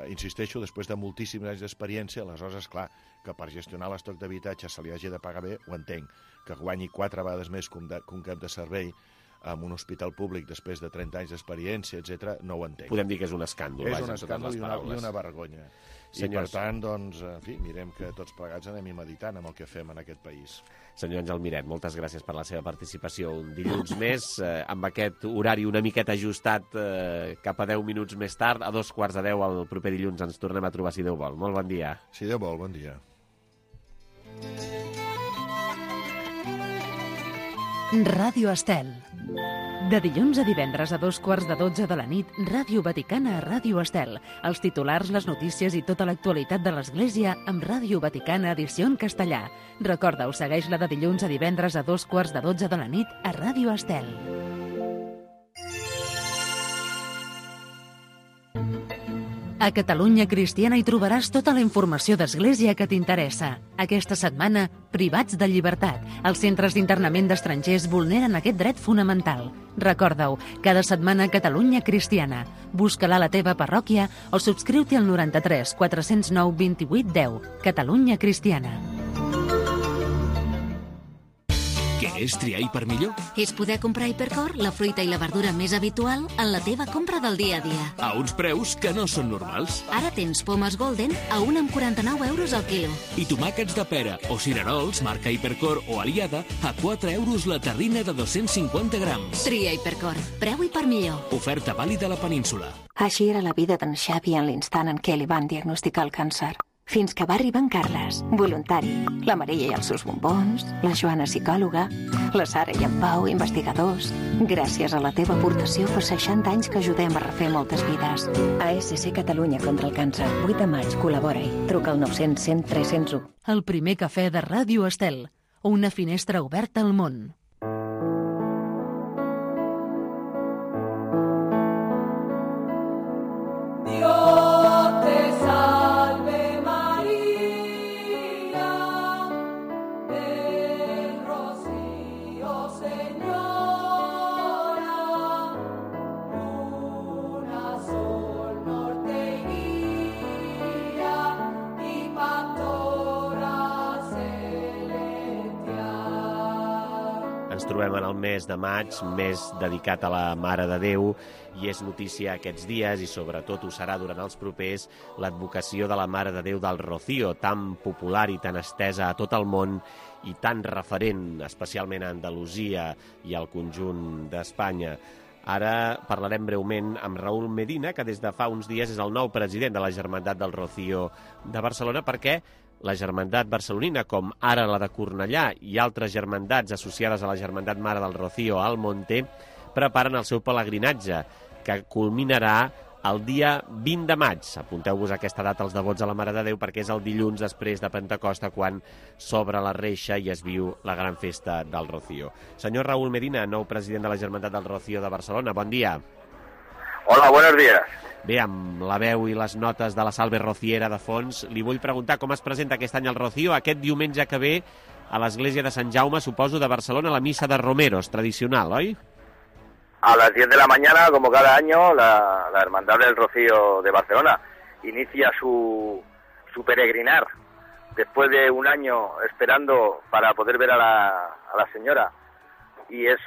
Insisteixo, després de moltíssims anys d'experiència, aleshores, esclar, que per gestionar l'estoc d'habitatge se li hagi de pagar bé, ho entenc. Que guanyi 4 vegades més que un cap de servei en un hospital públic després de 30 anys d'experiència, etc., no ho entenc. Podem dir que és un escàndol. És un escàndol i una vergonya. Senyors. I, per tant, doncs, en fi, mirem que tots plegats anem meditant amb el que fem en aquest país. Senyor Àngel Miret, moltes gràcies per la seva participació un dilluns més, amb aquest horari una miqueta ajustat cap a 10 minuts més tard, a 9:45 el proper dilluns ens tornem a trobar, si Déu vol. Molt bon dia. Si Déu vol, bon dia. Ràdio Estel. De dilluns a divendres a 11:45 de la nit, Ràdio Vaticana a Ràdio Estel. Els titulars, les notícies i tota l'actualitat de l'Església amb Ràdio Vaticana edició en castellà. Recorda-ho, segueix-la de dilluns a divendres a 11:45 de la nit a Ràdio Estel. A Catalunya Cristiana hi trobaràs tota la informació d'Església que t'interessa. Aquesta setmana, privats de llibertat. Els centres d'internament d'estrangers vulneren aquest dret fonamental. Recorda-ho, cada setmana a Catalunya Cristiana. Busca-la a la teva parròquia o subscriu-t'hi al 93 409 28 10. Catalunya Cristiana. Què és triar Hiper millor? És poder comprar Hipercor, la fruita i la verdura més habitual, en la teva compra del dia a dia. A uns preus que no són normals. Ara tens pomes Golden a 1,49 euros al quilo. I tomàquets de pera o cirerols, marca Hipercor o Aliada, a 4 euros la terrina de 250 grams. Tria Hipercor, preu Hiper millor. Oferta vàlida a la península. Així era la vida d'en Xavi en l'instant en què li van diagnosticar el càncer. Fins que va arribar en Carles, voluntari, la Maria i els seus bombons, la Joana psicòloga, la Sara i en Pau, investigadors. Gràcies a la teva aportació fa 60 anys que ajudem a refer moltes vides. ASC Catalunya contra el càncer, 8 de maig, col·labora-hi. Truca al 900 100 301. El primer cafè de Ràdio Estel, una finestra oberta al món. Trobem en el mes de maig, mes dedicat a la Mare de Déu, i és notícia aquests dies, i sobretot ho serà durant els propers, l'advocació de la Mare de Déu del Rocío, tan popular i tan estesa a tot el món i tan referent, especialment a Andalusia i al conjunt d'Espanya. Ara parlarem breument amb Raúl Medina, que des de fa uns dies és el nou president de la Germandat del Rocío de Barcelona, perquè la Germandat barcelonina, com ara la de Cornellà i altres germandats associades a la Germandat Mare del Rocío al Monte, preparen el seu pelegrinatge, que culminarà el dia 20 de maig. Apunteu-vos aquesta data als devots a la Mare de Déu, perquè és el dilluns després de Pentecosta, quan s'obre la reixa i es viu la gran festa del Rocío. Senyor Raúl Medina, nou president de la Germandat del Rocío de Barcelona, bon dia. Hola, buenos días. Bé, amb la veu i les notes de la Salve Rociera de fons, li vull preguntar com es presenta aquest any el Rocío, aquest diumenge que ve a l'església de Sant Jaume, suposo, de Barcelona, la missa de Romeros, tradicional, oi? A las 10 de la mañana, como cada año, la Hermandad del Rocío de Barcelona inicia su peregrinar, después de un año esperando para poder ver a la señora. Y es,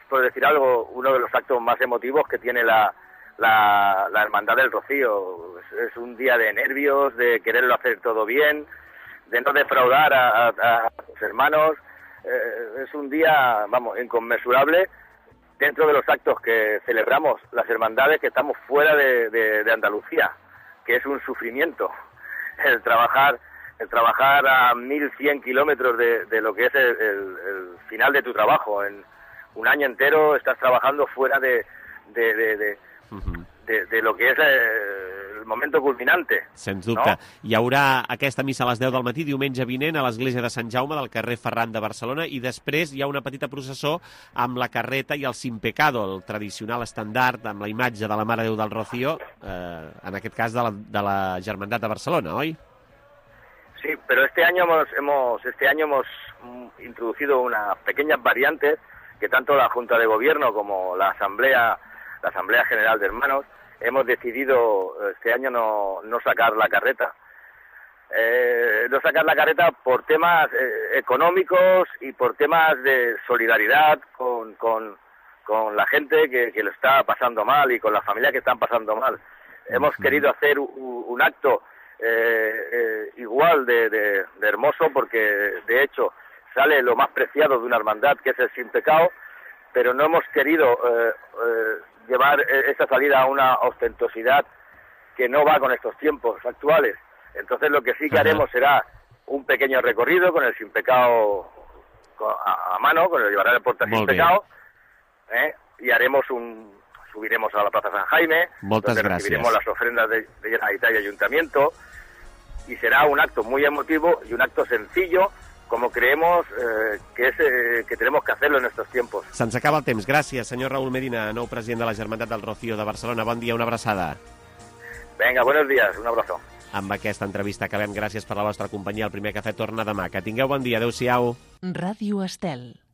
por decir algo, uno de los actos más emotivos que tiene la la Hermandad del Rocío. Es un día de nervios, de quererlo hacer todo bien, de no defraudar a los hermanos. Es un día, vamos, inconmensurable dentro de los actos que celebramos las hermandades que estamos fuera de Andalucía, que es un sufrimiento el trabajar a 1.100 kilómetros de lo que es el final de tu trabajo. En un año entero estás trabajando fuera de lo que és el moment culminante. Sens dubte. No? Hi haurà aquesta missa a les 10 del matí, diumenge vinent, a l'església de Sant Jaume del carrer Ferran de Barcelona, i després hi ha una petita processó amb la carreta i el Sin Pecado, el tradicional estandard amb la imatge de la Mare de Déu del Rocío, en aquest cas de la Germandat de Barcelona, oi? Sí, pero este año hemos introducido unas pequeñas variantes que tanto la Junta de Gobierno como la Asamblea General de Hermanos hemos decidido este año no sacar la carreta. No sacar la carreta por temas económicos y por temas de solidaridad con la gente que lo está pasando mal y con las familias que están pasando mal. Hemos querido hacer un acto igual de hermoso, porque de hecho sale lo más preciado de una hermandad, que es el Sin Pecado, pero no hemos querido llevar esta salida a una ostentosidad que no va con estos tiempos actuales. Entonces lo que sí que haremos será un pequeño recorrido con el Sin Pecado a mano, con el llevará el porta Sin Pecado, y subiremos a la Plaza San Jaime, donde recibiremos las ofrendas de Generalitat y Ayuntamiento, y será un acto muy emotivo y un acto sencillo, como creemos que tenemos que hacerlo en estos tiempos. Se'ns acaba el temps. Gràcies, senyor Raúl Medina, nou president de la Germandat del Rocío de Barcelona. Bon dia, una abraçada. Venga, buenos días, un abrazo. Amb aquesta entrevista acabem. Gràcies per la vostra companyia. El primer cafè torna demà. Que tingueu bon dia. Adéu-siau. Ràdio Estel.